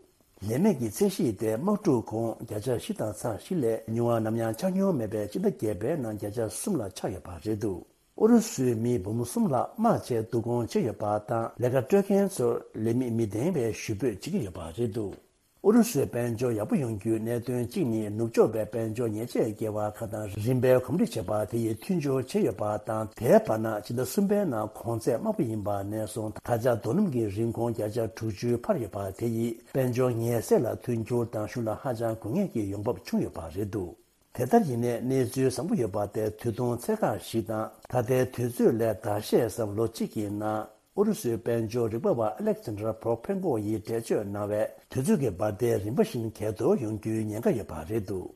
ལས་མེད་ཀྱི་ཚད་གཞི་དེ་དམག་འཁྲུག་གོང་བརྒྱ་ཆ་བཞི་དང་ཚེག་བཞི་ལས་ཉུང་བ་ནམ་ཡང་ཆགས་མྱོང་མེད་པའི་སྤྱི་ཟླ་བརྒྱད་པའི་ནང་བརྒྱ་ཆ་གསུམ་ལ་ཆགས་ཡོད་པ་རེད་འདུག་ཨུ་རུ་སུའི་མི་འབུམ་གསུམ་ལྷག་དམག་ཆས་བསྡུ་སྐོང་བྱས་ཡོད་པ་དང་། ལས་ཀ་སྤྲོད་མཁན་ཚོར་ལས་མི་མི་ལྡན་པའི་ཞུ་འབོད་བྱེད་ཀྱི་ཡོད་པ་རེད་འདུག་ཨུ་རུ་སུའི་དཔལ་འབྱོར་ཡག་པོ་ཡོང་རྒྱུའི་གནད་དོན་གཅིག་ནི། ནུབ་ཕྱོགས་པའི་དཔལ་འབྱོར་ཉེས་ཆད་བཀལ་བ་ཁག་དང་རིམ་པས་གོམས་འདྲིས་བྱས་པ་དེ་ཡིས་མཐུན་སྦྱོར་བྱས་ཡོད་པ་དང་། དེའི་བར་ན་ཕྱི་ཟླ་གསུམ་པའི་ནང་གོང་ཚད་དམའ་པོ་ཡིན་པ་ནས་བཟུང་ད་ཆ་རྡོ་སྣུམ་གྱི་རིན་གོང་བརྒྱ་ཆ་དྲུག་ཅུ་འཕར་ཡོད་པ་དེ་ཡིས་དཔལ་འབྱོར་ཉེས་སེལ་ལ་མཐུན་འགྱུར་དང་གཞུང་ལ་ཧ་ཅང་དགོས་ངེས་ཀྱི་ཡོང་འབབ་བྱུང་ཡོད་པ་རེད་འདུག་དེ་ལྟར་ཡིན་ནའི་གནས་ཚུལ་བཟང་པོ་ཡོད་པ་དེ་དུས་ཐུང་ཚད་བཀག་ཞིག་དང་། ད་ལྟའི་དུས་ཚོད་ལས་ཟླ་ཤས་ཙམ་ལོ་གཅིག་གི་ནང་ཨུ་རུ་སུའི་དཔལ་འབྱོར་རིག་པ་བ་ཨ་ལེག་ཛན་ཌར་ཕོ་ཕེན་ཀོ་ཡིས་འགྲེལ་བརྗོད་གནང་བའི། དུས་ཚོད་ཀྱི་འབར་མདེལ་རིམ་པ་བཞིན་གས་གཏོར་ཡོང་རྒྱུའི་ཉེན་ཁ་ཡོད་པ་རེད་འདུག་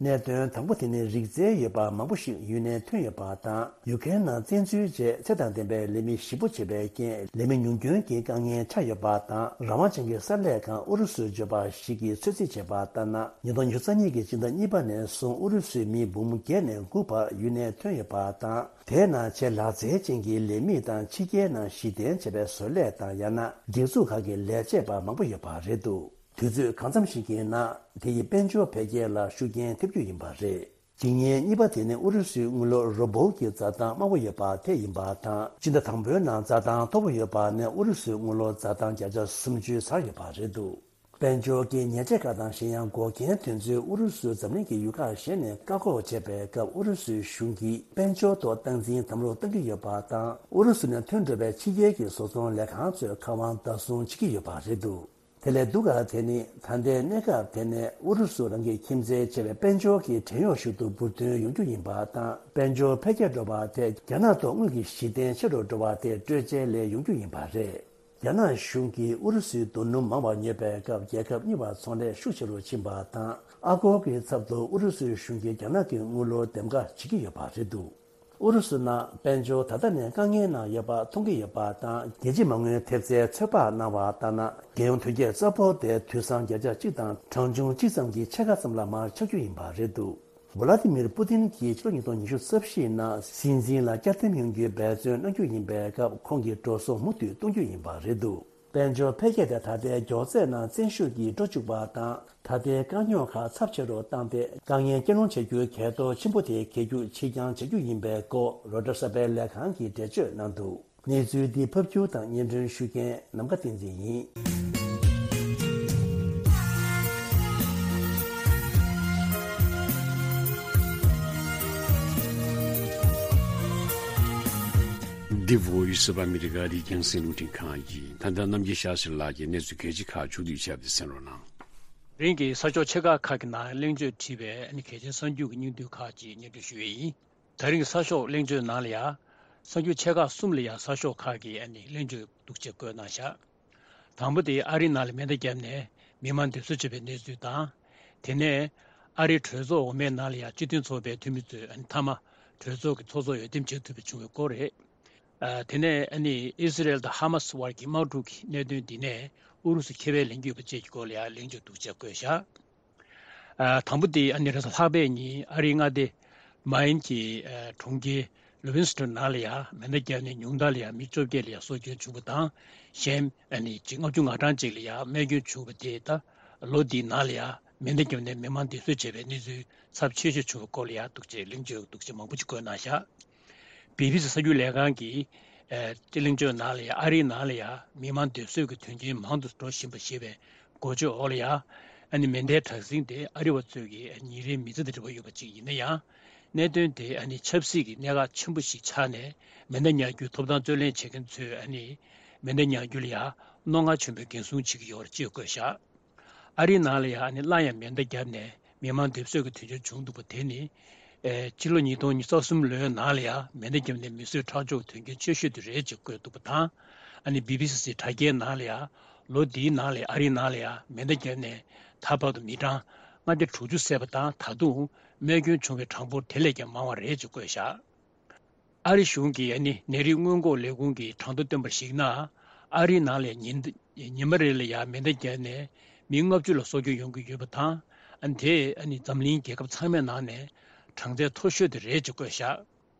གནད་དོན་དང་པོ་དེ་ནི་རིག་རྩལ་ཡོད་པ་མང་པོ་ཞིག་ཡུན་ནན་ཐོན་ཡོད་པ་དང་། ཡུ་ཀེ་རེན་ནང་བཙན་འཛུལ་རྗེས་ཚད་དང་ལྡན་པའི་ལས་མི་ཞེ་པོ་བྱེད་པའི་རྐྱེན་ལས་མི་ཉུང་སྐྱོན་གྱི་དཀའ་ངལ་ཆགས་ཡོད་པ་དང་། རང་དབང་ཅན་གྱི་གསར་ལས་ཁང་ཨུ་རུ་སུར་འབྱོར་བ་ཞིག་གིས་ཚོད་རྩིས་བྱས་པ་ལྟར་ན། ཉིས་སྟོང་ཉི་ཤུ་རྩ་གཉིས་ཀྱི་སྤྱི་ཟླ་གཉིས་པ་ནས་བཟུང་ཨུ་རུ་སུའི་མི་འབུམ་བརྒྱད་ནས་དགུ་བར་ཡུན་ནན་ཐོན་ཡོད་པ་དང་། དེའི་ནང་ཆེས་ལག་རྩལ་ཅན་གྱི་ལས་མི་དང་ཕྱི་རྒྱལ་ནང་གཞི་རྟེན་བྱས་པའི་བཟོ་ལས་དང་། ཡང་ན་སྒྲིག་འཛུགས་ཁག་གི་ལས་བྱེད་པ་མང་པོ་ཡོད་པ་རེད་འདུག་དུས་ཚོད་གང་འཚམ་ཞིག་གི་ནང་དེ་ཡིས་དཔལ་འབྱོར་འཕེལ་རྒྱས་ལ་ཤུགས་རྐྱེན་ཐེབས་རྒྱུ་ཡིན་པ་རེད། འཇིག་ཉེན་གཉིས་པ་དེ་ནི་ཨུ་རུ་སུའི་དངུལ་ལོར་རུ་བོལ་གྱི་འཛའ་ཐང་དམའ་བོ་ཡོད་པ་དེ་ཡིན་པ་དང་། སྤྱི་ཟླ་དང་པོའི་ནང་འཛའ་ཐང་མཐོ་བོ་ཡོད་པ་ནས་ཨུ་རུ་སུའི་དངུལ་ལོར་འཛའ་ཐང་བརྒྱ་ཆ་སུམ་ཅུ་ཚར་ཡོད་པ་རེད་འདུག་དཔལ་འབྱོར་གྱི་ཉེས་ཆད་ཁག་དང་གཞན་ཡང་འགོག་རྐྱེན་དེ་ཚོས་ཨུ་རུ་སུ་འཛམ་གླིང་གི་ཡུལ་ཁག་གཞན་ནས་བཀག་འགོག་བྱས་པའི་སྐབས། ཨུ་རུ་སུའི་གཞུང་གིས་དཔལ་འབྱོར་ཐོག་སྟངས་འཛིན་དམ་རུ་གཏོང་གི་ཡོད་པ་དང་། ཨུ་རུ་སུ་ནས་ཐོན་འགྲོ་བའི་ཕྱི་རྒྱལ་གྱི་བཟོ་ཚོང་ལས་ཁང་ཚོས་ཁ་དབང་བདག་བཟུང་བྱེད་ཀྱི་ཡོད་པ་རེད་འདུག་དེ་ལས་སྡུག་ག་དེ་ནི་ད་ལྟའི་གནས་སྐབས་དེ་ནས་ཨུ་རུ་སུ་རང་གི་ཁྱིམ་མཚེས་བྱས་པའི་དཔལ་འབྱོར་གྱི་བྲན་གཡོག་ཞིག་ཏུ་འབུར་ཐོན་ཡོང་རྒྱུ་ཡིན་པ་དང་། དཔལ་འབྱོར་འཕེལ་རྒྱས་འགྲོ་བ་དེ་རྒྱ་ནག་ཐོག་དངུལ་གྱི་གཞི་རྟེན་ཆེ་རུ་འགྲོ་བ་དེ་སྤྲོད་ཆེད་ལས་ཡོང་རྒྱུ་ཡིན་པ་རེད། རྒྱ་ནག་གཞུང་གིས་ཨུ་རུ་སུའི་རྡོ་སྣུམ་མང་བ་ཉོས་པའི་སྐབས། རྒྱལ་ཁབ་གཉིས་བར་ཚོང་ལས་ཤུགས་ཆེ་རུ་ཕྱིན་པ་དང་། ཨ་སྒོར་གྱི་ཚབ་ཏུ་ཨུ་རུ་སུའི་གཞུང་གིས་རྒྱ་ནག་གི་དངུལ་ལོར་འདེམས་ཀ་བྱེད་ཀྱི་ཡོད་པ་རེད་འདུག་ཨུ་རུ་སུ་ནང་དཔལ་འབྱོར་ད་ལྟ་ནས་དཀའ་ངལ་ནང་ཡོད་པ་མཐོང་གི་ཡོད་པ་དང་། རྒྱལ་སྤྱིའི་མ་དངུལ་ཐེབས་རྩའི་ཚོད་དཔག་གནང་བ་ལྟར་ན། རྒྱལ་ཡོངས་ཐོན་སྐྱེད་གཙོ་བོ་དེ་དུས་སང་བརྒྱ་ཆ་གཅིག་དང་གྲངས་ཆུང་གཅིག་ཙམ་གྱི་ཕྱེད་ཀ་ཙམ་ལ་མར་ཆག་རྒྱུ་ཡིན་པ་རེད་འདུག་ཝ་ལ་ཏི་མིར་པུ་ཏིན་གྱིས་ཕྱི་ལོ་ཉིས་སྟོང་ཉི་ཤུ་རྩ་བཞིའི་ནང་སྲིད་འཛིན་ལ་བསྐྱར་འདེམས་ཡོང་རྒྱུའི་འབད་བརྩོན་གནང་རྒྱུ་ཡིན་པའི་སྐབས། ཁོང་གིས་འགྲོ་སོང་མུ་མཐུད་གཏོང་རྒྱུ་ཡིན་པ་རེད་འདུག་དཔལ་འབྱོར་འཕེལ་རྒྱས་དེ་ད་ལྟའི་མགྱོགས་ཚད་ནང་བཙན་ཤུགས་ཀྱིས་འགྲོ་བཅུག་པ་དང་། ད་ལྟའི་དཀའ་རྙོག་ཁག་ཚབས་ཆེ་རུ་བཏང་སྟེ། དཀའ་ངལ་སྐྱེལ་སློང་བྱ་རྒྱུའི་གལ་གཏོར་ཆེན་པོ་དེ་གས་རྒྱུག་ཕྱིར་འགྱངས་བྱ་རྒྱུ་ཡིན་པའི་སྐོར་རོའི་ཊར་གསར་པའི་ལས་ཁང་གིས་འགྲེལ་བརྗོད་གནང་འདུག་གནས་ཚུལ་འདི་ཕབ་སྒྱུར་དང་སྙན་སྒྲོན་ཞུ་མཁན་ནམ་མཁའ་བསྟན་འཛིན་ཡིན། འདི་བོ་ཡི་སི་ཨོཕ་ཨ་མི་རི་ཀ་རི་རྒྱང་སྲིང་རླུང་འཕྲིན་ཁང་ཡིན། ད་ལྟ་རྣམ་རྒྱལ་ཤཱ་སྟྲི་ལགས་ཀྱིས་གནས་ཚུལ་གལ་ཆེ་ཁག་མཇུག་བསྡུས་བྱས་པ་དེ་གསན་རོགས་གནང་། རིང་གི་གསར་ཤོག་ཆེ་ཁག་ཁག་གི་ནང་གླེང་བརྗོད་བྲིས་པའི་ཨ་ནི་གལ་ཆེའི་གསར་འགྱུར་གྱི་སྙིང་བསྡུས་ཁག་ཅིག་སྙན་སྒྲོན་ཞུ་ཡས་ཡིན། ད་རིང་གི་གསར་ཤོག་གླེང་བརྗོད་ནང་ལ་ཡ། གསར་འགྱུར་ཆེ་ཁག་གསུམ་ལ་ཡ་གསར་ཤོག་ཁག་གིས་ཨ་ནི་གླེང་བརྗོད་འདུག་ཅེས་བཀོད་གནང་བཞག་དང་པོ་དེ་ཨ་རིའི་ནང་ལ་མེ་མདའ་བརྒྱབ་ནས་མི་མང་སྡུག་གསོད་བྱས་པའི་གནས་ཚུལ་དང་། དེ་ནས་ཨ་རིའི་གྲོས་ཚོགས་འོག་མའི་ནང་ལ་ཡ་སྤྱི་མཐུན་ཚོགས་པའི་འཐུས་མི་ཚོས་ཨ་ནི་མཐའ་མ་གྲོས་ཚོགས་ཀྱི་ཚོགས་གཙོ་འོས་འདེམས་བྱེད་ཐུབ་པ་བྱུང་བའི་སྐོར་རེད། ཨ། དེ་ནས་ཨ་ནི་ཨི་སི་རེལ་དང་ཧ་མ་སི་བར་གྱི་དམག་འཁྲུག་གི་གནད་དོན་འདི་ནས་ཨུ་རུ་སུ་ཁེ་ཕན་ལེན་གྱི་ཡོད་པ་བཅས་ཀྱི་སྐོར་ལ་ཡང་གླེང་བརྗོད་འདུག་ཅེས་བཀོད་བཞག་ཨ། དང་པོ་དེ་ཨ་ནི་རེས་གཟའ་ལྷག་པའི་ཉིན་ཨ་རིའི་མངའ་སྡེ་མཱ་ཡིན་གྱི་ཨ་གྲོང་ཁྱེར་ལུ་ཝིན་སི་ཏོན་ནང་ལ་ཡང་མེ་མདའ་བརྒྱབ་ནས་ཉུང་མཐར་ལ་ཡང་མི་བཅོ་བརྒྱད་ལ་ཡང་སྲོག་སྐྱོན་བྱུང་བ་དང་། གཞན་ཨ་ནི་ལྔ་བཅུ་ང་གྲངས་ཅིག་ལ་ཡང་རྨས་སྐྱོན་བྱུང་བ་དེ་ད་ལོ་འདིའི་ནང་ལ་ཡང་མེ་མདའ་བརྒྱབ་ནས་མི་མང་སྡུག་གསོད་བྱས་པའི་གནས་ཚུལ་ཚབས་ཆེ་ཤོས་བྱུང་བའི་སྐོར་ལ་ཡང་འདུག་ཅེས་གླེང་བརྗོད་འདུག་ཅེས་མང་པོ་ཅིག་བཀོད་གནང་བཞག་བི་བི་སི་གསར་འགྱུར་ལས་ཁང་གིས། ཨ། སྤྱི་གླེང་བརྗོད་ནང་ལ་ཡང་ཨ་རིའི་ནང་ལ་ཡང་མི་མང་སྡུག་གསོད་ཀྱི་དོན་རྐྱེན་མང་དུ་འགྲོ་བཞིན་པ་ཞེས་པའི་འགོ་བརྗོད་འོག་ལ་ཡང་། ཨ་ནི་མེ་མདའི་དྲག་ཟིང་དེ་ཨ་རི་བ་ཚོས་ཀྱི་ཉིན་རེའི་མི་ཚེ་དང་འབྲེལ་བ་ཡོད་པ་ཅིག་ཡིན་ན་ཡང་། གནད་དོན་དེ་ཨ་ནི་ཆབ་སྲིད་ཀྱི་གནད་འགག་ཆེན་པོ་ཞིག་ཆགས་ནས་མེ་མདའ་ཉར་རྒྱུའི་ཐོབ་ཐང་རྩོད་ལེན་བྱེད་མཁན་ཚོས་ཨ་ནི་མེ་མདའ་ཉར་རྒྱུ་ལ་ཡང་རྣོ་ངར་ཆེན་པོས་འགན་སྲུང་བྱེད་ཀྱི་ཡོད་རེད་ཅེས་བཀོད་བཞག་ཨ་རིའི་ནང་ལ་ཡང་ཨ་ནི་སླར་ཡང་མེ་མདའ་བརྒྱབ་ནས་མི་མང་སྡུག་གསོད་ཀྱི་དོན་རྐྱེན་བྱུང་འདུག་པ་དེ་ནི། ཨེ། ཕྱི་ལོ་ཉིས་སྟོང་ཉི་ཤུ་རྩ་གསུམ་ལོའི་ནང་ལ་ཡང་མེ་མདའ་བརྒྱབ་ནས་མི་གསོད་ཁྲག་སྦྱོར་དོན་རྐྱེན་ཆེ་ཤོས་དེ་རེད་ཅེས་བཀོད་འདུག་པ་དང་། ཨ་ནི་བི་བི་སི་སི་དྲ་རྒྱའི་ནང་ལ་ཡང་ལོ་འདིའི་ནང་ལ་ཨ་རིའི་ནང་ལ་ཡང་མེ་མདའ་བརྒྱབ་ནས་ད་བར་དུ་མི་གྲངས་ལྔ་བརྒྱ་དྲུག་ཅུ་བསད་པ་དང་། ད་དུང་རྨས་སྐྱོན་བྱུང་བའི་གྲངས་འབོར་དེ་ལས་ཀྱང་མང་བ་རེད་ཅེས་བཀོད་བཞག་ཨ་རི་གཞུང་གིས་ཨ་ནི་ནད་རིགས་སྔོན་འགོག་ལས་ཁུངས་ཀྱིས་གྲངས་ཐོ་བཏོན་པར་གཞིགས་ན། ཨ་རིའི་ནང་ལ་ཉིན་ཉི་མ་རེ་ལ་ཡང་མེ་མདའ་བརྒྱབ་ནས་མི་ལྔ་བཅུ་ལ་སྲོག་སྐྱོན་ཡོང་གི་ཡོད་པ་དང་། ཨ་ནི་དེས་ཨ་ནི་འཛམ་གླིང་རྒྱལ་ཁབ་ཚང་མའི་ནང་ནས་གྲངས་ཚད་མཐོ་ཤོས་དེ་རེད་ཅེས་བཀོད་བཞག་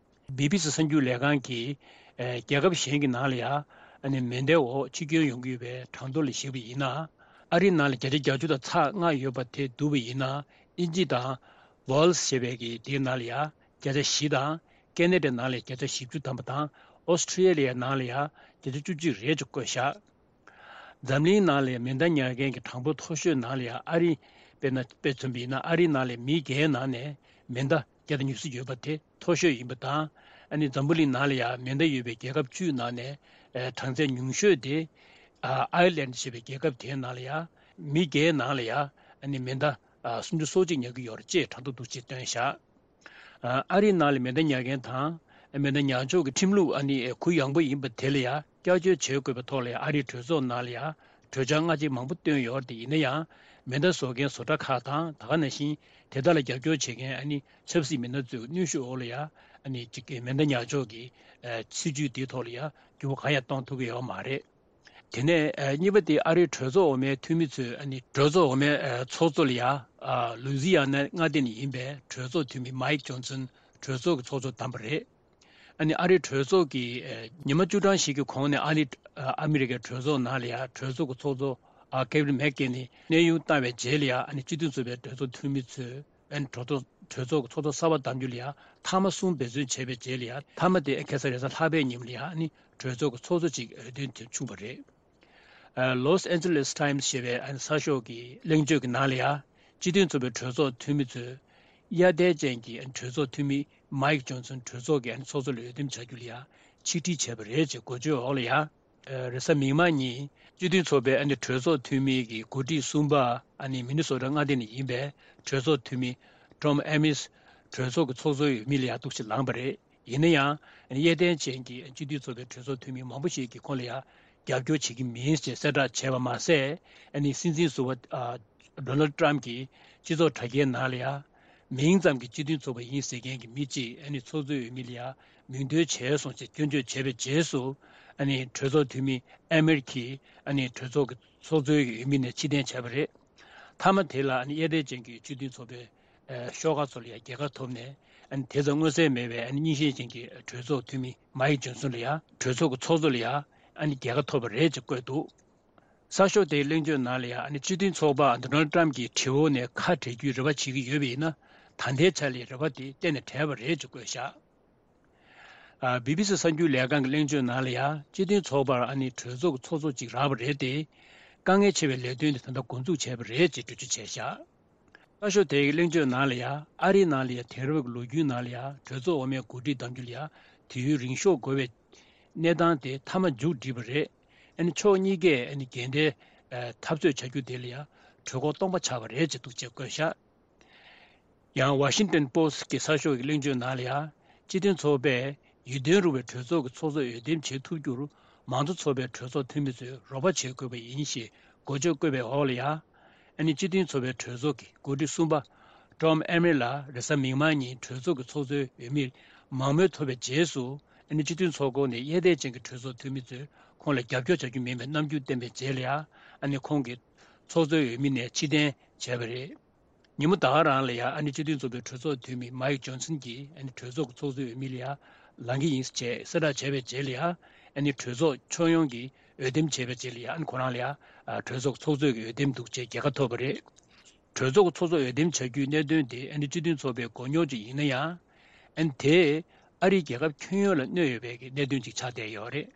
བི་བི་སི་གསར་འགྱུར་ལས་ཁང་གིས། ཨེ། རྒྱལ་ཁབ་གཞན་གྱི་ནང་ལ་ཡང་ཨ་ནི་མེ་མདའི་འོག་འཆི་སྐྱོན་ཡོང་གི་ཡོད་པའི་གྲངས་ཐོ་ལ་གཞིགས་པ་ཡིན་ན། ཨ་རིའི་ནང་ལ་བརྒྱ་ཆ་བརྒྱད་ཅུ་དང་ཚེག་ལྔ་ཡོད་པ་དེ་བསྡུར་བ་ཡིན་ན། དབྱིན་ཇི་དང་ཝེལ་ཟི་ཞེས་པའི་གི་དེའི་ནང་ལ་ཡ་བརྒྱ་ཆ་བཞི་དང་། ཁེ་ན་ཌའི་ནང་ལ་བརྒྱ་ཆ་བཞི་བཅུ་ཐམ་པ་དང་། ཨོ་སི་ཁྲི་ལི་ཡའི་ནང་ལ་ཡ་བརྒྱ་ཆ་བཅུ་གཅིག་རེད་ཅེས་བཀོད་བཞག་འཛམ་གླིང་ནང་ལ་མེ་མདའ་ཉར་མཁན་གྱི་གྲངས་འབོར་མཐོ་ཤོས་ནང་ལ་ཡ་ཨ་རི་དཔེར་ན་དཔེ་མཚོན་པ་ཡིན་ན། ཨ་རིའི་ནང་ལ་མི་བརྒྱའི་ནང་ནས་མེ་མདའ་བརྒྱ་དང་ཉི་ཤུ་ཡོད་པ་དེ་མཐོ་ཤོས་ཡིན་པ་དང་། ཨ་ནི་འཛམ་བུ་གླིང་ནང་ལ་ཡ་མེ་མདའ་ཡོད་པའི་རྒྱལ་ཁབ་བཅུའི་ནང་ནས་ཨ་གྲངས་ཚད་ཉུང་ཤོས་དེ་ཨ་ཨའི་ལན་ཞེས་པའི་རྒྱལ་ཁབ་དེའི་ནང་ལ་ཡ་མི་བརྒྱའི་ནང་ལ་ཡ་ཨ་ནི་མེ་མདའ་ཨ་སུམ་ཅུ་སོ་གཅིག་ཉར་གྱི་ཡོད་རེད་ཅེས་གྲངས་ཐོ་འདུག་ཅེས་བཏོན་བཞག་ཨ་རིའི་ནང་ལ་མེ་མདའ་ཉར་མཁན་དང་། མེ་མདའ་ཉར་ཕྱོགས་ཀྱི་ཁྲིམས་ལུགས་ཨ་ནི་གུ་ཡངས་པོ་ཡིན་པ་དེ་ལ་ཡ་བསྐྱར་བཅོས་བྱེད་དགོས་པའི་ཐོག་ལ་ཡ་ཨ་རིའི་གྲོས་ཚོགས་ནང་ལ་ཡ་གྲོས་འཆར་སྔ་རྗེས་མང་པོ་བཏོན་ཡོད་རེད་དེ། ཡིན་ན་ཡང་མེ་མདའ་བཟོ་མཁན་བཟོ་གྲྭ་ཁག་དང་། ད་ག་ནང་བཞིན་དེ་དག་ལ་རྒྱབ་སྐྱོར་བྱེད་མཁན་ཨ་ནི་ཆབ་སྲིད་མི་སྣ་ཚོའི་གནོན་ཤུགས་འོག་ལ་ཡ་ཨ་ནི་ཅིག་མེ་མདའ་ཉར་ཕྱོགས་ཀྱི་ཨ་སྲིད་ཇུས་དེའི་ཐོག་ལ་ཡ་འགྱུར་བ་གང་ཡང་གཏོང་ཐུབ་ཀྱི་ཡོད་མ་རེད། དེ་ནས་ཨ་གཉིས་པ་དེ་ཨ་རིའི་གྲོས་ཚོགས་འོག་མའི་འཐུས་མི་ཚོས་ཨ་ནི་གྲོས་ཚོགས་འོག་མའི་ཨ་ཚོགས་གཙོ་ལ་ཡ་ཨ་ལུའུ་ཟི་ཡ་ན་མངའ་སྡེ་ནས་ཡིན་པའི་གྲོས་ཚོགས་འཐུས་མི་མའིག་ཇོན་སན་གྲོས་ཚོགས་ཀྱི་ཚོགས་གཙོར་བདམས་པ་རེད། ཨ་ནི་ཨ་རིའི་གྲོས་ཚོགས་ཀྱི་ཨ་ཉི་མ་བཅུ་གྲངས་ཤིག་གི་གོང་ནས་ཨ་ནི་ཨ་ཨ་མི་རི་ཀའི་གྲོས་ཚོགས་ནང་ལ་ཡ་གྲོས་ཚོགས་ཀྱི་ཚོགས་གཙོ་ཨ་ཀེ་བྷི་ན་མེག་ཀེན་ནས་གནས་དབྱུང་བཏང་བའི་རྗེས་ལ་ཡ་ཨ་ནི་སྤྱི་མཐུན་ཚོགས་པའི་གྲོས་ཚོགས་འཐུས་མི་ཚོས། ཨན་གྲོས་ཚོགས་གྲོས་ཚོགས་ཀྱི་ཚོགས་གཙོ་གསར་པ་བདམས་རྒྱུ་ལ་ཡ་མཐའ་མ་གསུམ་འབད་བརྩོན་བྱས་པའི་རྗེས་ལ་ཡ་མཐའ་མ་དེ་ཁ་སང་རེས་གཟའ་ལྷག་པའི་ཉིན་ལ་ཡ་ཨ་ནི་གྲོས་ཚོགས་ཀྱི་ཚོགས་གཙོ་ཅིག་འོས་འདེམས་བྱུང་བ་རེད། ལོས་ཨན་ཇེ་ལེས་ཊའིམ་སི་ཞེས་པའི་ཨན་གསར་ཤོག་གི་གླེང་བརྗོད་ཀྱི་ནང་ལ་ཡ་སྤྱི་མཐུན་ཚོགས་པའི་གྲོས་ཚོགས་འཐུས་མི་ཚོས་གཡར་དལ་ཅན་གྱི་ཨན་གྲོས་ཚོགས་འཐུས་མི་མའིག་ཇོན་སན་གྲོས་ཚོགས་ཀྱི་ཨན་ཚོགས་གཙོ་ལ་འོས་འདེམས་བྱ་རྒྱུ་ལ་ཡ་ཆིག་སྒྲིལ་བྱས་པ་རེད་ཅེས་འགོ་བརྗོད་འོག་ལ་ཡ། རེས་གཟའ་མིག་དམར་ཉིན་སྤྱི་མཐུན་ཚོགས་པའི་ཨ་ནི་གྲོས་ཚོགས་འཐུས་མི་གི་འགོ་ཁྲིད་གསུམ་པ་ཨ་ནི་མི་ནི་སོ་ཊ་མངའ་སྡེ་ནས་ཡིན་པའི་གྲོས་ཚོགས་འཐུས་མི་ཊོམ་ཨེ་མིས་གྲོས་ཚོགས་ཀྱི་ཚོགས་གཙོའི་འོས་མི་ལ་ཡང་འདུག་སེ་ལངས་པ་རེད། ཡིན་ན་ཡང་ཨ་ནི་གཡས་གཡོན་ཅན་གྱི་སྤྱི་མཐུན་ཚོགས་པའི་གྲོས་ཚོགས་འཐུས་མི་མང་པོ་ཞིག་གིས་ཁོང་ལ་ཡང་རྒྱབ་སྐྱོར་བྱེད་ཀྱི་མིན་ཞེས་གསལ་བསྒྲགས་བྱས་པ་མ་ཟད། ཨ་ནི་སྲིད་འཛིན་ཟུར་པ་ཨ་ཌོ་ནལ་ཊམ་གྱིས་སྤྱི་ཚོགས་དྲ་རྒྱའི་ནང་ལ་ཡང་མིང་ཙམ་གྱི་སྤྱི་མཐུན་ཚོགས་པ་ཡིན་ཟེར་མཁན་གྱི་མི་གཅིག་ཨ་ནི་ཚོགས་གཙོའི་འོས་མི་ལ་ཡང་མིང་འདོན་བྱས་སོང་ཞེས་སྐྱོན་བརྗོད་བྱས་པའི་རྗེས་སུ། ཨ་ནི་གྲོས་ཚོགས་འཐུས་མི་ཨེ་མེར་གྱིས་ཨ་ནི་གྲོས་ཚོགས་ཀྱི་ཚོགས་གཙོའི་འོས་མི་ནས་ཕྱིར་འཐེན་བྱས་པ་རེད། མཐའ་མ་དེ་ལ་ཨ་ནི་གཡས་གཡོན་ཅན་གྱི་སྤྱི་མཐུན་ཚོགས་པའི་ཨ་ཤོག་ཁག་ཚོ་ལ་ཡང་རྒྱལ་ཁ་ཐོབ་ནས། ཨ་ནི་དེ་ཙམ་མངོན་གསལ་མེད་པའི་ཨ་ནི་རྙིང་ཞེན་ཅན་གྱི་གྲོས་ཚོགས་འཐུས་མི་མའིག་ཇོན་སོན་ལ་ཡང་གྲོས་ཚོགས་ཀྱི་ཚོགས་གཙོ་ལ་ཡང་ཨ་ནི་རྒྱལ་ཁ་ཐོབ་པ་རེད་ཅེས་བཀོད་འདུག་གསར་ཤོག་དེའི་གླེང་བརྗོད་ནང་ལ་ཡང་ཨ་ནི་སྤྱི་མཐུན་ཚོགས་པ་ཌོ་ནལ་ཊམ་གྱི་དྲི་བ་ནས་ཁ་བྲལ་རྒྱུའི་རེ་བ་བྱེད་ཀྱི་ཡོད་པ་ཡིན་ན། ད་ལྟའི་ཆ་ལ་རེ་བ་དེ་གཏན་ནས་བྲལ་བ་རེད་ཅེས་བཀོད་བཞག་ཨ་བི་བི་སི་གསར་འགྱུར་ལས་ཁང་གི་གླེང་བརྗོད་ནང་ལ་ཡང་སྤྱི་མཐུན་ཚོགས་པར་ཨ་ནི་གྲོས་ཚོགས་ཀྱི་ཚོགས་གཙོ་གཅིག་རག་པ་རེད་དེ། དཀའ་ངལ་ཆེ་བའི་ལས་དོན་དེ་ད་ལྟ་འགོ་འཛུགས་བྱས་པ་རེད་ཅེས་འགྲེལ་བརྗོད་བྱས་བཞག་གསར་ཤོག་དེའི་གླེང་བརྗོད་ནང་ལ་ཡང་ཨ་རིའི་ནང་ལ་ཡང་དེང་རབས་ཀྱི་ལོ་རྒྱུས་ནང་ལ་ཡང་གྲོས་ཚོགས་འོག་མའི་འགོ་ཁྲིད་གདམ་རྒྱུ་ལ་ཡང་དུས་ཡུན་རིང་ཤོས་འགོར་བའི་གནས་སྟངས་དེ་མཐའ་མ་མཇུག་བསྒྲིལ་བ་རེད། ཨ་ནི་ཕྱོགས་གཉིས་ཀས་ཨ་ནི་འགལ་ཟླའི་འཐབ་རྩོད་བྱ་རྒྱུ་དེ་ལ་ཡང་གྲོས་འགོ་སྟོང་པ་ཆགས་པ་རེད་ཅེས་འདུག་ཅེས་བཀོད་བཞག་ཡང་ཝ་ཤིང་ཊོན་པོ་སི་ཊི་གི་གསར་ཤོག་གི་གླེང་བརྗོད་ནང་ལ་ཡང་སྤྱི་མཐུན་ཚོགས་པས་ཡིད་རྟོན་རུང་བའི་གྲོས་ཚོགས་ཀྱི་ཚོགས་གཙོ་འོས་འདེམས་བྱེད་ཐུབ་རྒྱུར་མང་གཙོ་ཚོགས་པའི་གྲོས་ཚོགས་འཐུས་མི་ཚོས་རོགས་པ་བྱེད་དགོས་པ་ཡིན་ཞེས་འགོ་བརྗོད་བཀོད་པའི་འོག་ལ་ཡང་། ཨ་ནི་སྤྱི་མཐུན་ཚོགས་པའི་གྲོས་ཚོགས་ཀྱི་འགོ་ཁྲིད་གསུམ་པ་ཀྲོམ་ཨེ་མེ་ལ་རེས་གཟའ་མིག་དམར་ཉིན་གྲོས་ཚོགས་ཀྱི་ཚོགས་གཙོའི་འོས་མིར་མང་མོས་ཐོབ་པའི་རྗེས་སུ། ཨ་ནི་སྤྱི་མཐུན་ཚོགས་ཁོངས་ནས་གཡས་གཡོན་ཅན་གྱི་གྲོས་ཚོགས་འཐུས་མི་ཚོས་ཁོང་ལ་རྒྱབ་སྐྱོར་བྱ་རྒྱུ་མིན་པའི་རྣམ་འགྱུར་བསྟན་པའི་རྗེས་ལ་ཡང་། ཨ་ནི་ཁོང་གིས་ཚོགས་གཙོའི་འོས་མི་ནས་ཕྱིར་འཐེན་བྱས་པ་རེད། ཉིན་མོ་ད་ག་རང་ལ་ཡང་ཨ་ནི་སྤྱི་མཐུན་ཚོགས་པའི་གྲོས་ཚོགས་འཐུས་མི་མའིག་ཇོན་སན་གྱིས་ཨ་ནི་གྲོས་ཚོགས་ཀྱི་ཚོགས་གཙོའི་འོས་མི་ལ་ཡང་ལངས་ཀྱི་ཡིན་ཅེས་གསལ་བསྒྲགས་བྱས་པའི་རྗེས་ལ་ཡང་། ཨ་ནི་གྲོས་ཚོགས་ཁྱོན་ཡོངས་ཀྱིས་འོས་འདེམས་བྱས་པའི་རྗེས་ལ་ཡང་ཨ་ནི་ཁོ་རང་ལ་ཡང་གྲོས་ཚོགས་ཀྱི་ཚོགས་གཙོའི་འོས་འདེམས་འདུག་ཅེས་རྒྱལ་ཁ་ཐོབ་པ་རེད། གྲོས་ཚོགས་ཀྱི་ཚོགས་གཙོ་འོས་འདེམས་བྱ་རྒྱུའི་གནད་དོན་དེ་ཨ་ནི་སྤྱི་མཐུན་ཚོགས་པའི་མགོ་རྙོག་ཅིག་ཡིན་ན་ཡང་། ཨ་ནི་དེས་ཨ་རིའི་རྒྱལ་ཁབ་ཁྱོན་ཡོངས་ལ་གནོད་ཡོད་པའི་གནད་དོན་ཅིག་ཆགས་བསྡད་ཡོད་རེད།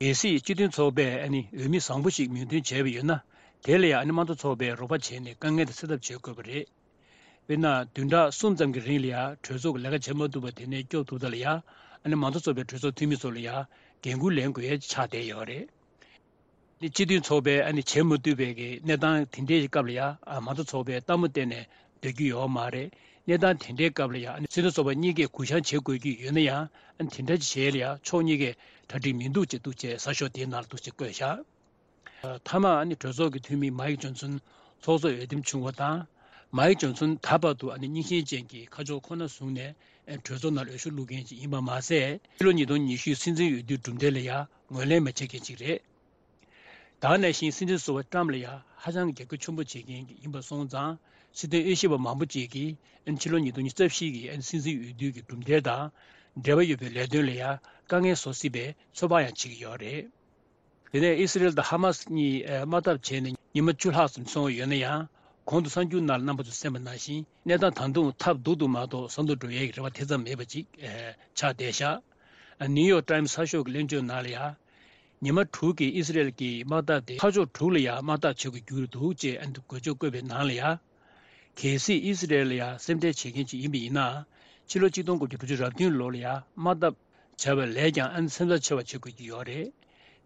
གལ་སྲིད་སྤྱི་མཐུན་ཚོགས་པས་ཨ་ནི་འོས་མི་བཟང་པོ་ཞིག་མིང་འདོན་བྱས་པ་ཡོད་ན། དེ་ལ་ཡང་ཨ་ནི་དམངས་གཙོ་ཚོགས་པས་རོགས་པ་བྱས་ནས་དཀའ་ངལ་དེ་སེལ་ཐབས་བྱེད་དགོས་པ་རེད། དཔེར་ན། བདུན་ཕྲག་གསུམ་ཙམ་གྱི་རིང་ལ་ཡང་གྲོས་ཚོགས་ཀྱི་ལས་ཀ་བྱེད་མ་ཐུབ་པ་དེ་ནས་སྐྱོབ་ཐུབ་ཐབས་ལ་ཡང་། ཨ་ནི་མང་གཙོ་ཚོགས་པའི་གྲོས་ཚོགས་འཐུས་མི་ཚོ་ལ་ཡང་འགན་འཁུར་ལེན་དགོས་ཡས་ཆགས་བསྡད་ཡོད་རེད། ཨ་ནི་སྤྱི་མཐུན་ཚོགས་པས་ཨ་ནི་བྱེད་མ་ཐུབ་པའི་གི་གནས་སྟངས་དེ་འདྲའི་སྐབས་ལ་ཡང་། ཨ། མང་གཙོ་ཚོགས་པས་ལྟད་མོ་བལྟས་ནས་སྡོད་རྒྱུ་ཡོད་མ་རེད། གནས་སྟངས་དེ་འདྲའི་སྐབས་ལ་ཡང་། ཨ་ནི་སྤྱི་མཐུན་ཚོགས་པ་གཉིས་ཀས་གུ་བཤངས་བྱེད་དགོས་ཀྱི་ཡོད་ན་ཡང་། ཨ་ནི་དེ་འདྲ་ཅིག་བྱེད་ཡས་ལ་ཡང་ཕྱོགས་གཉིས་ཀས་གྲ་སྒྲིག་མི་འདུག་ཅེས་འདུག་ཅེས་གསར་ཤོག་དེའི་ནང་ལ་འདུག་ཅེས་བཀོད་བཞག་མཐའ་མ་ཨ་ནི་གྲོས་ཚོགས་ཀྱི་འཐུས་མི་མའིག་ཇོན་སོན་ཚོགས་གཙོ་འོས་འདེམས་བྱུང་བ་དང་། མའིག་ཇོན་སོན་ད་བར་དུ་ཨ་ནི་རྙིང་ཞེན་ཅན་གྱི་ཁ་ཕྱོགས་ཁོ་ན་བཟུང་ནས་གྲོས་ཚོགས་ནང་འོས་ཤོག་བླུག་མཁན་ཞིག་ཡིན་པ་མ་ཟད། ཕྱི་ལོ་ཉིས་སྟོང་ཉི་ཤུའི་སྲིད་འཛིན་འོས་བསྡུའི་གྲུབ་འབྲས་ལ་ཡང་ངོས་ལེན་མ་བྱེད་མཁན་ཞིག་རེད། ད་ག་ནང་བཞིན་སྲིད་འཛིན་ཟུར་པ་ཏྲམ་ལ་ཡང་ཧ་ཅང་གི་རྒྱབ་སྐྱོར་ཆེན་པོ་བྱེད་མཁན་ཡིན་པ་སོང་ཙང་། སྲིད་དོན་དབྱེ་ཞིབ་པ་མང་པོ་ཅིག་གིས་ཕྱི་ལོ་ཉིས་སྟོང་ཉི་ཤུ་རྩ་བཞི་གི་སྲིད་འཛིན་འོས་བསྡུའི་གི་གྲུབ་འབྲས་དང་འབྲེལ་བ་ཡོད་པའི་ལས་དོན་ལ་ཡང་དཀའ་ངལ་བཟོ་སྲིད་པའི་ཚོད་དཔག་ཡང་བྱེད་ཀྱི་ཡོད་རེད། དེ་ནས་ཨི་སི་རེལ་དང་ཧ་མ་སི་གཉིས་དམག་འཐབ་བྱས་ནས་ཉི་མ་བཅུ་ལྷག་ཙམ་སོང་ཡོད་ན་ཡང་། གོང་དུ་གསར་འགྱུར་ནང་ལ་རྣམ་པ་ཚོས་གསན་པ་ནང་བཞིན་གནས་སྟངས་ད་དུང་ཐབས་སྡུག་ཏུ་མ་གཏོགས་བཟང་དུ་འགྲོ་ཡས་ཀྱི་རེ་བ་དེ་ཙམ་མེད་པ་ཅིག་ཆགས་བསྡད་ཤག་ནིའུ་ཡོག་ཊའིམ་གསར་ཤོག་གི་གླེང་བརྗོད་ནང་ལ་ཡང་། ཉི་མ་དྲུག་གི་ཨི་སི་རེལ་གྱི་དམག་འཐབ་དེ་ཁ་ཕྱོགས་དྲུག་ལ་ཡང་དམག་འཐབ་བྱེད་དགོས་རྒྱུ་འདུག་ཅེས་འགོ་བརྗོད་བཀོད་པའི་ནང་ལ་ཡང་། གལ་སྲིད་ཨི་སི་རེལ་ལ་ཡང་སེམས་ཁྲལ་བྱེད་མཁན་ཅིག་ཡིན་པ་ཡིན་ན། ཕྱི་ལོ་གཅིག་སྟོང་དགུ་བརྒྱ་དྲུག་ཅུ་རེ་བདུན་ལོ་ལ་ཡང་དམག་འཐབ་བྱ་བའི་ལས་ཀྱང་ཨ་ནི་སེམས་འཚབ་ཆེ་བ་བྱེད་དགོས་ཀྱི་ཡོད་རེད།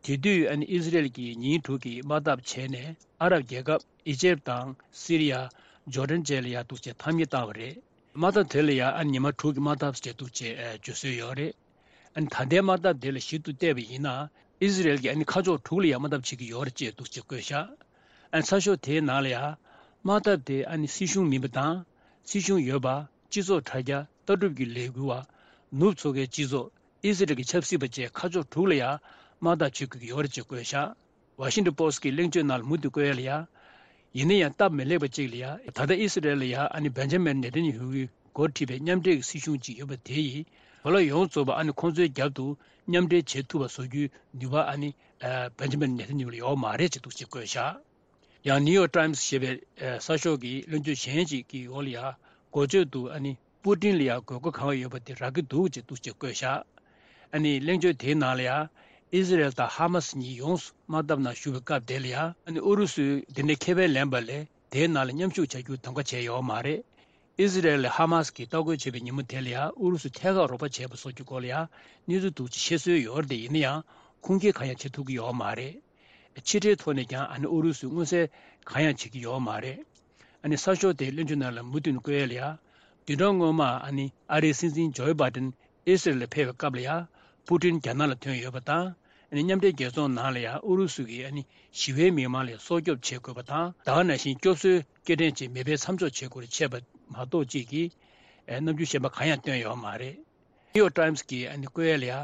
དེ་དུས་ཨ་ནི་ཨི་སི་རེལ་གྱིས་ཉིན་དྲུག་གི་དམག་འཐབ་བྱས་ནས་ཨ་རབ་རྒྱལ་ཁབ་ཨི་ཇེབ་དང་སི་རི་ཡ། ཇོར་ཌན་བཅས་ལ་ཡང་འདུག་ཅེས་ཐ་སྙད་བཏགས་པ་རེད། དམག་འཐབ་དེ་ལ་ཡང་ཨ་ནི་ཉི་མ་དྲུག་གི་དམག་འཐབ་ཅེས་འདུག་ཅེས་བརྗོད་སྲོལ་ཡོད་རེད། ཨ་ནི་ད་ལྟའི་དམག་འཐབ་དེ་ལ་ཞིབ་ཏུ་བལྟས་པ་ཡིན་ན། ཨི་སི་རེལ་གྱིས་ཨ་ནི་ཁ་ཕྱོགས་དྲུག་ལ་ཡང་དམག་འཐབ་བྱེད་ཀྱི་ཡོད་རེད་ཅེས་འདུག་ཅེས་བཀོད་བཞག་ཨ་ནི་གསར་ཤོག་དེའི་ནང་ལ་ཡང་། དམག་འཐབ་དེ་ཨ་ནི་སྲིད་གཞུང་མིན་པ་དང་། སྲིད་གཞུང་ཡོད་པ། སྤྱི་ཚོགས་དྲ་རྒྱ། ལྟ་གྲུབ་ཀྱི་ལས་འགུལ་བ། ནུབ་མཚོ་ཁའི་སྤྱི་ཚོགས། ཨི་སི་རེལ་གྱི་ཆབ་སྲིད་པ་བཅས་ཁ་ཕྱོགས་དྲུག་ལ་ཡང་དམག་འཐབ་བྱེད་དགོས་ཀྱི་ཡོད་རེད་ཅེས་བཀོད་བཞག་ཝ་ཤིང་ཊོན་པོ་སི་ཊི་གི་གླེང་བརྗོད་ནང་ལ་མུ་མཐུད་བཀོད་ཡ་ལ་ཡ། ཡིན་ན་ཡང་སྟབས་མི་ལེགས་པ་གཅིག་ལ་ཡ། ད་ལྟ་ཨི་སི་རེལ་ལ་ཡ་ཨ་ནི་བེན་ཇ་མིན་ནེ་ཐན་ཡ་ཧུ་གིས་འགོ་ཁྲིད་པའི་མཉམ་འབྲེལ་གྱི་སྲིད་གཞུང་ཅིག་ཡོད་པ་དེ་ཡིས། གོ་ལ་ཡོངས་རྫོགས་པ་ཨ་ནི་ཁོང་ཚོའི་རྒྱབ་ཏུ་མཉམ་འབྲེལ་བྱེད་ཐུབ་པ་བཟོ་རྒྱུའི་ནུས་པ་ཨ་ནི་བེན་ཇ་མིན་ནེ་ཐན་ཡ་ཧུ་ལ་ཡོད་མ་རེད་ཅེས་འདུག་ཅེས་བཀོད་བཞག་ཡང་ནིའུ་ཡོག་ཊའིམ་ཞེས་པའི་གསར་ཤོག་གི་གླེང་བརྗོད་གཞན་ཅིག་གི་འོག་ལ་ཡ། འགོ་བརྗོད་དུ་ཨ་ནི། པུ་ཏིན་ལ་ཡང་དགོས་མཁོ་གང་ཡོད་པ་དེ་རག་གི་འདུག་ཅེས་འདུག་ཅེས་བཀོད་བཞག་ཨ་ནི་གླེང་བརྗོད་དེའི་ནང་ལ་ཡང་། ཨི་ཟི་རེལ་དང་ཧ་མ་སི་གཉིས་ཡོངས་སུ་དམག་འཐབ་ནང་ཞུགས་པའི་སྐབས་དེ་ལ་ཡང་། ཨ་ནི་ཨུ་རུ་སུས་དེ་འདྲའི་ཁེ་ཕན་ལེན་པ་ལས་དེའི་ནང་ལ་མཉམ་ཞུགས་བྱ་རྒྱུར་གདམ་ག་བྱས་ཡོད་མ་རེད། ཨི་ཟི་རེལ་ལ་ཧ་མ་སི་གིས་ལྟ་སྐོར་བྱེད་པའི་ཉིན་མོ་དེ་ལ་ཡང་ཨུ་རུ་སུས་ཐད་ཀར་རོགས་པ་བྱས་པ་སོགས་ཀྱི་སྐོར་ལ་ཡང་གནས་ཚུལ་འདུག་ཅེས་བཤད་སྲོལ་ཡོད་རེད་དེ། ཡིན་ན་ཡང་ཁུངས་སྐྱེལ་གང་ཡང་བྱེད་ཐུབ་ཀྱི་ཡོད་མ་རེད། ཕྱི་འབྲེལ་ཐོག་ནས་ཀྱང་ཨ་ནི་ཨུ་རུ་སུས་མངོན་གསལ་གང་ཡང་བྱེད་ཀྱི་ཡོད་མ་རེད། ཨ་ནི་གསར་ཤོག་དེའི་གླེང་བརྗོད་ནང་ལ་མུ་མཐུད་ནས་བཀོད་ཡ་ལ་ཡ། བདུན་ཕྲག་སྔོན་མ་ཨ་ནི་ཨ་རིའི་སྲིད་འཛིན་ཇོ་བྷའི་ཌེན་ཨི་སི་རེལ་ལ་ཕེབས་པའི་སྐབས་ལ་ཡ། པུ་ཏིན་རྒྱ་ནག་ལ་ཐོན་ཡོད་པ་དང་། ཨ་ནི་མཉམ་འབྲེལ་རྒྱལ་ཚོགས་ནང་ལ་ཡ་ཨུ་རུ་སུ་གིས་ཨ་ནི་ཞི་བའི་མི་མང་ལ་སྲོག་སྐྱོབ་བྱེད་དགོས་པ་དང་། ད་ག་ནང་བཞིན་སྐྱོབ་གསོའི་སྐྱེལ་འདྲེན་ཅིག་མེ་འཕེན་མཚམས་འཇོག་བྱེད་དགོས་རེད་བཤད་པ་མ་གཏོགས་ཅིག་གིས་རྣམ་འགྱུར་གཞན་པ་གང་ཡང་བཏོན་ཡོད་མ་རེད། ནིའུ་ཡོག་ཊའིམ་སི་གིས་ཨ་ནི་བཀོད་ཡ་ལ་ཡ།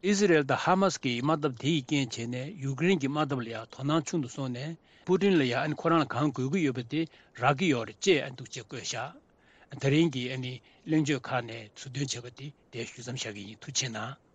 ཨི་ཟི་རེལ་དང་ཧ་མ་སི་གི་དམག་འཐབ་དེ་ཡི་རྐྱེན་བྱས་ནས་ཡུཀ་རེན་གྱི་དམག་འཐབ་ལ་ཡང་དོ་སྣང་ཆུང་དུ་སོང་ནས། པུ་ཏིན་ལ་ཡང་ཨ་ནི་ཁོ་རང་ལ་གང་དགོས་ཀྱི་ཡོད་པ་དེ་རག་གི་ཡོད་རེད་ཅེས་ཨ་འདུག་ཅེས་བཀོད་བཞག་དེ་རིང་གི་ཨ་ནི་གླེང་བརྗོད་ཁག་ནས་ཚུར་འདོན་བྱས་པ་དེ་དེ་ཞུ་མཚམས་བཞག་གི་ཡིན། ཐུགས་རྗེ་གནང་།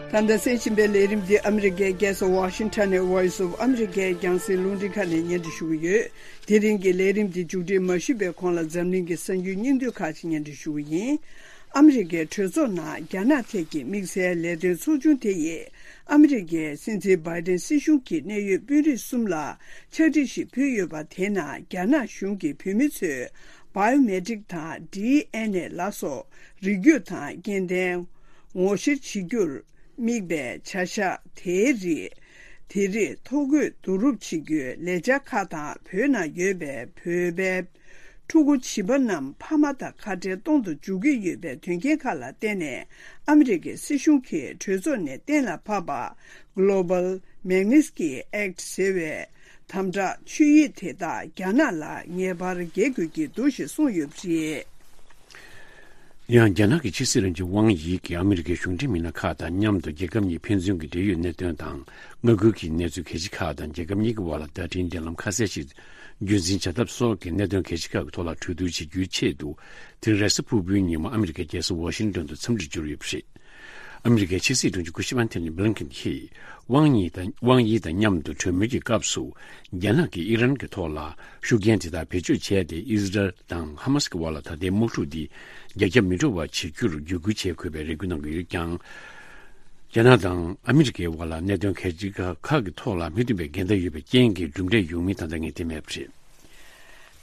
ད་ལྟ་གསན་བཞིན་པའི་ལས་རིམ་འདི་ཨ་མི་རི་ཀའི་རྒྱལ་ས་ཝ་ཤིང་ཊོན་ནས་Voice of America་རྒྱང་སྲིང་རླུང་འཕྲིན་ཁང་ནས་སྙན་སྒྲོན་ཞུ་གི་ཡོད། དེ་རིང་གི་ལས་རིམ་འདི་མཇུག་སྒྲིལ་མ་ཞུས་པའི་གོང་ལ་འཛམ་གླིང་གི་གསར་འགྱུར་སྙིང་བསྡུས་ཁག་ཅིག་སྙན་སྒྲོན་ཞུ་གི་ཡིན། ཨ་མི་རི་ཀའི་གྲོས་ཚོགས་ནང་རྒྱ་ནག་ཐད་ཀྱི་དམིགས་བསལ་ལས་དོན་ཚོགས་ཆུང་དེ་ཡིས་ཨ་མི་རི་ཀའི་སྲིད་འཛིན་བྷའི་ཌེན་སྲིད་གཞུང་གི་གནད་ཡོད་དཔོན་རིགས་གསུམ་ལ་ཕྱག་བྲིས་ཤིག་ཕུལ་ཡོད་པ། དེའི་ནང་རྒྱ་ནག་གཞུང་གིས་བོད་མི་ཚོའི་བྷའི་ཡོ་མེ་ཊིག་དང་ཌི་ཨེན་ཨེ་ལ་སོགས་རིགས་རྒྱུད་དང་སྐྱེ་ལྡན་ངོ་བཤེར་བྱེད་རྒྱུར་དམིགས་པའི་བྱ་གཞག་དེའི་རིགས། དེ་རིགས་ཐོ་འགོད་བསྡུ་རུབ་བྱེད་རྒྱུའི་ལས་འཆར་ཁག་དང་། བོད་ནང་ཡོད་པའི་བོད་པའི་ཕྲུ་གུ་བྱིས་པ་རྣམས་ཕ་མ་དང་ཁ་བྲལ་གཏོང་དུ་འཇུག་གི་ཡོད་པའི་དོན་རྐྱེན་ཁག་ལ་བརྟེན་ནས། ཨ་མི་རི་ཀའི་སྲིད་གཞུང་གིས་གྲོས་ཚོགས་ནས་གཏན་ལ་ཕབ་པ། Global Magnitsky Act ཟེར་བའི་དམ་དྲག་ཆོད་ཡིག་དེ་དག་རྒྱ་ནག་ལ་ངེས་པར་འགེལ་དགོས་ཀྱི་འདུག་ཞེས་གསུངས་ཡོད་པ་རེད། ཡང་རྒྱ་ནག་གི་ཕྱི་སྲིད་བློན་ཆེན་ཝང་ཡི་གིས་ཨ་མི་རི་ཀའི་གཞུང་འབྲེལ་མི་སྣ་ཁག་དང་མཉམ་དུ་རྒྱལ་ཁབ་གཉིས་ཕན་ཚུན་གྱི་འབྲེལ་ཡོད་གནད་དོན་དང་། མངའ་ཁུལ་གྱི་གནས་ཚུལ་གལ་ཆེ་ཁག་དང་། རྒྱལ་ཁབ་གཉིས་ཀྱི་དབར་ལ་བརྡ་འཕྲིན་འབྲེལ་ལམ་ཁ་གསལ་ཞིག་རྒྱུན་འཛིན་བྱ་ཐབས་སོགས་ཀྱི་གནད་དོན་གལ་ཆེ་ཁག་གི་ཐོག་ལ་གྲོས་བསྡུར་བྱེད་རྒྱུའི་ཆེད་དུ། དེ་རིང་རེས་གཟའ་ཕུར་བུའི་ཉིན་མོ་ཨ་མི་རི་ཀའི་རྒྱལ་ས་ཝ་ཤིང་ཏོན་དུ་འཚམས་འདྲིར་འབྱོར་ཡོད་པ་རེད། ཨ་མི་རི་ཀའི་ཕྱི་སྲིད་དྲུང་ཆེ་སྐུ་ཞབས་ཨན་ཐོ་ནི་བྷི་ལིན་ཁིན་གྱིས་ཝང་ཡི་དང་། ཝང་ཡི་དང་མཉམ་དུ་གྲོས་མོལ་གྱི་སྐབས་སུ། རྒྱ་ནག་གིས་ཨི་རན་གྱི་ཐོག་ལ་ཤུགས་རྐྱེན་དེ་དག་བེད་སྤྱོད་བྱས་ཏེ། ཨི་ཟི་རལ་དང་ཧ་མ་སི་གི་དབར་ལ་ད་ལྟའི་དམག་འཁྲུག་འདི་རྒྱ་ཁྱབ་མི་འགྲོ་བ་བྱེད་རྒྱུར་བརྒྱུད་སྐུལ་བྱེད་དགོས་པའི་རེ་སྐུལ་གནང་གི་ཡོད་ཀྱང་། རྒྱ་ནག་དང་ཨ་མི་རི་ཀའི་དབར་ལ་གནད་དོན་གལ་ཆེ་ཁག་གི་ཐོག་ལ་མི་མཐུན་པའི་འགལ་ཟླ་ཡོད་པའི་རྐྱེན་གྱིས་གྲུབ་འབྲས་ཡོང་མིན་ད་ལྟ་ངེས་གཏན་མེད་པ་རེད།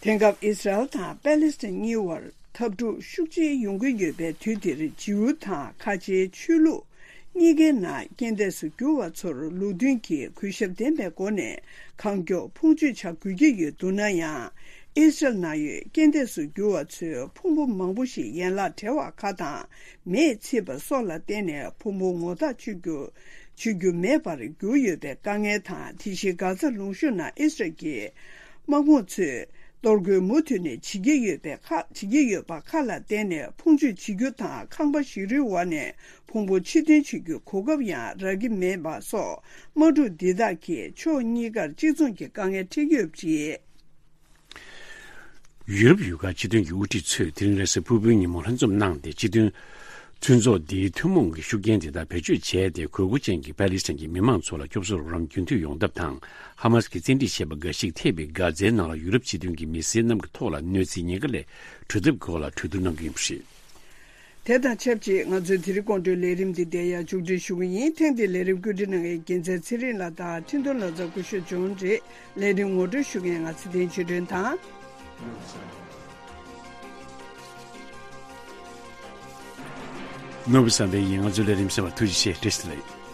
དེང་སྐབས་ཨི་སི་རལ་དང་པེ་ལེ་སི་ཐན་གཉིས་བར་འཐབ་འཁྲུག་ཤུགས་ཆེ་ཡོང་གི་ཡོད་པའི་དུས་འདིར། ཇིའུ་དང་ཁ་ཆེའི་ཆོས་ལུགས་གཉིས་ཀའི་ནང་རྐྱེན་འདས་སུ་གྱུར་བ་ཚོར་ལུགས་མཐུན་གྱི་གུས་ཞབས་ལྡན་པའི་སྒོ་ནས་གང་མགྱོགས་ཕུང་མཆོད་བྱ་དགོས་ཀྱི་ཡོད་འདུག་ན་ཡང་། ཨི་སི་རལ་ནང་ཡོད་རྐྱེན་འདས་སུ་གྱུར་བ་ཚོའི་ཕུང་པོ་མང་པོ་ཞིག་ཡན་ལག་བྲལ་བ་ཁག་དང་མེས་ཚིག་པ་སོགས་ལ་བརྟེན་ནས་ཕུང་པོ་ངོ་ཐག་ཆོད་རྒྱུ་ཆོད་རྒྱུ་མེད་པར་གྱུར་ཡོད་པའི་དཀའ་ངལ་དང་། དེ་བཞིན་གྷ་ཛ་ལུང་གཤོང་ནང་ཨི་སི་རལ་གྱི་དམག་དཔུང་ཚོས་ གཏོར་རྒོལ་མུ་མཐུད་ནས་བྱེད་ཀྱི་ཡོད་པའི་ཁག་བྱེད་ཀྱི་ཡོད་པ་ཁག་ལ་བརྟེན་ནས་ཕུང་མཆོད་བྱེད་རྒྱུ་དང་ཁང་པ་ཞིག་རིའི་འོག་ནས་ཕུང་པོ་ཕྱིར་འཐེན་བྱེད་རྒྱུའི་གོ་སྐབས་ཡང་རག་གི་མེད་པ་སོགས་དམག་འཁྲུག་འདི་དག་གིས་ཕྱོགས་གཉིས་ཀར་གཅིག་མཚུངས་ཀྱི་དཀའ་ངལ་འཕྲད་ཀྱི་ཡོད་པ་རེད། ཡུ་རོབ་ཡུལ་ཁག་སྤྱི་མཐུན་གྱི་དབུ་ཁྲིད་ཚོས་དེ་རིང་རེས་གཟའ་ཕུར་བུའི་ཉིན་མོ་ལྷན་འཛོམས་གནང་སྟེ། སྤྱི་མཐུན་མཐུན་ཚོགས་འདིའི་ཐུན་མོང་གི་ཤུགས་རྐྱེན་དེ་དག་བེད་སྤྱོད་བྱས་ཏེ། དགོས་མཁོ་ཅན་གྱི་པ་ལི་སི་ཐན་གྱི་མི་མང་ཚོ་ལ་སྐྱོབ་གསོ་རོགས་རམ་རྒྱུན་མཐུད་ཡོང་ཐབས་དང་། ཧ་མ་སི་གིས་བཙན་ཁྲིད་བྱས་པ་འགའ་ཞིག་ཐེ་བའི་གྷ་ཛའི་ནང་ལ་ཡུ་རོབ་སྤྱི་མཐུན་གྱི་མི་སེར་རྣམས་ཀྱི་ཐོག་ལ་གནོད་འཚེའི་ཉེན་ཁ་ལས་གྲོལ་ཐབས་ཀྱི་སྐོར་ལ་གྲོས་བསྡུར་གནང་གི་ཡིན་པ་རེད། དེ་དང་ཆབས་ཅིག་ང་ཚོའི་དེ་རིང་དགོང་དྲོའི་ལས་རིམ་འདི་འདིར་ཡང་མཇུག་སྒྲིལ་ཞུ་གི་ཡིན། ཐེངས་འདིའི་ལས་རིམ་བཀོད་སྒྲིག་གནང་མཁན་རྒྱལ་མཚན་ཚེ་རིང་ལགས་དང་འཕྲིན་གཏོང་ལག་རྩལ་སྐུ་ཞབས་ཇོན་རེད། ལས་རིམ་ངོ་སྤྲོད་ཞུ་མཁན་ང་ཚེ་བརྟན་ཆོས་སྒྲོན་དང་། ནོར་བུ་བསམ་འཕེལ་ཡིན། ང་ཚོའི་ལས་རིམ་གསན་པར་ཐུགས་རྗེ་ཆེ། བཀྲ་ཤིས་བདེ་ལེགས།